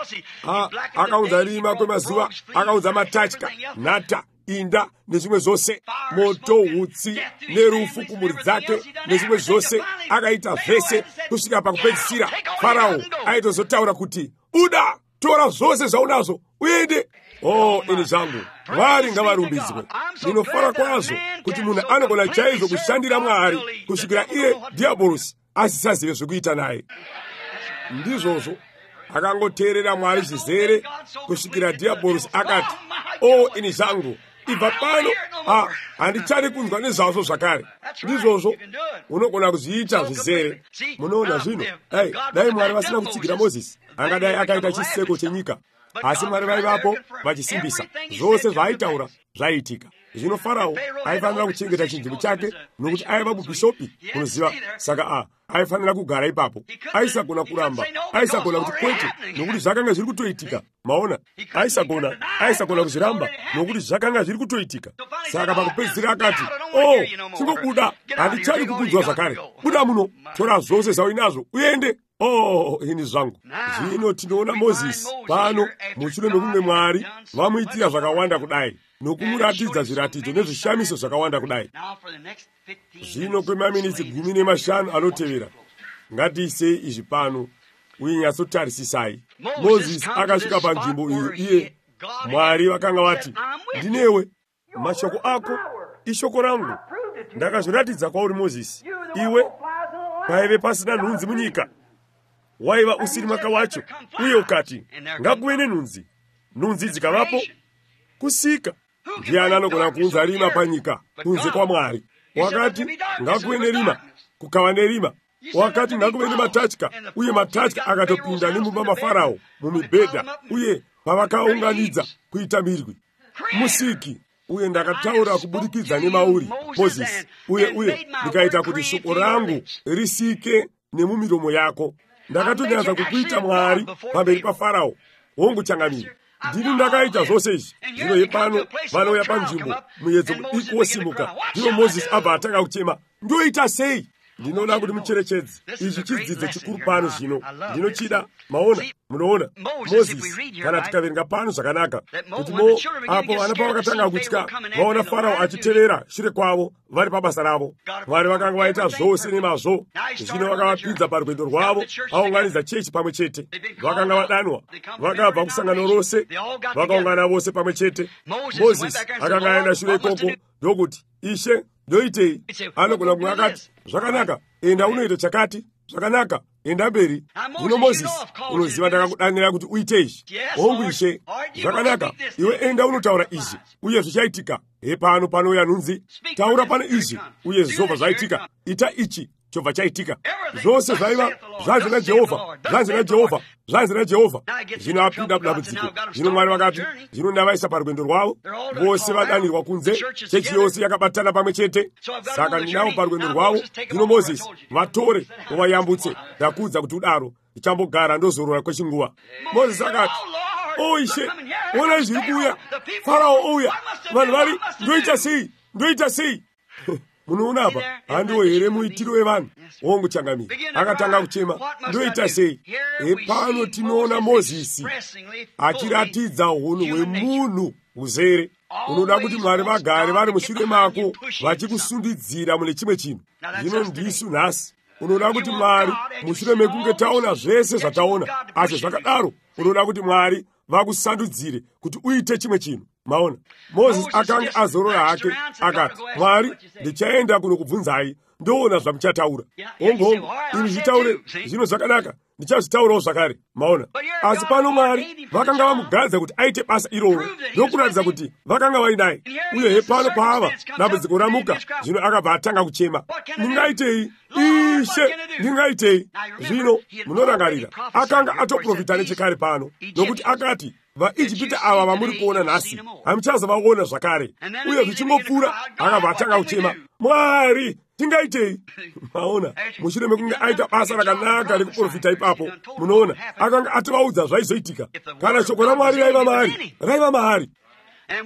Akaunza rima kwemazuva, akaunza matatya, nhata, inda nezvimwe zvose, moto, hutsi nerufu kumhuri dzake nezvimwe zvose. Akaita zvese kusvika pakupedzisira Farao aitozotaura kuti, buda, tora zvose zvaunazvo uende. Oh, ini zvangu, Mwari ngavarumbidzwe. Ndinofara kwazvo kuti munhu anogona chaizvo kushandira Mwari kusvikira iye dhiabhorosi asisazive zvekuita naye. Ndizvozvo akangoteerera Mwari zvizere kusvikira dhiabhorosi akati, oh, ini zvangu, ibva pano handichadi kunzwa nezvazvo zvakare. Ndizvozvo unogona kuzviita zvizere. Munoona zvino, dai Mwari vasina kutsigira Mozisi, angadai akaita chiseko chenyika. Asi Mwari vaivapo vachisimbisa zvose zvaaitaura zvaiitika. Zvino Farao aifanira kuchengeta chinzvimbo chake nokuti aiva mubhishopi, unoziva. Saka aifanira kugara ipapo. Aisagona kuramba, aisagona kuti kwete nokuti zvakanga zviri kutoitika. Maona, aisagona kuzviramba nokuti zvakanga zviri kutoitika. Saka pakupedzisira akati, chingobuda, handichadi kukunzwa zvakare. Buda muno, tora zvose zvauinazvo uende. Ini zvangu. Zvino tinoona Mozisi pano mushure mekunge Mwari vamuitira zvakawanda kudai nokumuratidza zviratidzo nezvishamiso zvakawanda kudai. Zvino kwemaminitsi 15 anotevera ngatiisei izvi pano uye nyatsotarisisai. Mozisi akasvika panzvimbo iyo iye Mwari vakanga vati, ndinewe, mashoko ako ishoko rangu. Ndakazviratidza kwauri Mozisi. Iwe paive pasina nhunzi munyika, waiva usiri maka wacho, uye ukati ngakuve nenhunzi. Nhunzi dzikavapo, kusika. Ndiani anogona kuunza rima panyika kunze kwaMwari? Wakati ngakuve nerima, kukava nerima. Wakati ngakuve nematatya, uye matatya akatopinda nemumba maFarao mumibhedha, uye pavakaunganidza kuita mirwi. Musiki, uye ndakataura kubudikidza nemauri Mozisi, uye ndikaita kuti shoko rangu risike nemumiromo yako. Ndakatonyadza kukuita Mwari pamberi paFarao. Hongu changamire, ndini ndakaita zvose izvi. Zvino yepano vanouya panzvimbo muedzo mudiki wosimuka. Ndino Mozisi abva atanga kuchema, ndoita sei? Ndinoda kuti mucherechedze ichi chidzidzo chikuru pano zvino. Ndinochida, maona, munoona Mozisi, kana tikaverenga pano zvakanaka, kuti apo vana pavakatanga kutya vaona Farao achitevera shure kwavo vari pabasa ravo. Mwari vakanga vaita zvose nemazvo. Zvino vakavapinza parwendo rwavo, vaunganidza chechi pamwe chete. Vakanga vadanwa, vakabva kusangano rose, vakaungana vose pamwe chete. Mozisi akanga aenda shure ikoko ndokuti, Ishe, ndoitei? Anogona kunge akati, zvakanaka, enda unoita chakati. Zvakanaka, enda mberi. Zvino Mozisi, unoziva ndakakudanira kuti uite izvi. Hongu Ishe, zvakanaka, iwe enda unotaura izvi, uye zvichaitika. Pano panouya nhunzi, taura pano izvi, uye zvobva zvaitika. Ita ichi, chobva chaitika. Zvose zvaiva zvanzi naJehovha, zvanzi naJehovha, zvanzi naJehovha. Zvino apinda mudambudziko. Zvino Mwari vakati, zvino ndavaisa parwendo rwavo, vose vadanirwa kunze, chechi yose yakabatana pamwe chete. Saka ndinavo parwendo rwavo. Zvino Mozisi, vatore uvayambutse. Ndakuudza kuti udaro ndichambogara ndozorora kwechinguva. Mozisi akati, Ishe, ona zviri kuuya, Farao ouya, vanhu vari, ndoita sei? Ndoita sei? Munoona apa, handiwo here muitiro wevanhu? Hongu changamire, akatanga kuchema, ndoita sei? Pano tinoona Mozisi achiratidza unhu hwemunhu uzere. Unoda kuti Mwari vagare vari mushure mako vachikusundidzira mune chimwe chinhu. Zvino ndisu nhasi unoda kuti Mwari, mushure mekunge taona zvese zvataona, asi zvakadaro unoda kuti Mwari vakusandudzire kuti uite chimwe chinhu. Maona, Mozisi akanga azorora hake akati, Mwari, ndichaenda kunokubvunzai ndoona zvamuchataura. Hongu, ini zvitaure zvino zvakanaka, ndichazvitaurawo zvakare. Maona, asi pano Mwari vakanga vamugadza kuti aite basa iroro ndokuratidza kuti vakanga vainaye. Uye pano paava dambudziko ramuka, zvino akabva atanga kuchema, ndingaitei? Ishe, ndingaitei? Zvino munorangarira, akanga atoprofita nechekare pano, nokuti akati, vaIjipita ava vamuri kuona nhasi hamuchazavaona zvakare. Uye zvichingopfuura akabva atanga kuchema, Mwari, tingaitei? Maona, mushure mekunge aita basa rakanaka rekuprofita ipapo, munoona akanga atovaudza zvaizoitika. Kana shoko raMwari raiva mahari,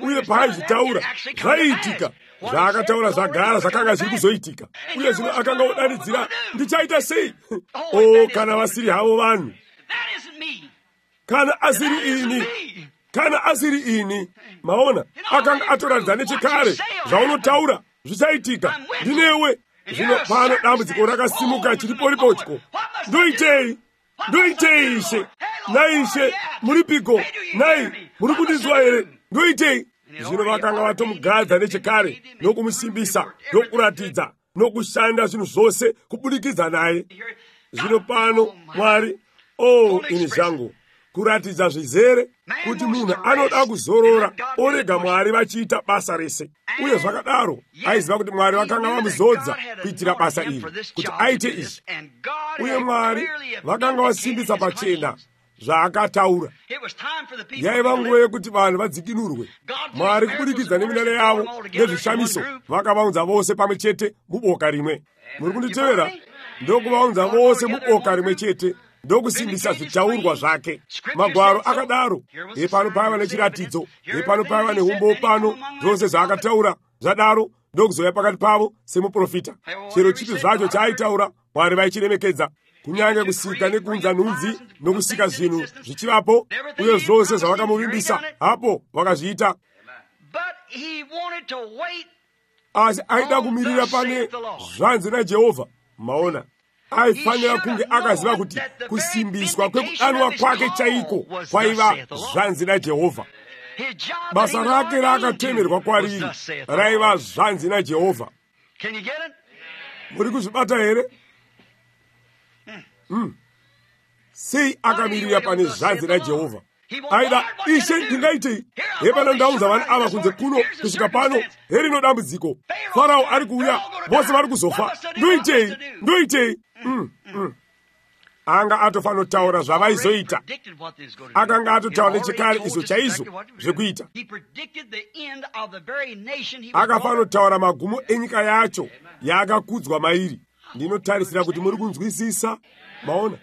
uye paaizvitaura zvaiitika. Zvaakataura zvagara zvakanga zviri kuzoitika. Uye zvino akanga odanidzira, ndichaita sei? Kana vasiri havo vanhu, kana asiri ini. Maona, akanga atoratidza nechekare zvaunotaura zvichaitika. Ndinewe. Zvino pano dambudziko rakasimuka chiriporipochko. Ndoitei? Ndoitei Ishe? Nai Ishe, muripiko? Nai, muri kundinzwa here? Ndoitei? Zvino vakanga vatomugadza nechekare nokumusimbisa, nokuratidza, nokushanda zvinhu zvose kubudikidza naye. Zvino pano Mwari, ini zvangu, kuratidza zvizere kuti munhu anoda kuzorora orega Mwari vachiita basa rese. Uye zvakadaro aiziva kuti Mwari vakanga vamuzodza kuitira basa iri, kuti aite izvi. Uye Mwari vakanga vasimbisa pachena zvaakataura. Yaiva nguva yekuti vanhu vadzikinurwe. Mwari kubudikidza neminara yavo nezvishamiso vakavaunza vose pamwe chete muboka rimwe. Muri kunditevera? Ndokuvaunza vose muboka rimwe chete, ndokusimbisa zvitaurwa zvake. Magwaro akadaro. Pano paiva nechiratidzo, pano paiva neumbo pano, zvose zvaakataura zvadaro ndokuzoya pakati pavo semuprofita. Chero chipi zvacho chaaitaura Mwari vaichiremekedza. Kunyange kusika nekunza nhunzi nokusika zvinhu zvichivapo, uye zvose zvavakamuvimbisa hapo vakazviita. Asi aida kumirira pane zvanzi naJehovha. Maona, aifanira kunge akaziva kuti kusimbiswa kwekudanwa kwake chaiko kwaiva zvanzi naJehovha. Basa rake raakatemerwa kwariri raiva zvanzi naJehovha. Muri kuzvibata here? Sei akamirira pane zvanzi naJehovha. Aida, Ishe ndingaitei? Hepana ndaunza vanhu ava kunze kuno kusvika pano, herino dambudziko. Farao ari kuuya, vose vari kuzofa. Ndoitei? Anga atofanotaura zvavaizoita. Akanga atotaura nechekare izvo chaizvo zvekuita. Akafanotaura magumo enyika yacho yaakakudzwa mairi. Ndinotarisira kuti muri kunzwisisa. Maona,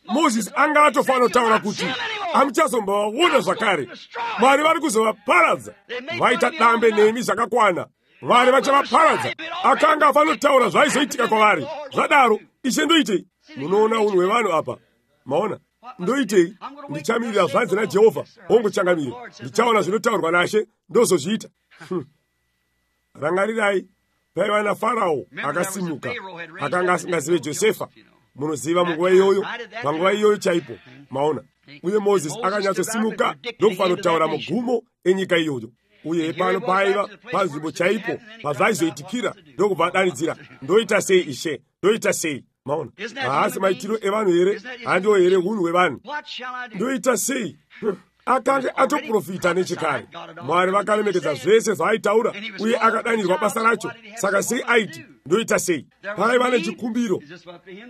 Moses anga atofanotaura kuti hamuchazombovaona zvakare. Mwari vari kuzovaparadza. Vaita dambe nemi zvakakwana. Mwari vachavaparadza. Akanga afanotaura zvaizoitika kwavari. Zvadaro, Ishe ndoitei? Munoona unhu hwevanhu apa. Maona, ndoitei? Ndichamirira zvanzi naJehovha. Hongochangamire. Ndichaona zvinotaurwa naShe ndozozviita. Rangarirai, paiva naFarao akasimuka. Akanga asingazive Josefa. Munoziva munguva iyoyo, panguva iyoyo chaipo. Maona, uye Moses akanyatsosimuka ndokufanotaura mugumo enyika iyoyo. Uye pano paiva panzvimbo chaipo pazvaizoitikira ndokubva adanidzira, ndoita sei Ishe? Ndoita sei? Maona, haasi maitiro evanhu here? Handiwo here unhu hwevanhu? Ndoita sei? Akanga atoprofita nechekare. Mwari vakaremekedza zvese zvaaitaura, uye akadanirwa basa racho. Saka sei aiti ndoita sei? Paiva nechikumbiro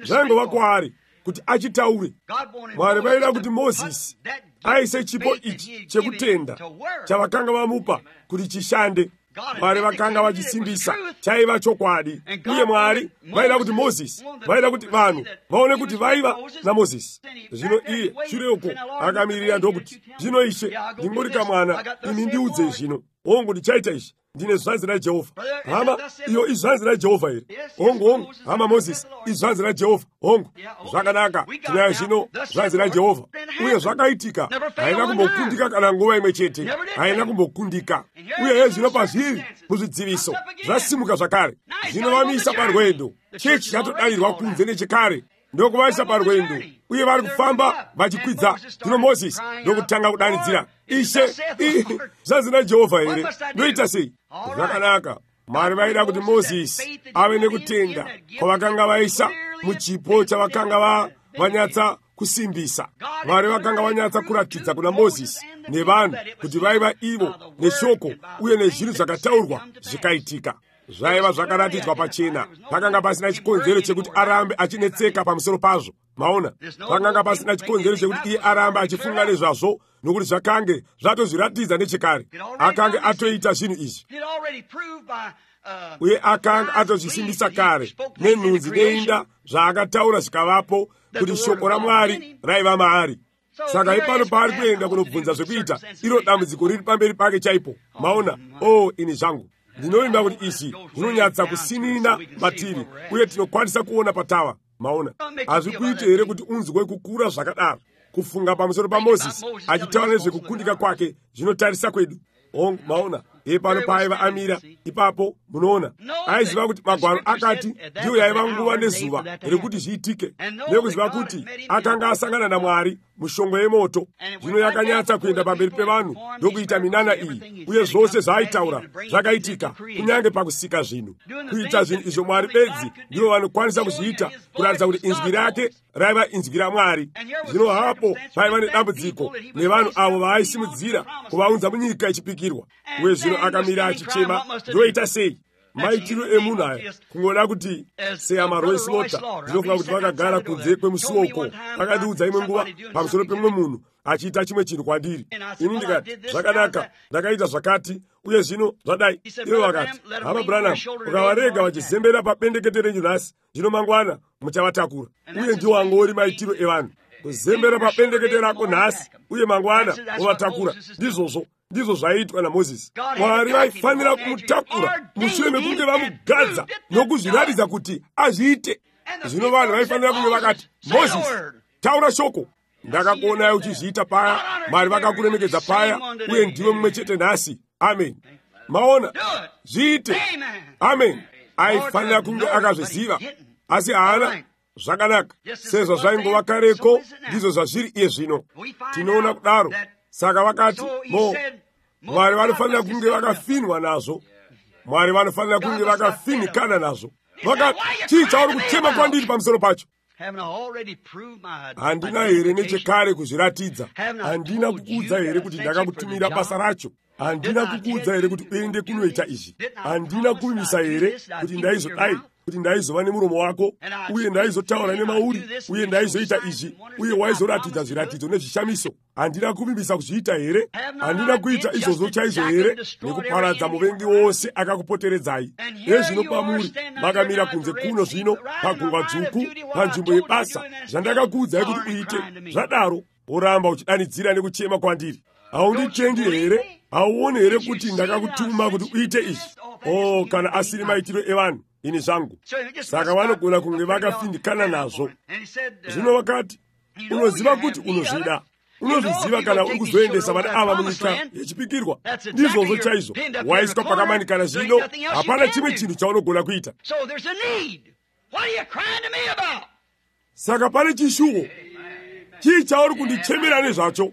zvaingova kwaari kuti achitaure. Mwari vaida kuti Mozisi aise chipo ichi chekutenda chavakanga vamupa kuti chishande. Mwari vakanga vachisimbisa chaiva chokwadi, uye Mwari vaida kuti Mozisi, vaida kuti vanhu vaone kuti vaiva naMozisi. Zvino iye shure uko akamirira ndokuti, zvino Ishe ndingori kamwana, ini ndiudze zvino. Hongu ndichaita izvi, ndine zvanzi naJehovha. Hama, iyo izvanzi naJehovha here. Hongu, hama Mozisi, izvanzi naJehovha. Hongu, zvakanaka, tinayo zvino zvanzi naJehovha. Uye zvakaitika, haina kumbokundika kana nguva imwe chete, haina kumbokundika. Uye zvino pazviri muzvidziviso zvasimuka zvakare. Zvino vamisa parwendo. Chechi chatodanirwa kunze nechekare. Ndokuvaisa parwendo, uye vari kufamba vachikwidza. Zvino Mozisi ndokutanga kudanidzira, Ishe, zvanzi naJehovha here? Ndoita sei? Zvakanaka. Mwari vaida kuti Mozisi ave nekutenda kwavakanga vaisa muchipo chavakanga vanyatsa kusimbisa. Mwari vakanga vanyatsa kuratidza kuna Mozisi nevanhu kuti vaiva ivo neshoko uye nezvinhu zvakataurwa zvikaitika. Zvaiva zvakaratidzwa pachena. Pakanga pasina chikonzero chekuti arambe achinetseka pamusoro pazvo. Maona, pakanga pasina chikonzero chekuti iye arambe achifunga nezvazvo, nokuti zvakange zvatozviratidza nechekare. Akanga atoita zvinhu izvi, uye akanga atozvisimbisa kare nenhunzi neinda zvaakataura zvikavapo kuti shoko raMwari raiva maari. Saka ipano paari kuenda kunobvunza zvekuita, iro dambudziko riri pamberi pake chaipo. Maona, ini zvangu ndinovimba kuti izvi zvinonyatsa kusinina matiri, uye tinokwanisa kuona patava. Maona, hazvikuite here kuti unzwe kukura zvakadaro? Kufunga pamusoro paMozisi achitaura nezvekukundika kwake zvinotarisa kwedu. Maona, pano paiva amira ipapo. Munoona, aiziva kuti magwaro akati ndiyo yaiva nguva nezuva rekuti zviitike, nekuziva kuti akanga asangana naMwari mushongwe yemoto. Zvino yakanyatsa kuenda pamberi pevanhu ndokuita minana iyi, uye zvose zvaaitaura zvakaitika, kunyange pakusika zvinhu. Kuita zvinhu izvo Mwari bedzi ndivo vanokwanisa kuzviita, kuratidza kuti inzwi rake raiva inzwi raMwari. Zvino hapo paiva nedambudziko nevanhu avo vaaisimudzira kuvaunza munyika ichipikirwa. Uye zvino akamira achichema, ndoita sei? Maitiro emunhu aya kungoda kuti seamaroislota zvinofunga kuti vakagara kunze kwemusuo uko vakandiudza imwe nguva pamusoro pemumwe munhu achiita chimwe chinhu kwandiri. Ini ndikati zvakanaka, ndakaita zvakati, uye zvino zvadai. Ivo vakati, hama Branham, ukavarega vachizembera pabendekete renyu nhasi, zvino mangwana muchavatakura. Uye ndiwo angori maitiro evanhu, kuzembera pabendekete rako nhasi uye mangwana wovatakura. Ndizvo zvaiitwa naMozisi. Mwari vaifanira kumutakura mushure mekunge vamugadza nokuzviratidza kuti azviite. Zvino vanhu vaifanira kunge vakati, Mozisi, taura shoko. Ndakakuonai uchizviita paya, Mwari vakakuremekedza paya, uye ndiwe mumwe chete nhasi. Amen. Maona, zviite. Amen. Aifanira kunge akazviziva, asi haana. Zvakanaka, sezvo zvaingova kareko, ndizvo zvazviri iye zvino. Tinoona kudaro. Saka vakati, Mwari vanofanira kunge vakafinwa nazvo. Mwari vanofanira kunge vakafinikana nazvo. Vakati, chii chauri kuchema kwandiri pamusoro pacho? Handina here nechekare kuzviratidza? Handina kukuudza here kuti ndakakutumira basa racho? Handina kukuudza here kuti uende kunoita izvi? Handina kuvimisa here kuti ndaizodai, kuti ndaizova nemuromo wako, uye ndaizotaura nemauri, uye ndaizoita izvi, uye waizoratidza zviratidzo nezvishamiso? Handina kuvimisa kuzviita here? Handina kuita izvozvo chaizvo here, nekuparadza muvengi wose akakupoteredzai? Nezvino pamuri makamira kunze kuno zvino pagungwa dzvuku, panzvimbo yebasa, zvandakakuudzai kuti uite, zvadaro woramba uchidanidzira nekuchema kwandiri. Haunditendi here? Hauoni here kuti ndakakutuma kuti uite izvi? Oh, kana asiri maitiro evanhu, ini zvangu. Saka vanogona kunge vakafindikana nazvo. Zvino vakati, unoziva kuti unozvida. Unozviziva kana uri kuzoendesa vana ava munyika yechipikirwa. Ndizvozvo chaizvo waiswa pakamanikana. Zvino hapana chimwe chinhu chaunogona kuita. Saka pane chishuwo. Chii chauri kundichemera nezvacho?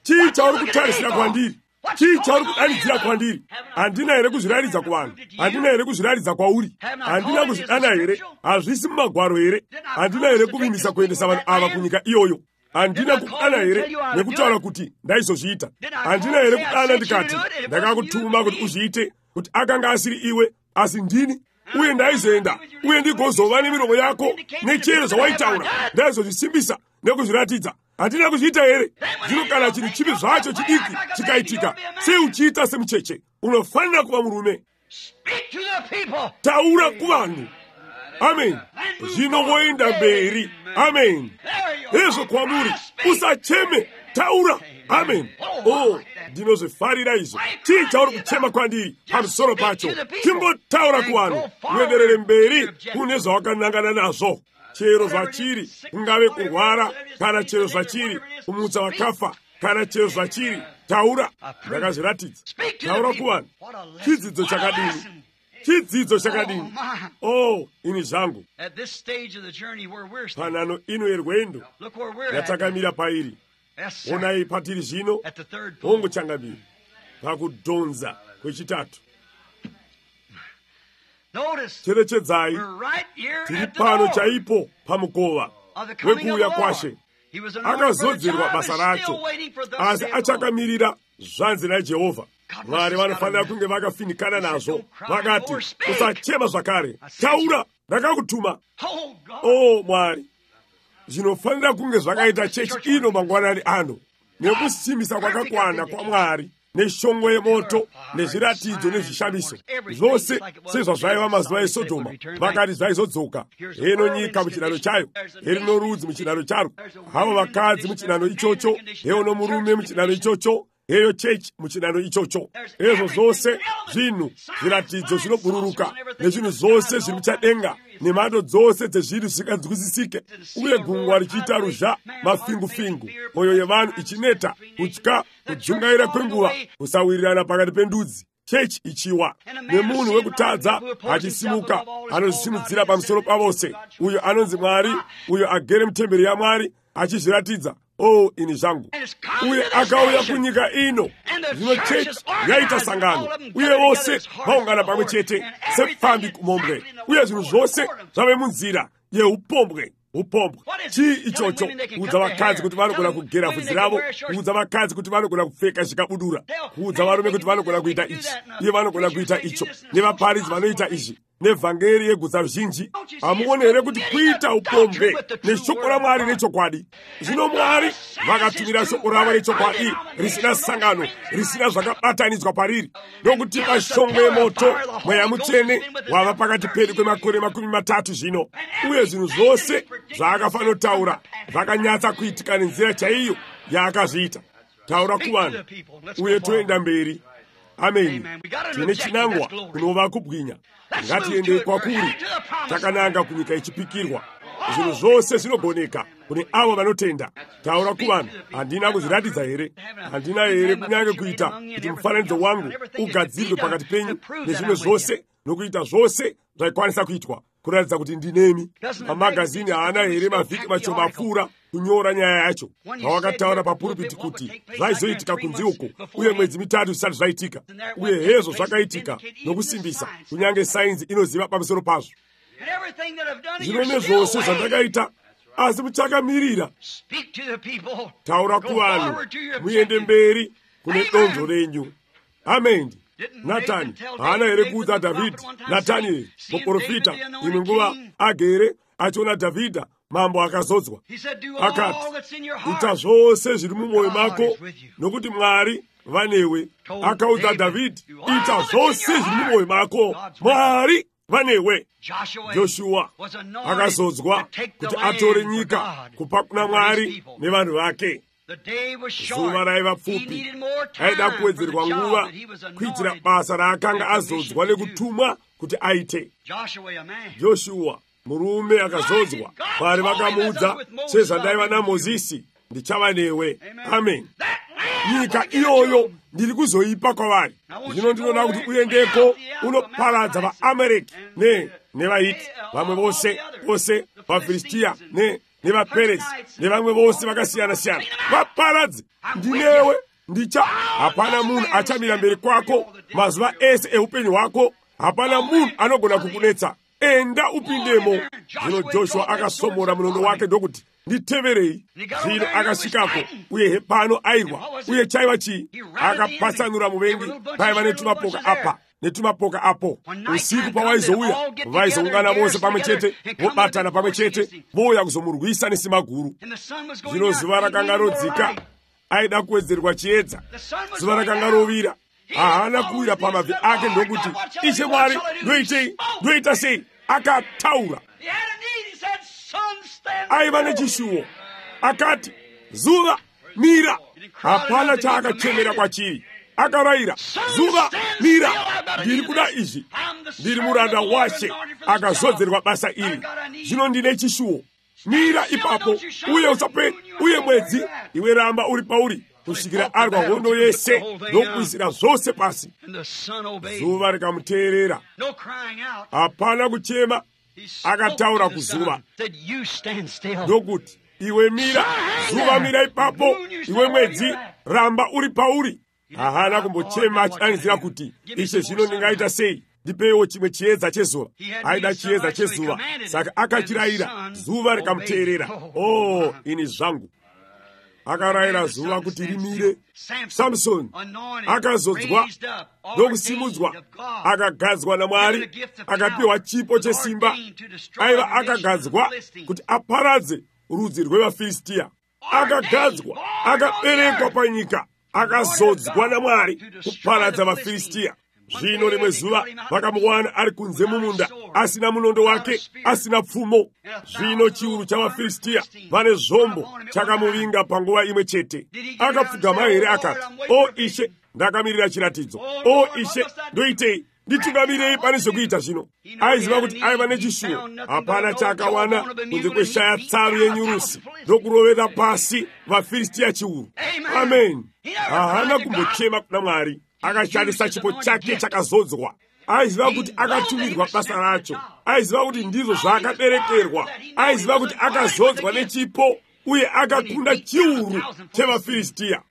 Chii chauri kutarisira kwandiri? Chii chauri kudanidzira kwandiri? Handina here kuzviraridza kuvanhu? Handina here kuzviraridza kwauri? Handina kuzvidana here? Hazvisi mumagwaro here? Handina here kuvimisa kuendesa vanhu ava kunyika iyoyo? Handina kudana here nekutaura kuti ndaizozviita? Handina here kudana ndikati ndakakutuma kuti uzviite, kuti akanga asiri iwe asi ndini? Uye ndaizoenda uye ndigozova nemiromo yako nechero zvawaitaura, ndaizozvisimbisa nekuzviratidza. Handina kuzviita here? Zvino kana chinhu chipi zvacho chidiki chikaitika, sei uchiita semucheche? Unofanira kuva murume. Taura kuvanhu. Amen. Zvino woenda mberi. Amen. Hezvo kwamuri, usacheme, taura. Amen. Oh, ndinozvifarira izvo. Chii chauri kuchema kwandiri pamusoro pacho? Chingotaura kuvanhu, uenderere mberi kune zvawakanangana nazvo. Chero zvachiri, kungave kurwara, kana chero zvachiri kumutsa vakafa, kana chero zvachiri, taura. Ndakazviratidza. Taura kuvanhu. Chidzidzo chakadini? Chidzidzo chakadini? Oh, ini zvangu. Panhano ino yerwendo yatakamira pairi. Onai patiri zvino, hongochangamira pakudhonza kwechitatu. Cherechedzai, tiri pano chaipo pamukova wekuuya kwashe. Akazodzerwa basa racho, asi achakamirira zvanzi naJehovha. Mwari vanofanira kunge vakafinikana nazvo. Vakati, usachema zvakare, taura, ndakakutuma. Oh, Mwari, zvinofanira kunge zvakaita chechi ino mangwanani ano, nekusimbisa kwakakwana kwaMwari, neshongwe yemoto, nezviratidzo nezvishamiso. Zvose sezvazvaiva mazuva eSodhoma, vakati zvaizodzoka. Heno nyika muchinhano chayo, herino rudzi muchinhano charo, havo vakadzi muchinhano ichocho, heono murume muchinhano ichocho, heyo chechi muchinhano ichocho. Ezvo zvose zvinhu, zviratidzo zvinobururuka, nezvinhu zvose zviri muchadenga, nemhando dzose dzezvinhu zvisinganzwisisike, uye gungwa richiita ruzha, mafingu-fingu, mwoyo yevanhu ichineta, kutya, kudzungaira kwenguva, kusawirirana pakati pendudzi. chechi ichiwa nemunhu wekutadza achisimuka anozvisimudzira pamusoro pavose, uyo anonzi Mwari, uyo agere mutemberi yaMwari achizviratidza, o ini zvangu. Uye akauya kunyika ino. Zvino chechi yaita sangano, uye vose vaungana pamwe chete sepfambi kumombwe, uye zvinhu zvose zvave munzira yeupombwe. Chii ichocho? Kuudza vakadzi kuti vanogona kugera bvudzi ravo, kuudza vakadzi kuti vanogona kupfeka zvikabudura, kuudza varume kuti vanogona kuita ichi, iye vanogona kuita icho, nevaparidzi vanoita izvi, nevhangeri yegutsa ruzhinji. Hamuoni here kuti kuita upombwe neshoko raMwari rechokwadi? Zvino Mwari vakatumira shoko ravo rechokwadi risina sangano, risina zvakabatanidzwa pariri, ndokutipa shongwe yemoto, mweya mutsvene wava pakati pedu kwemakore 30 zvino. Uye zvinhu zvose zvaakafanotaura zvakanyatsa kuitika nenzira chaiyo yaakazviita. Taura kuvanhu uye toenda mberi. Ameni. Tine chinangwa kunova kubwinya. Ngatiende kwakuri, takananga kunyika ichipikirwa. Zvinhu zvose zvinogoneka kune avo vanotenda. Taura kuvanhu, handina kuzviratidza here? Handina here kunyange kuita kuti mufananidzo wangu ugadzirwe pakati penyu nezvimwe zvose, nokuita zvose zvaikwanisa kuitwa kuratidza kuti ndinemi? Mamagazini haana here mavhiki mashoma apfuura kunyora nyaya yacho, pawakataura papuripiti kuti zvaizoitika kunze uko, uye mwedzi 3 zvisati zvaitika, uye hezvo zvakaitika nokusimbisa, kunyange sainzi inoziva pamusoro pazvo. Zvino nezvose zvandakaita, asi muchakamirira. Taura kuvanhu, muende mberi kune donzvo renyu. Amen. Natani haana here kuudza Dhavhidhi, Natani muprofita, imwe nguva agere achiona Dhavhidha mambo akazodzwa, akati, ita zvose zviri mumwoyo mako nokuti Mwari vanewe. Akaudza Dhavhidhi, ita zvose zviri mumwoyo mako, Mwari vanewe. Joshua akazodzwa kuti atore nyika kupa kuna Mwari nevanhu vake. Zuva raiva pfupi, aida kuwedzerwa nguva kuitira basa raakanga azodzwa nekutumwa kuti aite. Joshua murume akazodzwa, Mwari vakamuudza, sezvandaiva naMozisi, ndichava newe. Amen. Nyika iyoyo ndiri kuzoipa kwavari. Zvino ndinoda kuti uendeko unoparadza vaAmareki nevaHiti, vamwe vose vaFilistia nevaPerezi nevamwe vose vakasiyana-siyana. Vaparadze. Ndinewe hapana munhu achamira mberi kwako mazuva ese eupenyu hwako. Hapana munhu anogona kukunetsa. Enda upindemo. Zvino Joshua akasomora munondo wake ndokuti, nditeverei. Zvino akasvikako, uye pano airwa, uye chaiva chii? Akapatsanura muvengi, paiva netumapoka apa netumapoka apo. Usiku pawaizouya, vaizoungana vose pamwe chete, vobatana pamwe chete, vouya kuzomurwisa nesimba guru. Zvino zuva rakanga rodzika, aida kuwedzerwa chiedza. Zuva rakanga rovira, haana kuwira pamabvi ake ndokuti, Ishe Mwari, ndoita sei? Akataura. Aiva nechishuwo, akati, zuva mira. Hapana chaakachemera kwachiri. Akarayira, zuva mira, ndiri kuda izvi, ndiri muranda washe, akazodzerwa basa iri. Zvino ndine chishuwo, mira ipapo, uye usape, uye mwedzi iwe ramba uri pauri, kusvikira arwa hondo yese nokuisira zvose pasi. Zuva rikamuteerera, hapana kuchema. Akataura kuzuva ndokuti, iwe mira, zuva mira ipapo, iwe mwedzi ramba uri pauri. Haana kumbochema achidanizira kuti, Ishe zvino ndingaita sei? Ndipewo chimwe chiedza chezuva. Aida chiedza chezuva, saka akachirayira, zuva rikamuteerera. Oh, ini zvangu. Akarayira zuva kuti rimire. Samsoni akazodzwa ndokusimudzwa, akagadzwa naMwari, akapiwa chipo chesimba. Aiva akagadzwa kuti aparadze rudzi rwevaFilistia. Akagadzwa, akaberekwa panyika, akazodzwa naMwari kuparadza vaFilistia. Zvino rimwe zuva vakamuwana ari kunze mumunda, asina munondo wake, asina pfumo. Zvino chiuru chavaFilistia vane zvombo chakamuvinga panguva imwe chete. Akapfugama here akati, o Ishe, ndakamirira chiratidzo. O Ishe, ndoitei? Nditungamirei pane zvokuita zvino? Aiziva kuti aiva nechishuwo. Hapana chaakawana kunze kweshaya tsaru yenyurusi ndokurovera pasi vaFilistia chiuru. Amen. Haana kumbochema kuna Mwari. akashandisa chipo chake chakazodzwa. Aiziva kuti akatumirwa basa racho. Aiziva kuti ndizvo zvaakaberekerwa. Aiziva kuti akazodzwa nechipo uye akakunda chiuru chevaFilistia.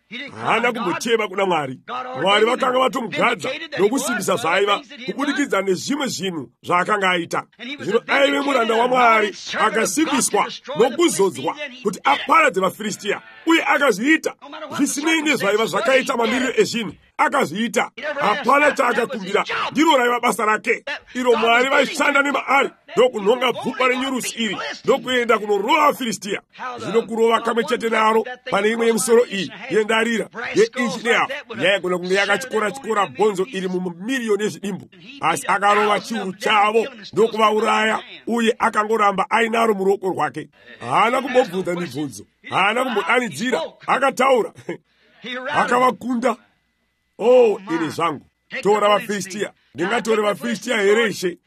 Haana kumbochema kuna Mwari. Mwari vakanga vatomugadza nokusimbisa zvaiva kubudikidza nezvimwe zvinhu zvaakanga aita. Zvino aive muranda waMwari akasimbiswa nokuzodzwa kuti aparadze vaFilistia, uye akazviita zvisinei nezvaiva zvakaita mamiriro ezvinhu. Akazviita. Hapana chaakakumbira. Ndiro raiva basa rake. Iro Mwari vaishanda nemaari ndokunhonga bvupa renyurusi iri ndokuenda kunorova vaFilistia. Zvino kurova kamwe chete naro pane imwe yemusoro iyi yendarira yeinchi nehafu yaigona kunge yakachikora bhonzo iri mumiliyoni ezvidimbu, asi akarova chiuru chavo ndokuvauraya, uye akangoramba ainaro muruoko rwake. Haana kumbobvunza mibvunzo, haana kumbodanidzira, akataura. Akavakunda. Ini zvangu, tora vaFilistia. Ndingatore vaFilistia here Ishe?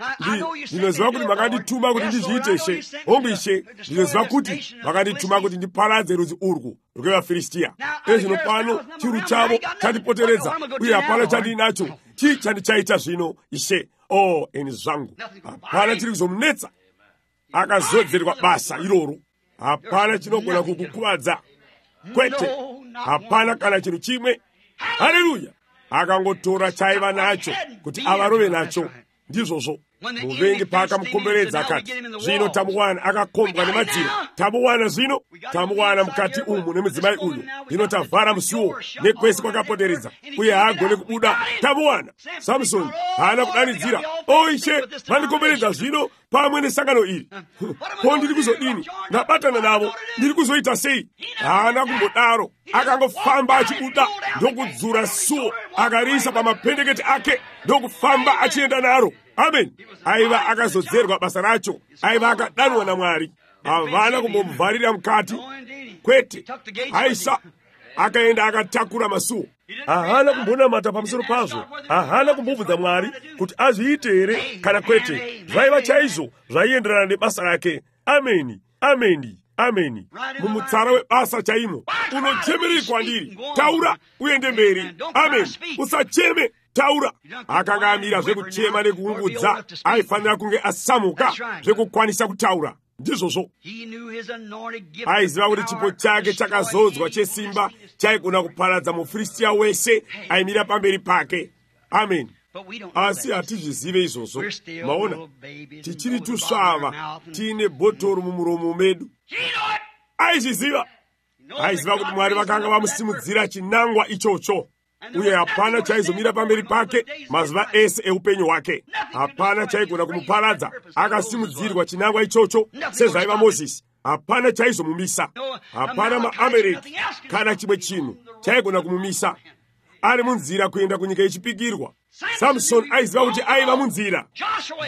Ndinoziva kuti makandituma kuti ndizviite Ishe. Hongu Ishe, ndinoziva kuti makandituma kuti ndiparadze rudzi urwu rwevaFilistia. Zvino pano chiuru chavo chandipoteredza, uye hapana chandinacho. Chii chandichaita zvino Ishe? Ini zvangu, hapana chiri kuzomunetsa. Akazodzerwa basa iroro. Hapana chinogona kukukuvadza. Kwete, hapana kana chinhu chimwe. Haleluya! Akangotora chaiva nacho kuti avarove nacho. Ndizvozvo muvengi paakamukomberedza akati, zvino tamuwana akakombwa nemadziro. Tamuwana zvino, tamuwana mukati umu nemudzimai uyu. Zvino tavhara musuwo nekwese kwakapoteredza, uye haagone kubuda. Tamuwana. Samusoni haana kudanidzira, Ishe, mandikomberedza zvino pamwe nesangano iri. Ko ndiri kuzodini? Ndabatana navo, ndiri kuzoita sei? Haana kumbodaro. Akangofamba achibuda ndokudzura suo, akariisa pamapendekete ake ndokufamba achienda naro. Amen. Aiva akazodzerwa basa racho. Aiva akadanwa naMwari. Havana kumbomuvharira mukati. Kwete, aisa akaenda akatakura masuo. Haana kumbonamata pamusoro pazvo. Haana kumbobvunza Mwari kuti azviite here kana kwete. Zvaiva chaizvo zvaienderana nebasa rake. Ameni, ameni, ameni. Mumutsara webasa chaimo. Unochemerei kwandiri? Taura uende mberi. Amen. Usacheme. Taura. Akanga amira zvekuchema nekuungudza. Aifanira kunge asamuka zvekukwanisa kutaura. Ndizvozvo. Aiziva kuti chipo chake chakazodzwa chesimba chaigona kuparadza muFilistia wese aimira pamberi pake. Amen. Asi hatizvizive izvozvo. Maona, tichiri tusvava tiine bhotoro mumuromo medu. Aizviziva. Aiziva kuti Mwari vakanga vamusimudzira chinangwa ichocho, uye hapana chaizomira pamberi pake mazuva ese eupenyu hwake. Hapana chaigona kumuparadza. Akasimudzirwa chinangwa ichocho sezvaiva Mozisi. Hapana chaizomumisa. Hapana maAmereki kana chimwe chinhu chaigona kumumisa. Ari munzira kuenda kunyika yechipikirwa. Samson aiziva kuti aiva munzira.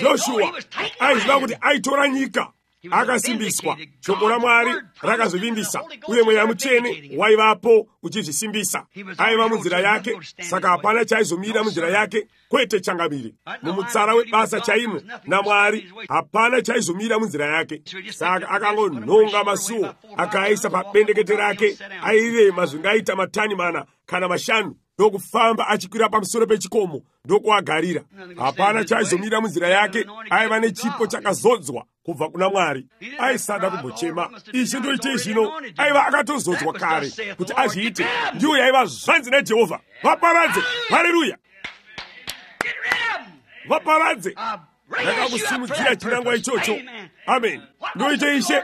Joshua aiziva kuti aitora nyika. Akasimbiswa. Shoko raMwari rakazovimbisa, uye Mweya Mutsvene waivapo uchizvisimbisa. Aiva munzira yake, saka hapana chaizomira munzira yake, kwete changamire. Mumutsara webasa chaimo naMwari hapana chaizomira munzira yake. Saka akangonhonga masuo akaisa pabendekete rake, airema zvingaita matani 4 kana 5, ndokufamba achikwira pamusoro pechikomo ndokuagarira. Hapana chaizomira munzira yake. Aiva nechipo chakazodzwa kubva kuna Mwari. Aisada kumbochema, Ishe ndoitei zvino. Aiva akatozodzwa kare kuti azviite. Ndiyo yaiva zvanzi naJehovha, vaparadze. Haleluya! Vaparadze. Ndakakusimudzira chinangwa ichocho. Amen. Ndoite Ishe.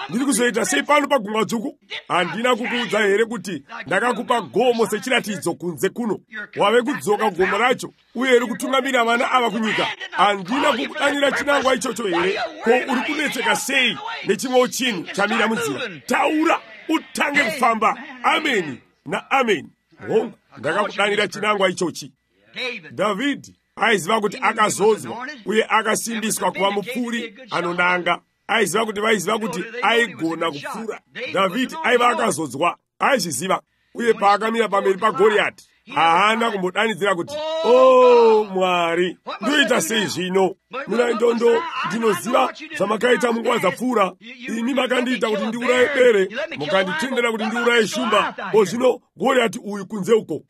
Ndiri kuzoita sei pano pagungwa dzvuku? Handina kukuudza here kuti ndakakupa gomo sechiratidzo kunze kuno? Wave kudzoka gomo racho, uye uri kutungamira vana ava kunyika. Handina kukudanira chinangwa ichocho here? Ko uri kunetseka sei nechimwewo chinhu chamira munzira? Taura utange kufamba. Ameni na ameni. Ndakakudanira chinangwa ichochi. Dhavhidhi aiziva kuti akazodzwa uye akasimbiswa kuva mupfuri anonanga. Aiziva kuti vaiziva kuti aigona kupfura. Dhavhidhi aiva akazodzwa, aizviziva, uye paakamira pamberi paGoriati haana kumbodanidzira kuti Mwari, ndoita sei zvino? Mina ndondo ndinoziva zvamakaita munguva dzapfuura. Imi makandiita kuti ndiuraye bere, mukanditendera kuti ndiuraye shumba. Zvino Goriati uyu kunze uko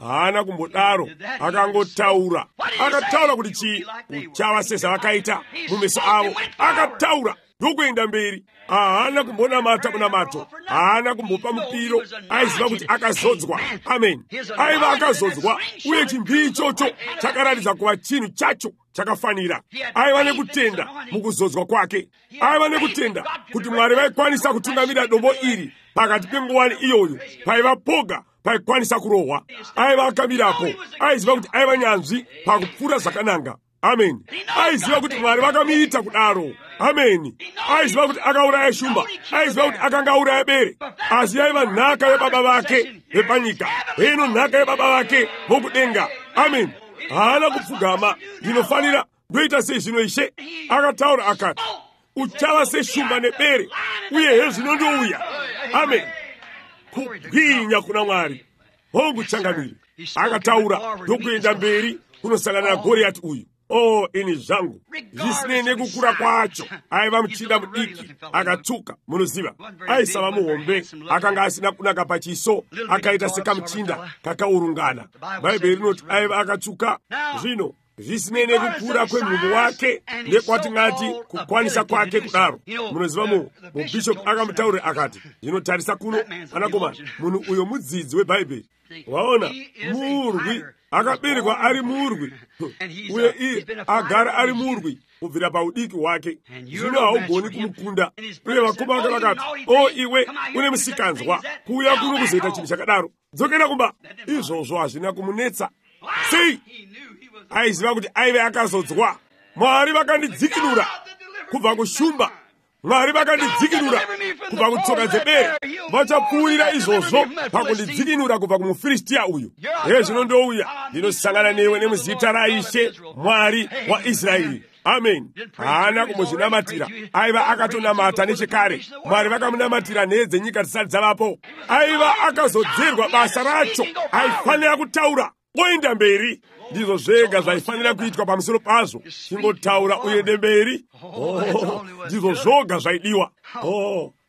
haana kumbodaro, akangotaura. Akataura kuti chii? Kuchava sezvavakaita mumeso avo. Akataura ndokuenda mberi. Haana kumbonamata kunamato, haana kumbopa mupiro. Aiziva kuti akazodzwa. Amen. Aiva akazodzwa, uye chimbii ichocho chakaratidza kuva chinhu chacho chakafanira. Aiva nekutenda mukuzodzwa kwake. Aiva nekutenda kuti Mwari vaikwanisa kutungamira dombo iri pakati penguwani iyoyo paiva poga paikwanisa kurohwa. Aiva akamirapo. Aiziva kuti aiva nyanzvi pakupfura zvakananga. Amen. Aiziva kuti Mwari vakamuita kudaro. Amen. Aiziva kuti akauraya shumba. Aiziva kuti akanga auraya bere. Asi yaiva nhaka yebaba vake vepanyika. Hino nhaka yebaba vake vokudenga. Amen. Haana kupfugama. Ndinofanira ndoita sei zvino Ishe? Akataura akati, uchava seshumba nebere, uye hezvino ndouya. Amen. Kubwinya kuna Mwari. Hongu changamiri. Akataura ndokuenda mberi kunosangana na Goriati uyu. Oh, ini zvangu zvisinei nekukura kwacho. Aiva muchinda mudiki, akatuka, munoziva. Aisava muhombe, akanga asina kunaka pachiso, akaita sekamuchinda kakaurungana. Bhaibheri rinoti aiva akatuka. Zvino zvisinei nekukura kwemhumbu wake nekwatingati kukwanisa kwake kudaro. Munoziva mubhishop akamutaurira akati, zvinotarisa kuno anakomana, munhu uyo mudzidzi webhaibheri. Waona, murwi akaberekwa ari murwi, uye iye agara ari murwi kubvira paudiki hwake. Zvino haugoni kumukunda. Uye vakoma vake vakati, o iwe une musikanzwa, kuuya kuno kuzoita chinhu chakadaro, dzokera kumba. Izvozvo hazvina kumunetsa. Sei? Aiziva kuti aive akazodzwa. Mwari vakandidzikinura kubva kushumba. Mwari vakandidzikinura kubva kutsoka dzebere. Vachapfuurira izvozvo pakundidzikinura kubva kumufiristiya uyu. Hezvino ndouya ndinosangana newe nemuzita raIshe Mwari waIsraeri. Amen. Haana kumuzvinamatira. Aiva akatonamata nechekare. Mwari vakamunamatira nhedze nyika dzisati dzavapo. Aiva akazodzerwa basa racho. Aifanira kutaura oenda mberi. Ndizvo zvega zvaifanira kuitwa pamusoro pazvo. Chingotaura uende mberi. Ndizvo zvoga zvaidiwa.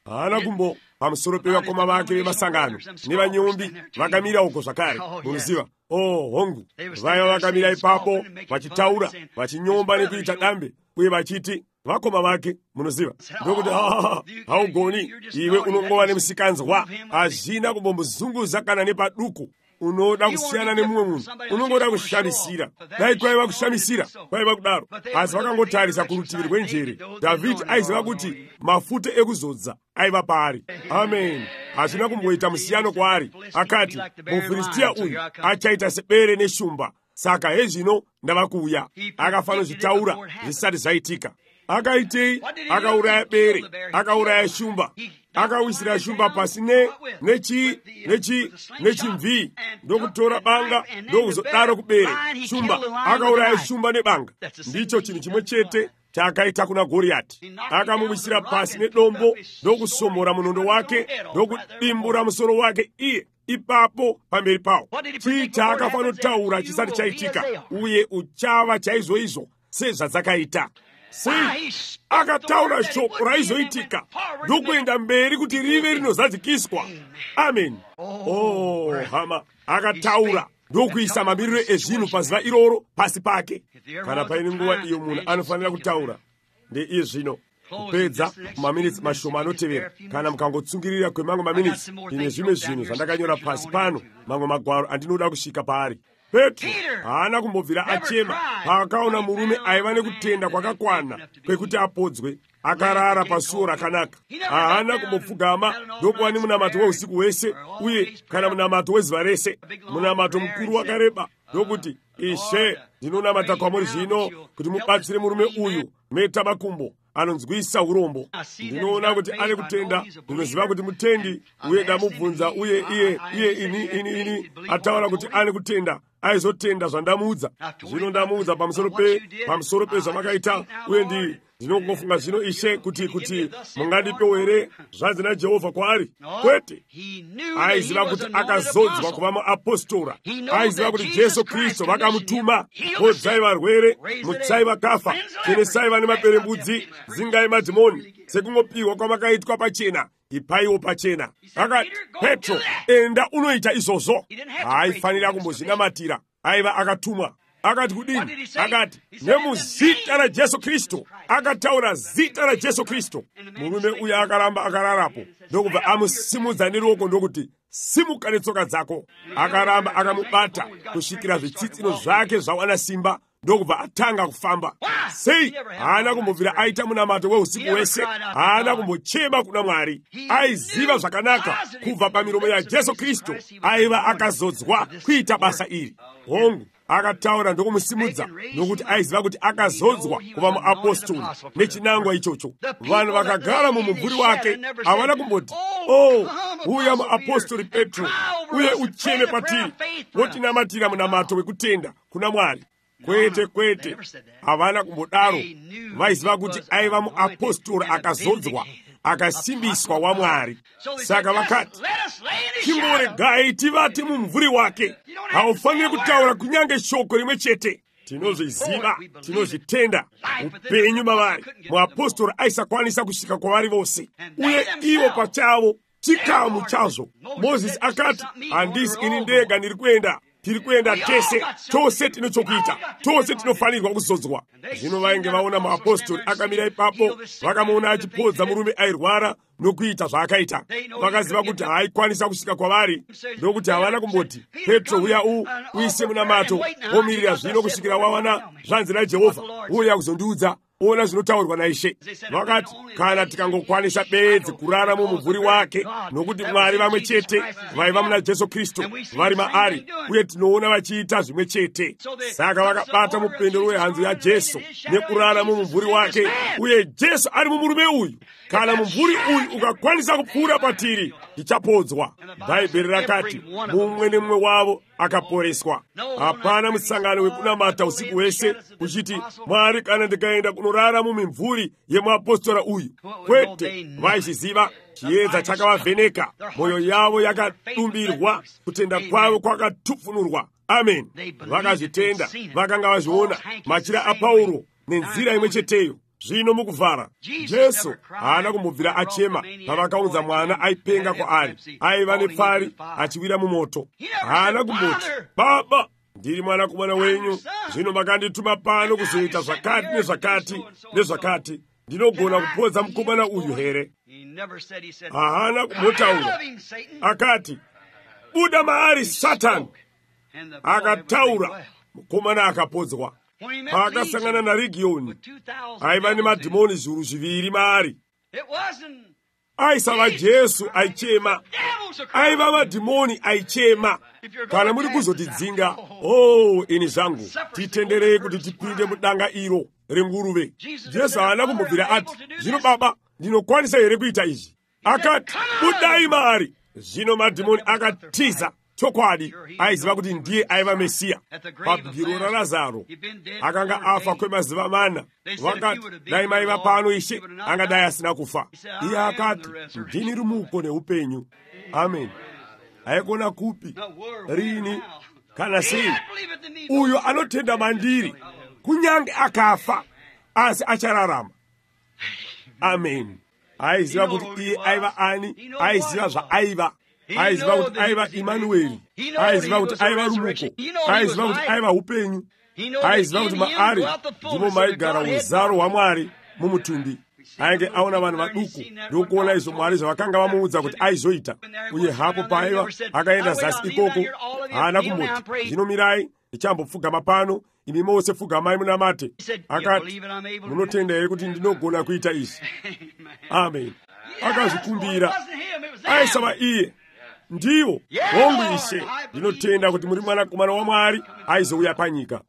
Haana kumbo pamusoro pevakoma vake vemasangano nevanyombi vakamira uko zvakare. Munoziva? Hongu vaiva vakamira ipapo vachitaura, vachinyomba nekuita dambe, uye vachiti vakoma vake. Munoziva? Ndokuti haugoni, iwe unongova nemusikanzwa, hazvina kumbomuzunguza kana nepaduku. Unoda kusiyana nemumwe munhu, unongoda kushamisira. Dai kwaiva kushamisira, kwaiva kudaro. Asi vakangotarisa kurutivi rwenjere. Dhavhidhi aiziva kuti mafuta ekuzodza aiva paari. Amen. Hazvina kumboita musiyano kwaari. Akati, mufiristiya uyu achaita sebere neshumba. Saka hezvino ndava kuuya. Akafanozvitaura zvisati zvaitika. Akaitei? Akauraya bere, akauraya shumba. Akawisira shumba pasi nechimvii, ndokutora banga ndokuzodaro kubere. Shumba akauraya shumba nebanga. Ndicho chinhu chimwe chete chaakaita kuna Goriati. Akamuwisira pasi nedombo ndokusomora munondo wake ndokudimbura musoro wake iye ipapo pamberi pawo. Chii chaakafanotaura chisati chaitika, uye uchava chaizvoizvo sezvadzakaita. Akataura shoko raizoitika ndokuenda mberi kuti rive rinozadzikiswa. Amen. Hama, akataura ndokuisa mamiriro ezvinhu pazuva iroro pasi pake. Kana paine nguva iyo munhu anofanira kutaura, ndeiye zvino. Kupedza maminitsi mashoma anotevera, kana mukangotsungirira kwemamwe maminitsi, ine zvimwe zvinhu zvandakanyora pasi pano, mamwe magwaro andinoda kusvika paari. Petro haana kumbobvira achema paakaona murume aiva nekutenda kwakakwana kwekuti apodzwe, akarara pasuo rakanaka. Haana kumbopfugama ndokuva nemunamato weusiku hwese, uye kana munamato wezuva rese, munamato mukuru wakareba, ndokuti, Ishe, ndinonamata kwamuri zvino kuti mubatsire murume uyu meta makumbo anonzwisa urombo. Ndinoona kuti ane kutenda, ndinoziva kuti mutendi, uye ndamubvunza, uye iye ini ataura kuti ane kutenda, aizotenda zvandamuudza. Zvino ndamuudza pamusoro pezvamakaita, uye ndinongofunga zvino Ishe kuti mungandipewo here zvanzi naJehovha kwaari. Kwete, aiziva kuti akazodzwa kuva muapostora. Aiziva kuti Jesu Kristu vakamutuma. Podzai varwere, mutsai vakafa, chenesai vane maperembudzi, dzingai madhimoni. Sekungopiwa kwamakaitwa pachena, ipaiwo pachena. Akati, Petro, enda unoita izvozvo. Haifanira kumbozvinamatira. Aiva akatumwa. Akati kudini? Akati, nemuzita raJesu Kristu. Akataura zita raJesu Kristu. Murume uya akaramba akararapo. Ndokubva amusimudza neruoko ndokuti, simuka netsoka dzako. Akaramba akamubata kusvikira zvitsitsino zvake zvawana simba. Ndokubva atanga kufamba. Sei haana kumbobvira aita munamato weusiku wese. Haana kumbochema kuna Mwari. Aiziva zvakanaka kubva pamiromo yaJesu Kristu aiva akazodzwa kuita basa iri. Hongu akataura ndokumusimudza nokuti aiziva kuti akazodzwa kuva muapostoli nechinangwa ichocho. Vanhu vakagara mumumvuri wake havana kumboti, uya muapostoli Petro, uye ucheme patiri wotinamatira munamato wekutenda kuna Mwari. Kwete, havana kumbodaro. Vaiziva kuti aiva muapostoli akazodzwa, akasimbiswa waMwari. Saka vakati, chimboregai tivate mumvuri wake. Haufaniri kutaura kunyange shoko rimwe chete. Tinozviziva, tinozvitenda. Upenyu mavari, muapostoli aisakwanisa kusvika kwavari vose, uye ivo pachavo chikamu chazvo. Mozisi akati, handisi ini ndega ndiri kuenda, tiri kuenda tose tine chokuita, tose tinofanirwa kuzodzwa. Zvino vainge vaona muapostoli akamira ipapo, vakamuona achipodza murume airwara nokuita zvaakaita. Vakaziva kuti haikwanisa kusvika kwavari, ndokuti havana kumboti, Petro, uya uise munamato, omirira zvino kusvikira wawana zvanzi naJehovha, uya kuzondiudza, ona zvinotaurwa naIshe. Vakati, kana tikangokwanisa bedzi kurara mumumvuri wake, nokuti Mwari vamwe chete vaiva muna Jesu Kristu vari maari, uye tinoona vachiita zvimwe chete. Saka vakabata mupendero wehanzu yaJesu nekurara mumumvuri wake, uye Jesu ari mumurume uyu. Kana mumvuri uyu ukakwanisa kupfuura patiri, tichapodzwa. Bhaibheri rakati, mumwe nemumwe wavo akaporeswa. Hapana musangano wekunamata usiku wese kuchiti, Mwari, kana ndikaenda kunorara mumimvuri yemuapostora uyu. Kwete, vaizviziva chiedza chakavavheneka, mwoyo yavo yakadumbirwa, kutenda kwavo kwakatufunurwa. Amen. Vakazvitenda, vakanga vazviona machira aPauro nenzira imwe cheteyo. Zvino mukuvhara, Jesu haana kumbobvira achema pavakaunza mwana aipenga kwaari, aiva nepfari achiwira mumoto. Haana kumboti, Baba, ndiri mwanakomana wenyu, zvino makandituma pano kuzoita zvakati nezvakati. Ndinogona kupodza mukomana uyu here? Haana kumbotaura. Akati, buda maari Satani. Akataura, mukomana akapodzwa. Paakasangana naRegioni, aiva nemadhimoni zviuru zviviri maari. Aisava Jesu aichema, aiva madhimoni aichema. Kana muri kuzotidzinga, ini zvangu, titenderei kuti tipinde mudanga iro renguruve. Jesu haana kumbobvira ati, zvino Baba, ndinokwanisa here kuita izvi? Akati, budai maari. Zvino madhimoni akatiza. Chokwadi, aiziva kuti ndiye aiva Mesiya. Pabwiro raLazaro, akanga afa kwemazuva mana. Vakati, dai maiva pano Ishe, angadai asina kufa. Iye akati, ndini rumuko neupenyu. Amen. Haikona kupi, rini, kana sei. Uyo anotenda mandiri, kunyange akafa, asi achararama. Amen. Aiziva kuti iye aiva ani, aiziva zvaaiva. Aiziva kuti aiva Imanueri, aiziva kuti aiva rumuko, aiziva kuti aiva upenyu, aiziva kuti maari ndimo maigara uzaro hwaMwari mumutumbi. Ainge aona vanhu vaduku ndokuona izvo Mwari zvavakanga vamuudza kuti aizoita. Uye hapo paiva akaenda zasi ikoko, haana kumboti, zvino mirai, ndichambopfugama pano, imi mose pfugamai munamate. Akati, munotenda here kuti ndinogona kuita izvi? Amen. Akazvikumbira, aisava iye. Ndiwo, hongu Ishe, ndinotenda kuti muri mwanakomana waMwari aizouya panyika.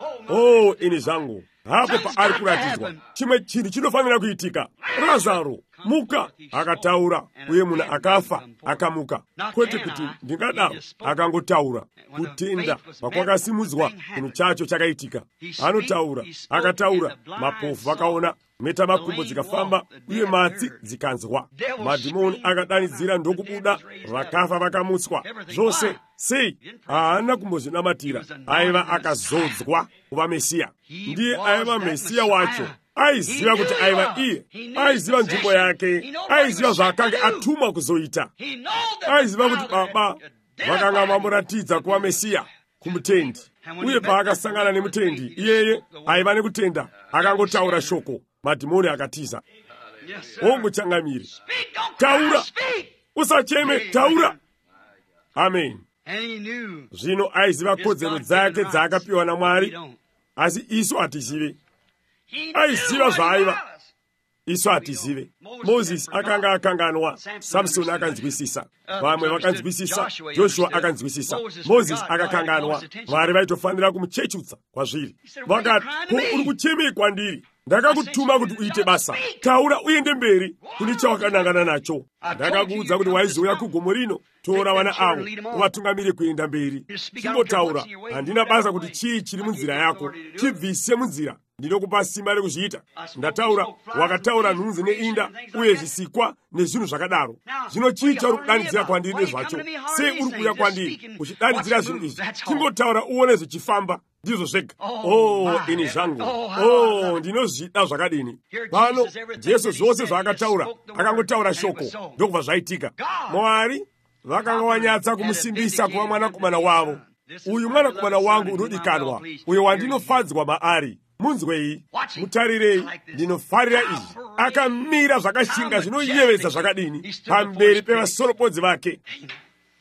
Ini zvangu, hapo paari kuratidzwa, chimwe chinhu chinofanira kuitika. Lazaro, muka, akataura, uye munhu akafa, akamuka. Kwete kuti ndingadaro, akangotaura. Kutenda pakwakasimudzwa, chinhu chacho chakaitika. Anotaura, akataura, mapofu vakaona, meta makumbo dzikafamba, uye matsi dzikanzwa. Madhimoni akadanidzira ndokubuda, vakafa vakamutswa. Zvose, sei, haana kumbozvinamatira. Aiva akazodzwa kuva Mesiya. Ndiye aiva Mesiya wacho. aiziva kuti aiva iye, aiziva nzvimbo yake, aiziva zvaakange atumwa kuzoita, aiziva kuti Baba vakanga vamuratidza kuva Mesiya kumutendi, uye paakasangana nemutendi iyeye aiva nekutenda, akangotaura shoko, madhimoni akatiza. Muchangamire, taura, usacheme, taura. Amen. Zvino aiziva kodzero dzake dzaakapiwa naMwari, asi isu hatizive. Aiziva zvaaiva, isu hatizive. Moses akanga akanganwa, Samson akanzwisisa, vamwe vakanzwisisa, Joshua akanzwisisa. Moses akakanganwa, Mwari vaitofanira kumuchechutsa kwazviri. Vakati, ko uri kuchemei kwandiri? Ndakakutuma kuti uite basa, taura uende mberi kune chawakanangana nacho. Ndakakuudza kuti waizouya kugomo rino, tora vana avo uvatungamire kuenda mberi. Chingotaura, handina basa kuti chii chiri munzira yako, chibvise munzira, ndinokupa simba rekuzviita. Ndataura, wakataura nhunzi neinda uye zvisikwa nezvinhu zvakadaro. Zvino chii chauri kudanidzira kwandiri nezvacho? Sei uri kuuya kwandiri uchidanidzira zvinhu izvi? Chingotaura uone zvichifamba, ndizvo zvega. Ini zvangu, ndinozvida zvakadini. Pano Jesu zvose zvaakataura, akangotaura shoko, ndokubva zvaitika. Mwari vakanga wanyatsa kumusimbisa kuva mwanakomana wavo. Uyu mwanakomana wangu unodikanwa, uyo wandinofadzwa maari. Munzwei, mutarirei, ndinofarira izvi. Akamira zvakashinga zvinoyevedza zvakadini pamberi pevasorobodzi vake.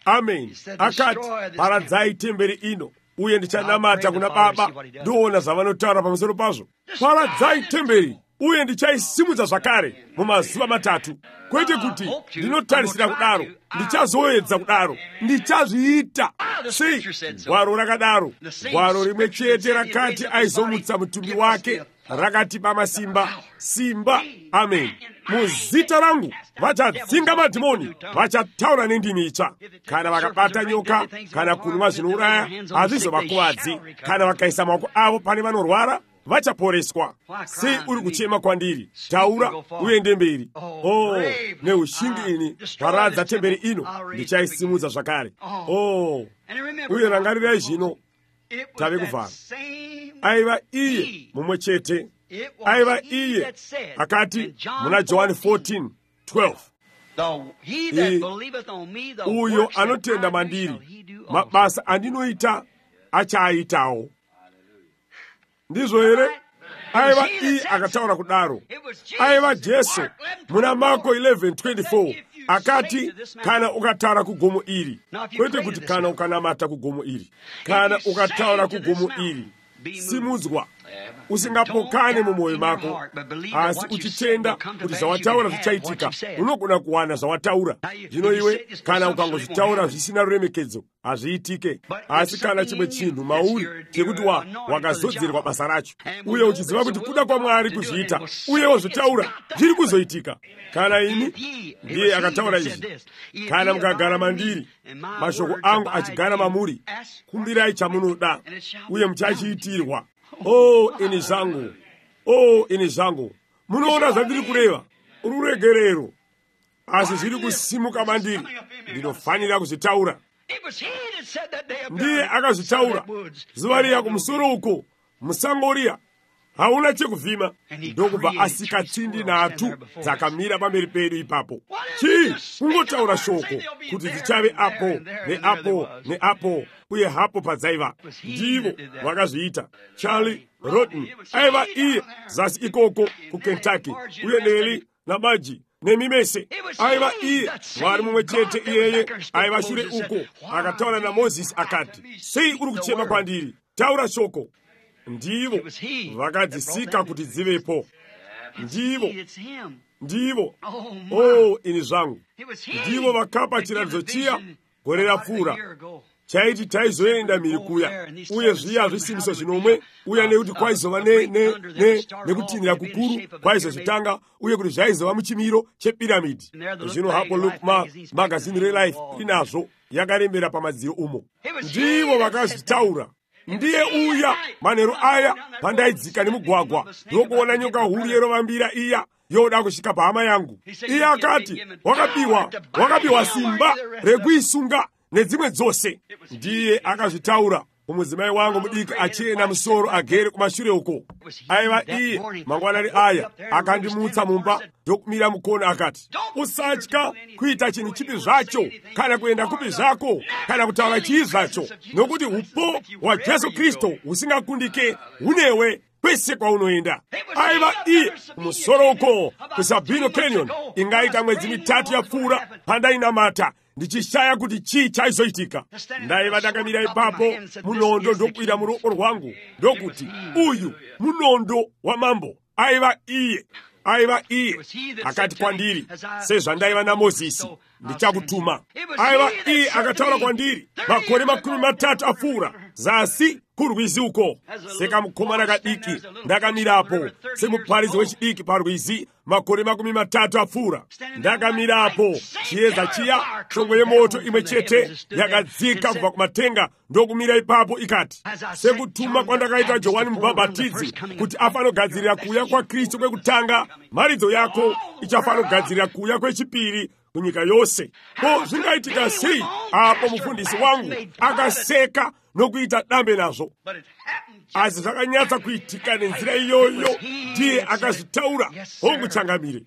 Amen. Akati, paradzai temberi ino, uye ndichanamata kuna Baba, ndoona zvavanotaura pamusoro pazvo. Paradzai temberi, uye ndichaisimudza zvakare mumazuva matatu. Kwete kuti ndinotarisira kudaro, ndichazoedza kudaro, ndichazviita. Sei gwaro rakadaro? Gwaro rimwe chete rakati aizomutsa mutumbi wake rakati pamasimba, simba. Amen. Muzita rangu vachadzinga madhimoni, vachataura nendimi itsva. Kana vakabata nyoka, kana kunwa zvinouraya, hazvizovakuvadzi. Kana vakaisa maoko avo pane vanorwara, vachaporeswa. Sei uri kuchema kwandiri? Taura uende mberi. Neushingi ini, paradza temberi ino, ndichaisimudza zvakare. Uye rangarirai zvino, tave kuvhara. Aiva iye mumwe chete, aiva iye akati muna Johani 14:12, uyo anotenda mandiri, mabasa andinoita achaaitawo. Ndizvo here? Aiva iye akataura kudaro. Aiva Jesu muna Marko 11:24 akati, kana ukataura kugomo iri, kwete kuti kana ukanamata kugomo iri, kana ukataura kugomo iri, simudzwa, usingapokane mumwoyo mako, asi uchitenda kuti zvawataura zvichaitika, unogona kuwana zvawataura. Zvino iwe kana ukangozvitaura zvisina ruremekedzo, hazviitike. Asi kana chimwe chinhu mauri chekuti wakazodzerwa basa racho, uye uchiziva kuti kuda kwaMwari kuzviita, uye wozvitaura, zviri kuzoitika. Kana ini, ndiye akataura izvi, kana mukagara mandiri, mashoko angu achigara mamuri, kumbirai chamunoda, uye muchachiitirwa. Ini zvangu, ini zvangu. Munoona zvandiri kureva, ururegerero, asi zviri kusimuka mandiri, ndinofanira kuzvitaura. Ndiye akazvitaura zuva riya kumusoro uko, musango riya, hauna chekuvhima. Ndokubva asika tsindi nhatu dzakamira pamberi pedu ipapo. Chii? Kungotaura shoko kuti dzichave apo neapo neapo, uye hapo padzaiva. Ndivo vakazviita. Charlie Roden aiva iye zasi ikoko kuKentucky, uye Neli naMaji nemimese aiva iye. Mwari mumwe chete iyeye aiva shure uko, akataura naMozisi akati, sei uri kuchema kwandiri? Taura shoko. Ndivo vakadzisika kuti dzivepo. Ndivo ini zvangu. Ndivo vakapa chiratidzo chiya gore rapfuura chaiti taizoenda mhiri kuya, uye zviya zvisimbiso zvinomwe, uye nekuti kwaizova nekutinhira kukuru kwaizozvitanga, uye kuti zvaizova muchimiro chepiramidhi. Zvino hapo Look magazini reLife inazvo yakarembera pamadziro umo. Ndivo vakazvitaura. Ndiye uya manheru aya pandaidzika nemugwagwa, ndokuona nyoka huru yerovambira iya yoda kusvika pahama yangu. Iye akati, wakapiwa simba rekuisunga nedzimwe dzose. Ndiye akazvitaura umuzimayi wangu mudiki achena musoro agere kumashure uko. Aiva iye mangwanani aya akandimutsa mumba ndokumira mukona akati, usatya kuita chinhu chipi zvacho kana kuenda kupi zvako kana kutaura chii zvacho, nokuti upo wa Jesu Kristu usingakundike hunewe kwese kwaunoenda. Aiva iye musoro uko kuSabino Canyon ingaita mwedzi 3 yapfuura pandainamata ndichishaya kuti chii chaizoitika. Ndaiva ndakamira ipapo, munondo ndokwira muruoko rwangu ndokuti, uyu munondo wamambo. Aiva iye akati kwandiri, sezvandaiva naMozisi, ndichakutuma. Aiva iye akataura kwandiri, makore 30 apfuura zasi kurwizi uko. Sekamukomana kadiki ndakamirapo, semuparidzi wechidiki parwizi makore 30 apfuura. Ndakamirapo, chiedza chiya, shongwe yemoto imwe chete yakadzika kubva kumatenga ndokumira ipapo ikati, sekutuma kwandakaita Johani Mubhabhatidzi kuti afanogadzirira kuuya kwa Kristu kwekutanga, mharidzo yako ichafanogadzirira kuuya kwechipiri kunyika yose. Ko zvingaitika sei apo mufundisi wangu akaseka nokuita dambe nazvo? Asi zvakanyatsa kuitika nenzira iyoyo, ndiye akazvitaura honguchangamire.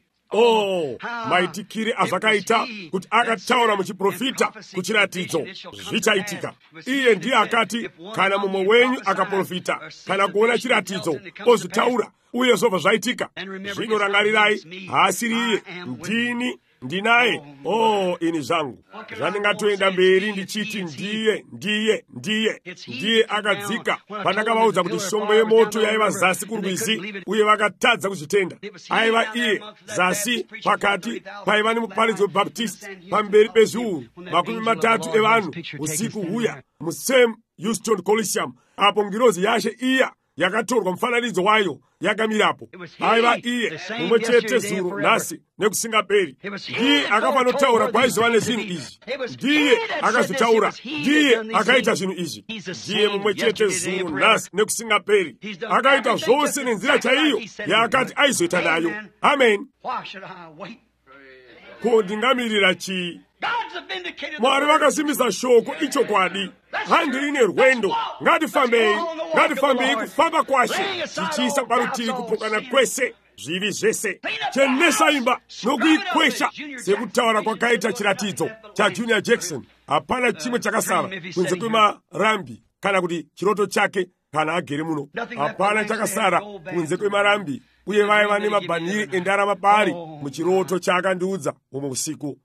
Maitikire azvakaita kuti akataura muchiprofita kuchiratidzo zvichaitika. Iye ndiye akati, kana mumwe wenyu akaprofita kana kuona chiratidzo ozvitaura uye zvobva zvaitika. Zvino rangarirai, haasiri iye, ndinaye. Ini zvangu zvandingatoenda mberi ndichiti ndiye akadzika pandakavaudza kuti shongwe yemoto yaiva zasi kurwizi uye vakatadza kuzvitenda. Aiva iye zasi pakati paiva nemuparidzi webhaptisti pamberi pezviuru 30 evanhu usiku huya muSam Houston Coliseum, apo ngirozi yashe iya yakatorwa mufananidzo wayo yakamirapo. Aiva iye mumwe chete zuro nhasi nekusingaperi. Ndiye akafanotaura kwaizova nezvinhu izvi, ndiye akazvitaura, ndiye akaita zvinhu izvi. Ndiye mumwe chete zuro nhasi nekusingaperi, akaita zvose nenzira chaiyo yaakati aizoita nayo. Amen. Ko ndingamirira chii? Mwari vakasimbisa shoko ichokwadi. Handi ine rwendo, ngatifambei kufamba kwashe tichiisa parutivi kupokana kwese zvivi zvese. Chenesa imba nokuikwesha sekutaura kwakaita chiratidzo chaJunior Jackson. Hapana chimwe chakasara kunze kwemarambi kana kuti chiroto chake kana agere muno. Hapana chakasara kunze kwemarambi, uye vaiva nemabhaniri endarama pari muchiroto chaakandiudza umwe usiku.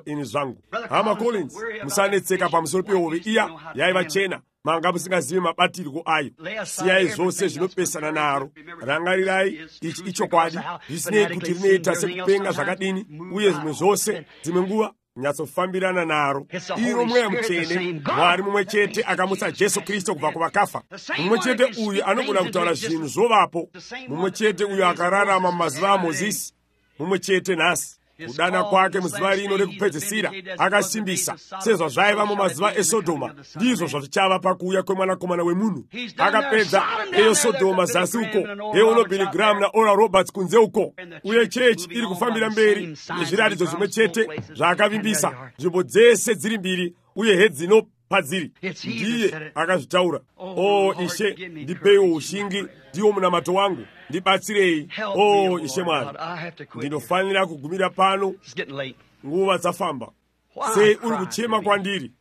Ini zvangu hama Collins, musanetseka pamusoro pehove iya yaiva chena. Manga musingazivi mabatirwo ayo. Siyai zvose zvinopesana naro. Rangarirai, ichi ichokwadi, zvisinei kuti rinoita sekupenga zvakadini, uye zvimwe zvose dzimwe nguva nyatsofambirana naro. Iro mweya mutsvene, Mwari mumwe chete akamutsa Jesu Kristu kubva kuvakafa. Mumwe chete uyu anogona kutaura zvinhu zvovapo. Mumwe chete uyu akararama mumazuva aMozisi. Mumwe chete nhasi. Kudana kwake muzuva rino rekupedzisira akasimbisa, sezvo zvaiva mumazuva eSodhoma, ndizvo zvichava pakuuya kwemwanakomana wemunhu. Akapedza eSodhoma zasi uko, euno Billy Graham naOral Roberts kunze uko, uye chechi iri kufambira mberi nezviratidzo zvimwe chete zvaakavimbisa, nzvimbo dzese dziri mbiri uye hedzino padziri. Ndiye akazvitaura. Ishe, ndipeiwo ushingi, ndiwo munamato wangu, ndibatsirei. Ishe Mwari, ndinofanira kugumira pano, nguva dzafamba. Sei uri kuchema kwandiri?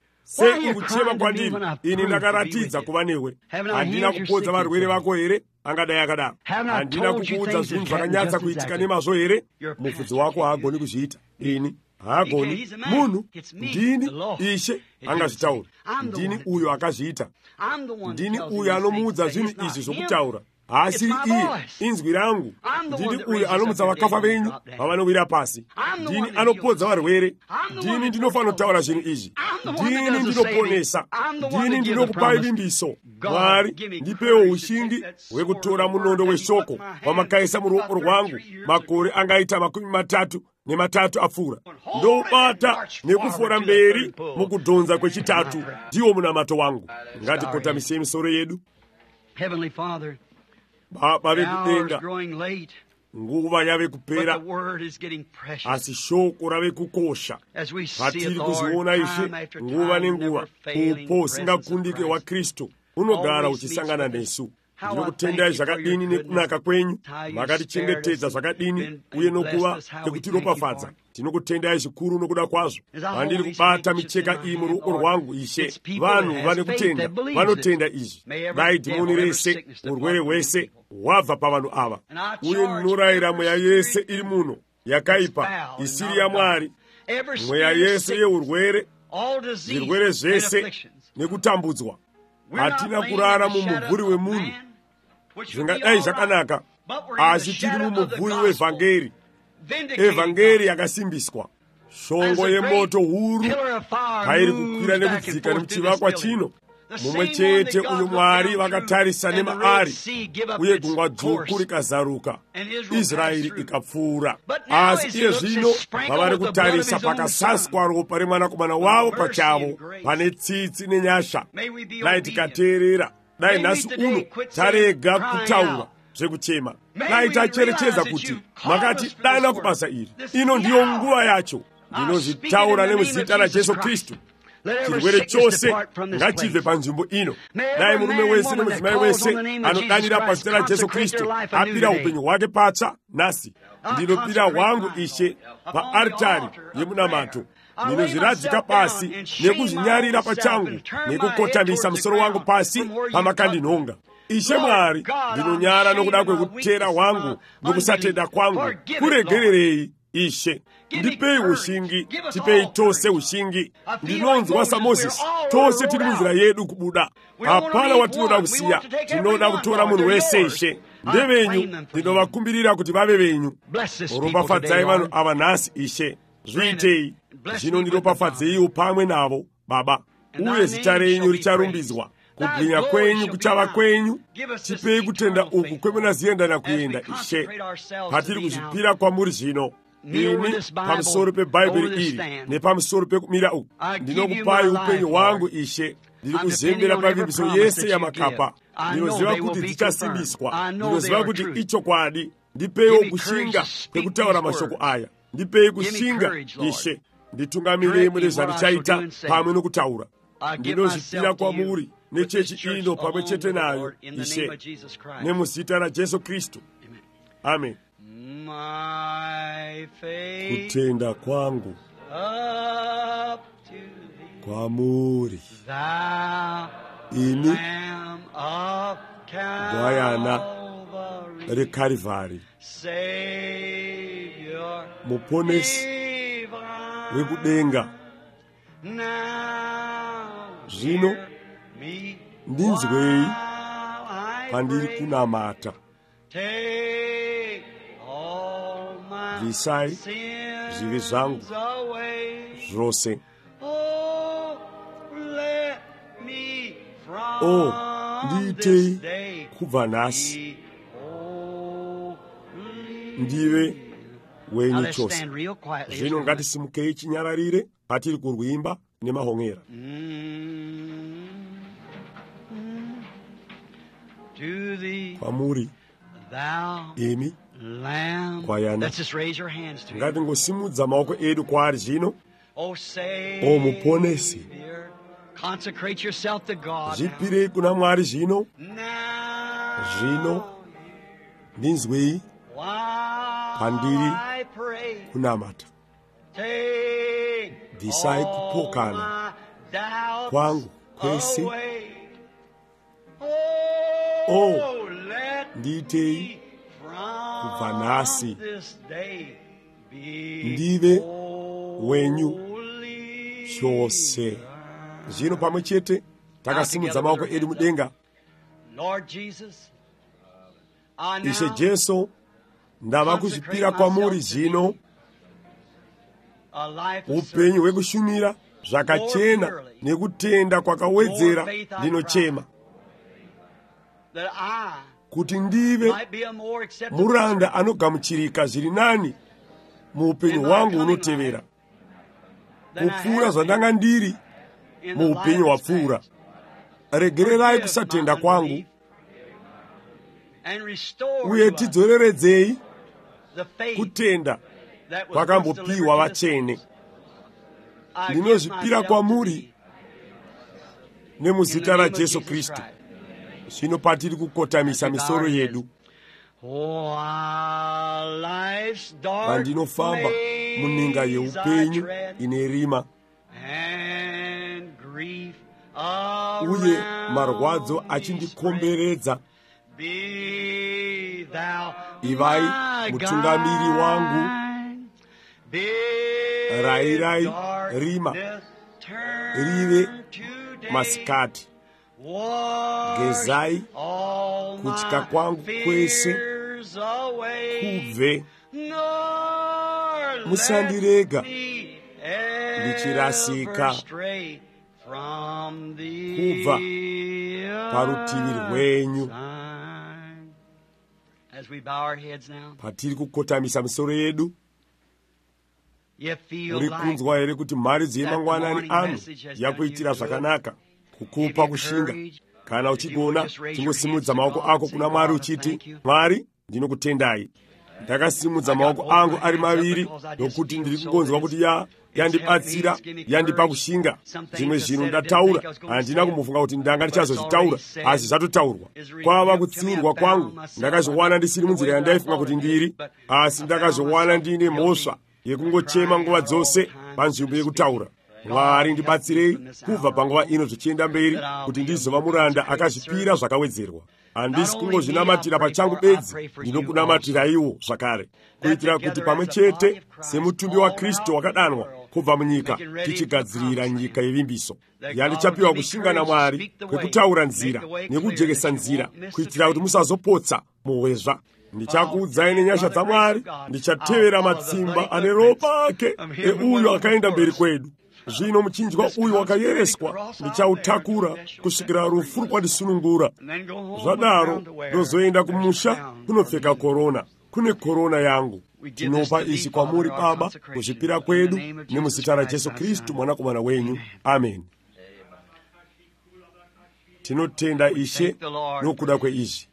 Ini ndakaratidza kuva newe. Handina kupodza varwere vako here? Angadai akadaro. Handina kukuudza zvinhu zvakanyatsa kuitika nemazvo here? Mufudzi wako haagoni kuzviita. Ini haagoni. Munhu, ndini Ishe angazvitaura. Ndini uyo akazviita. Ndini uyo anomuudza zvinhu izvi zvokutaura. Haasiri iye, inzwi rangu. Ndini uyo anomutsa vakafa venyu vavanowira pasi. Ndini anopodza varwere. Ndini ndinofanotaura zvinhu izvi. Ndini ndinoponesa. Ndini ndinokupai vimbiso. Mwari, ndipewo ushingi hwekutora munondo weshoko wamakaisa muruoko rwangu makore angaita 33 apfuura. Ndoubata nekufora mberi mukudhonza kwechitatu, ndiwo munamato wangu. Ngatikotamisei misoro yedu. Baba vekudenga, nguva yave kupera, asi shoko rave kukosha. Patiri kuzviona ishe nguva nenguva, upo usingakundike wa Kristu unogara uchisangana nesu. Ndinokutendai zvakadini nekunaka kwenyu, makatichengetedza zvakadini uye nokuva nekutiropafadza. Tinokutendai zvikuru nokuda kwazvo. Pandiri kubata micheka iyi muruoko rwangu, ishe, vanhu vane kutenda vanotenda izvi. Dai dhimoni rese, urwere hwese hwabva pavanhu ava. Uye ndinorayira mweya yese iri muno yakaipa, isiri yaMwari, mweya yese yeurwere, zvirwere zvese nekutambudzwa. Hatina kurara mumumvuri wemunhu, zvingadai zvakanaka, asi tiri mumumvuri wevhangeri, evhangeri yakasimbiswa. Shongo yemoto huru pairi kukwira nekudzika nemuchivakwa chino, mumwe chete uyu Mwari vakatarisa nemaari, uye gungwa dzvuku rikazaruka, Israeri ikapfuura. Asi iye zvino vavari kutarisa pakasaswa ropa remwanakomana wavo pachavo, pane tsitsi nenyasha. Dai tikateerera, dai nhasi uno tarega kutaura zvekuchema, dai tacherechedza kuti makati dana kubasa iri, ino ndiyo nguva yacho. Ndinozvitaura nemuzita raJesu Kristu, chirwere chose ngachibve panzvimbo ino. Dai murume wese nemudzimai wese anodanira pazita raJesu Kristu apira upenyu hwake patsva nhasi. Ndinopira hwangu ishe paaritari yemunamato. Ndinozviradzika pasi nekuzvinyarira pachangu nekukotamisa musoro wangu pasi pamakandinhonga. Ishe Mwari, ndinonyara nokuda kwekutera hwangu nokusatenda kwangu. Kuregererei Ishe, ndipei ushingi, tipei tose ushingi. Ndinonzwa saMozisi, tose tiri munzira yedu kubuda. Hapana watinoda kusiya, tinoda kutora munhu wese Ishe. Ndevenyu, ndinovakumbirira kuti vave venyu. Ropafadzai vanhu ava nhasi Ishe. Zviitei, zvino ndiropafadzeiwo pamwe navo, Baba. Uye zita renyu richarumbidzwa. Kubwinya kwenyu kuchava kwenyu. Tipei kutenda uku kwemunoziendana kuenda Ishe. Patiri kuzvipira kwamuri zvino. Ini pamusoro peBhaibheri iri nepamusoro pekumira uku, ndinokupai upenyu hwangu Ishe. Ndiri kuzembera pavimbiso yese yamakapa. Ndinoziva kuti dzichasimbiswa, ndinoziva kuti ichokwadi. Ndipeiwo kushinga kwekutaura mashoko aya. Ndipei kushinga Ishe. Nditungamirei mune zvarichaita pamwe nokutaura. Ndinozvipira kwamuri nechechi ino pamwe chete nayo Ishe, nemuzita raJesu Kristu. Amen. Kutenda kwangu kwamuri, ini gwayana reKarivari, muponesi wekudenga. Zvino ndinzwei pandiri kunamata. Bvisai zvivi zvangu zvose. Ndiitei kubva nhasi ndive wenyu chose. Zvino ngatisimukei chinyararire patiri kurwimba nemahongera. Kwamuri, imi kwayana, ngatingosimudza maoko edu kwaari zvino. O muponesi, zvipirei kuna Mwari zvino. Zvino ndinzwei pandiri kunamata. Bvisai kupokana kwangu kwese. Ndiitei kubva nhasi ndive wenyu chose. Zvino pamwe chete takasimudza maoko edu mudenga. Ishe Jesu, ndava kuzvipira kwamuri zvino upenyu hwekushumira zvakachena nekutenda kwakawedzera. Ndinochema kuti ndive muranda anogamuchirika zviri nani muupenyu hwangu unotevera, kupfuura zvandanga ndiri muupenyu hwapfuura. Regererai kusatenda kwangu uye tidzoreredzei kutenda kwakambopiwa vachene. Ndinozvipira kwamuri nemuzita raJesu Kristu. Zvino patiri kukotamisa misoro yedu, pandinofamba muninga yeupenyu ine rima uye marwadzo achindikomberedza, ivai mutungamiri wangu, rayirai rima rive masikati, gezai kutya kwangu kwese kubve, musandirega ndichirasika kubva parutivi rwenyu. Patiri kukotamisa misoro yedu, uri kunzwa here kuti mhari dzemangwanani ano yakuitira zvakanaka kukupa kushinga? Kana uchigona, chingosimudza maoko ako kuna Mwari uchiti, Mwari, ndinokutendai. Ndakasimudza maoko angu ari maviri nokuti ndiri kungonzwa kuti yandibatsira, yandipa kushinga. Zvimwe zvinhu ndataura handina kumbofunga kuti ndanga ndichazozvitaura, asi zvatotaurwa. Kwava kutsiurwa kwangu, ndakazviwana ndisiri munzira yandaifunga kuti ndiri, asi ndakazviwana ndiine mhosva yekungochema nguva dzose panzvimbo yekutaura. Mwari, ndibatsirei kubva panguva ino zvichienda mberi, kuti ndizova muranda akazvipira zvakawedzerwa. Handisi kungozvinamatira pachangu bedzi, ndinokunamatirayiwo zvakare, kuitira kuti pamwe chete semutumbi waKristu wakadanwa kubva munyika, tichigadzirira nyika yevimbiso. Yandichapiwa kushinga naMwari kwekutaura nzira nekujekesa nzira, kuitira kuti musazopotsa muhwezva. Ndichakuudzai nenyasha dzaMwari, ndichatevera matsimba ane ropa ake euyo akaenda mberi kwedu. Zvino muchinjwa uyu wakayereswa ndichautakura kusvikira rufu rwadisunungura. Zvadaro ndozoenda kumusha kunopfeka korona. Kune korona yangu. Tinopa ichi kwamuri Baba, kuzvipira kwedu nemuzita raJesu Kristu mwanakomana wenyu. Amen. Tinotenda Ishe nokuda kweizvi.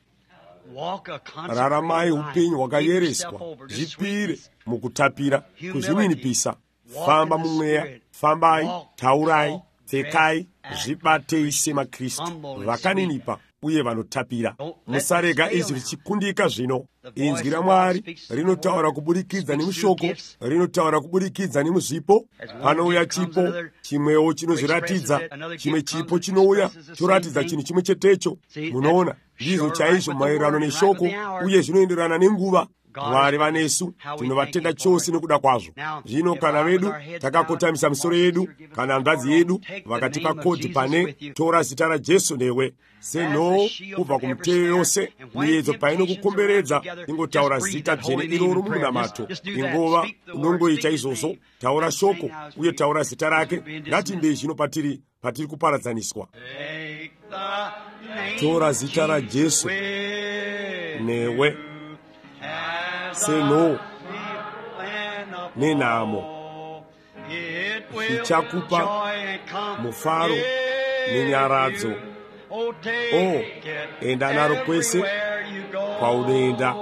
Raramai upenyu hwakayereswa, zvipire mukutapira, kuzvininipisa. Famba mumweya, fambai, taurai, pfekai, zvibatei semaKristu, vakaninipa uye vanotapira. Musarega izvi zvichikundika zvino. Inzwi raMwari rinotaura kubudikidza nemushoko, rinotaura kubudikidza nemuzvipo. Panouya chipo chimwewo chinozviratidza, chimwe chipo chinouya choratidza chinhu chimwe chetecho. Munoona, ndizvo chaizvo maererano neshoko, uye zvinoenderana nenguva. Mwari vanesu, tinovatenda chose nokuda kwazvo. Zvino kana vedu takakotamisa misoro yedu, kana hanzvadzi yedu vakatipa kodhi pane tora zita raJesu newe, seno kubva kumiteyo yose, miyedzo painokukomberedza, ingotaura zita dzvene iroro mumunamato. Ingova unongoita izvozvo, taura shoko uye taura zita rake. Ngatimbei zvino patiri kuparadzaniswa. Tora zita raJesu newe, seno nenamo, zvichakupa mufaro nenyaradzo. Enda naro kwese kwaunoenda.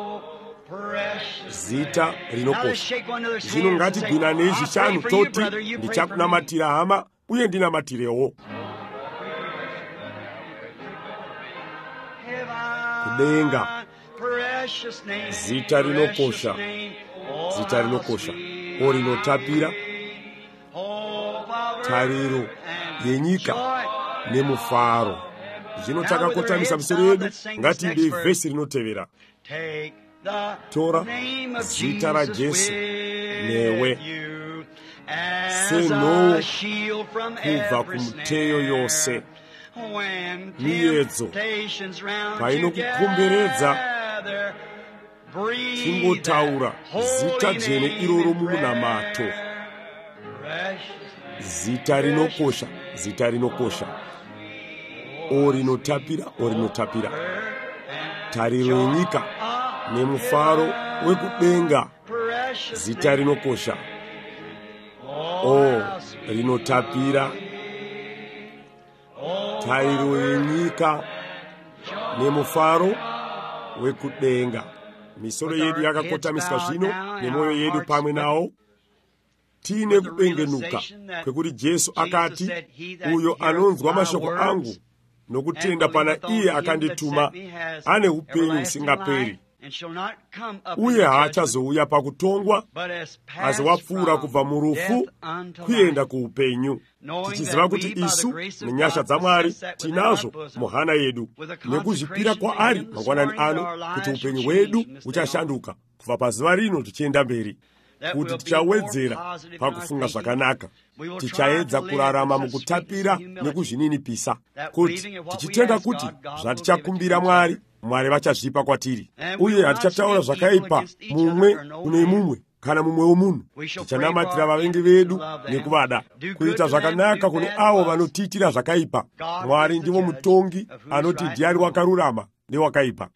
Zita rinokosha. Zvino ngatigwinanei zvishanu toti, ndichakunamatira hama uye ndinamatirewo. Kudenga, zita rinokosha, zita rinokosha, orinotapira, tariro yenyika nemufaro. Zvino takakotamisa misoro yedu, ngatiimbei vhesi rinotevera. Tora zita raJesu newe, seno kubva kumiteyo yose, miyedzo painokukomberedza, chingotaura zita dzvene iroro mumunamato. Zita rinokosha, zita rinokosha, orinotapira, orinotapira, tariro yenyika nemufaro wekudenga. Zita rinokosha, rinotapira, tariro yenyika nemufaro wekudenga. misoro yedu yakakotamiswa zvino nemwoyo yedu pamwe nawo, tine kubengenuka kwekuti Jesu akati, uyo anonzwa mashoko angu nokutenda pana iye akandituma ane upenyu usingaperi, uye haachazouya pakutongwa, asi wapfuura kubva murufu kuenda kuupenyu. Tichiziva kuti isu nenyasha dzaMwari tinazo muhana yedu nekuzvipira kwaari mangwanani ano kuti upenyu hwedu uchashanduka kubva pazuva rino tichienda mberi, kuti tichawedzera pakufunga zvakanaka, tichaedza kurarama mukutapira nekuzvininipisa, kuti tichitenda kuti zvatichakumbira Mwari vachazvipa kwatiri, uye hatichataura zvakaipa mumwe kune mumwe kana mumwe womunhu. Tichanamatira vavengi vedu nekuvada, kuita zvakanaka kune avo vanotiitira zvakaipa. Mwari ndivo mutongi anoti ndiani wakarurama newakaipa.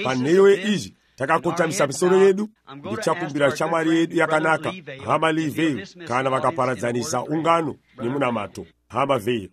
Panheyo yeizvi takakotamisa misoro yedu, ndichakumbira shamwari yedu yakanaka, hama Livheyo, kana vakaparadzanisa ungano nemunamato, hama Vheyo.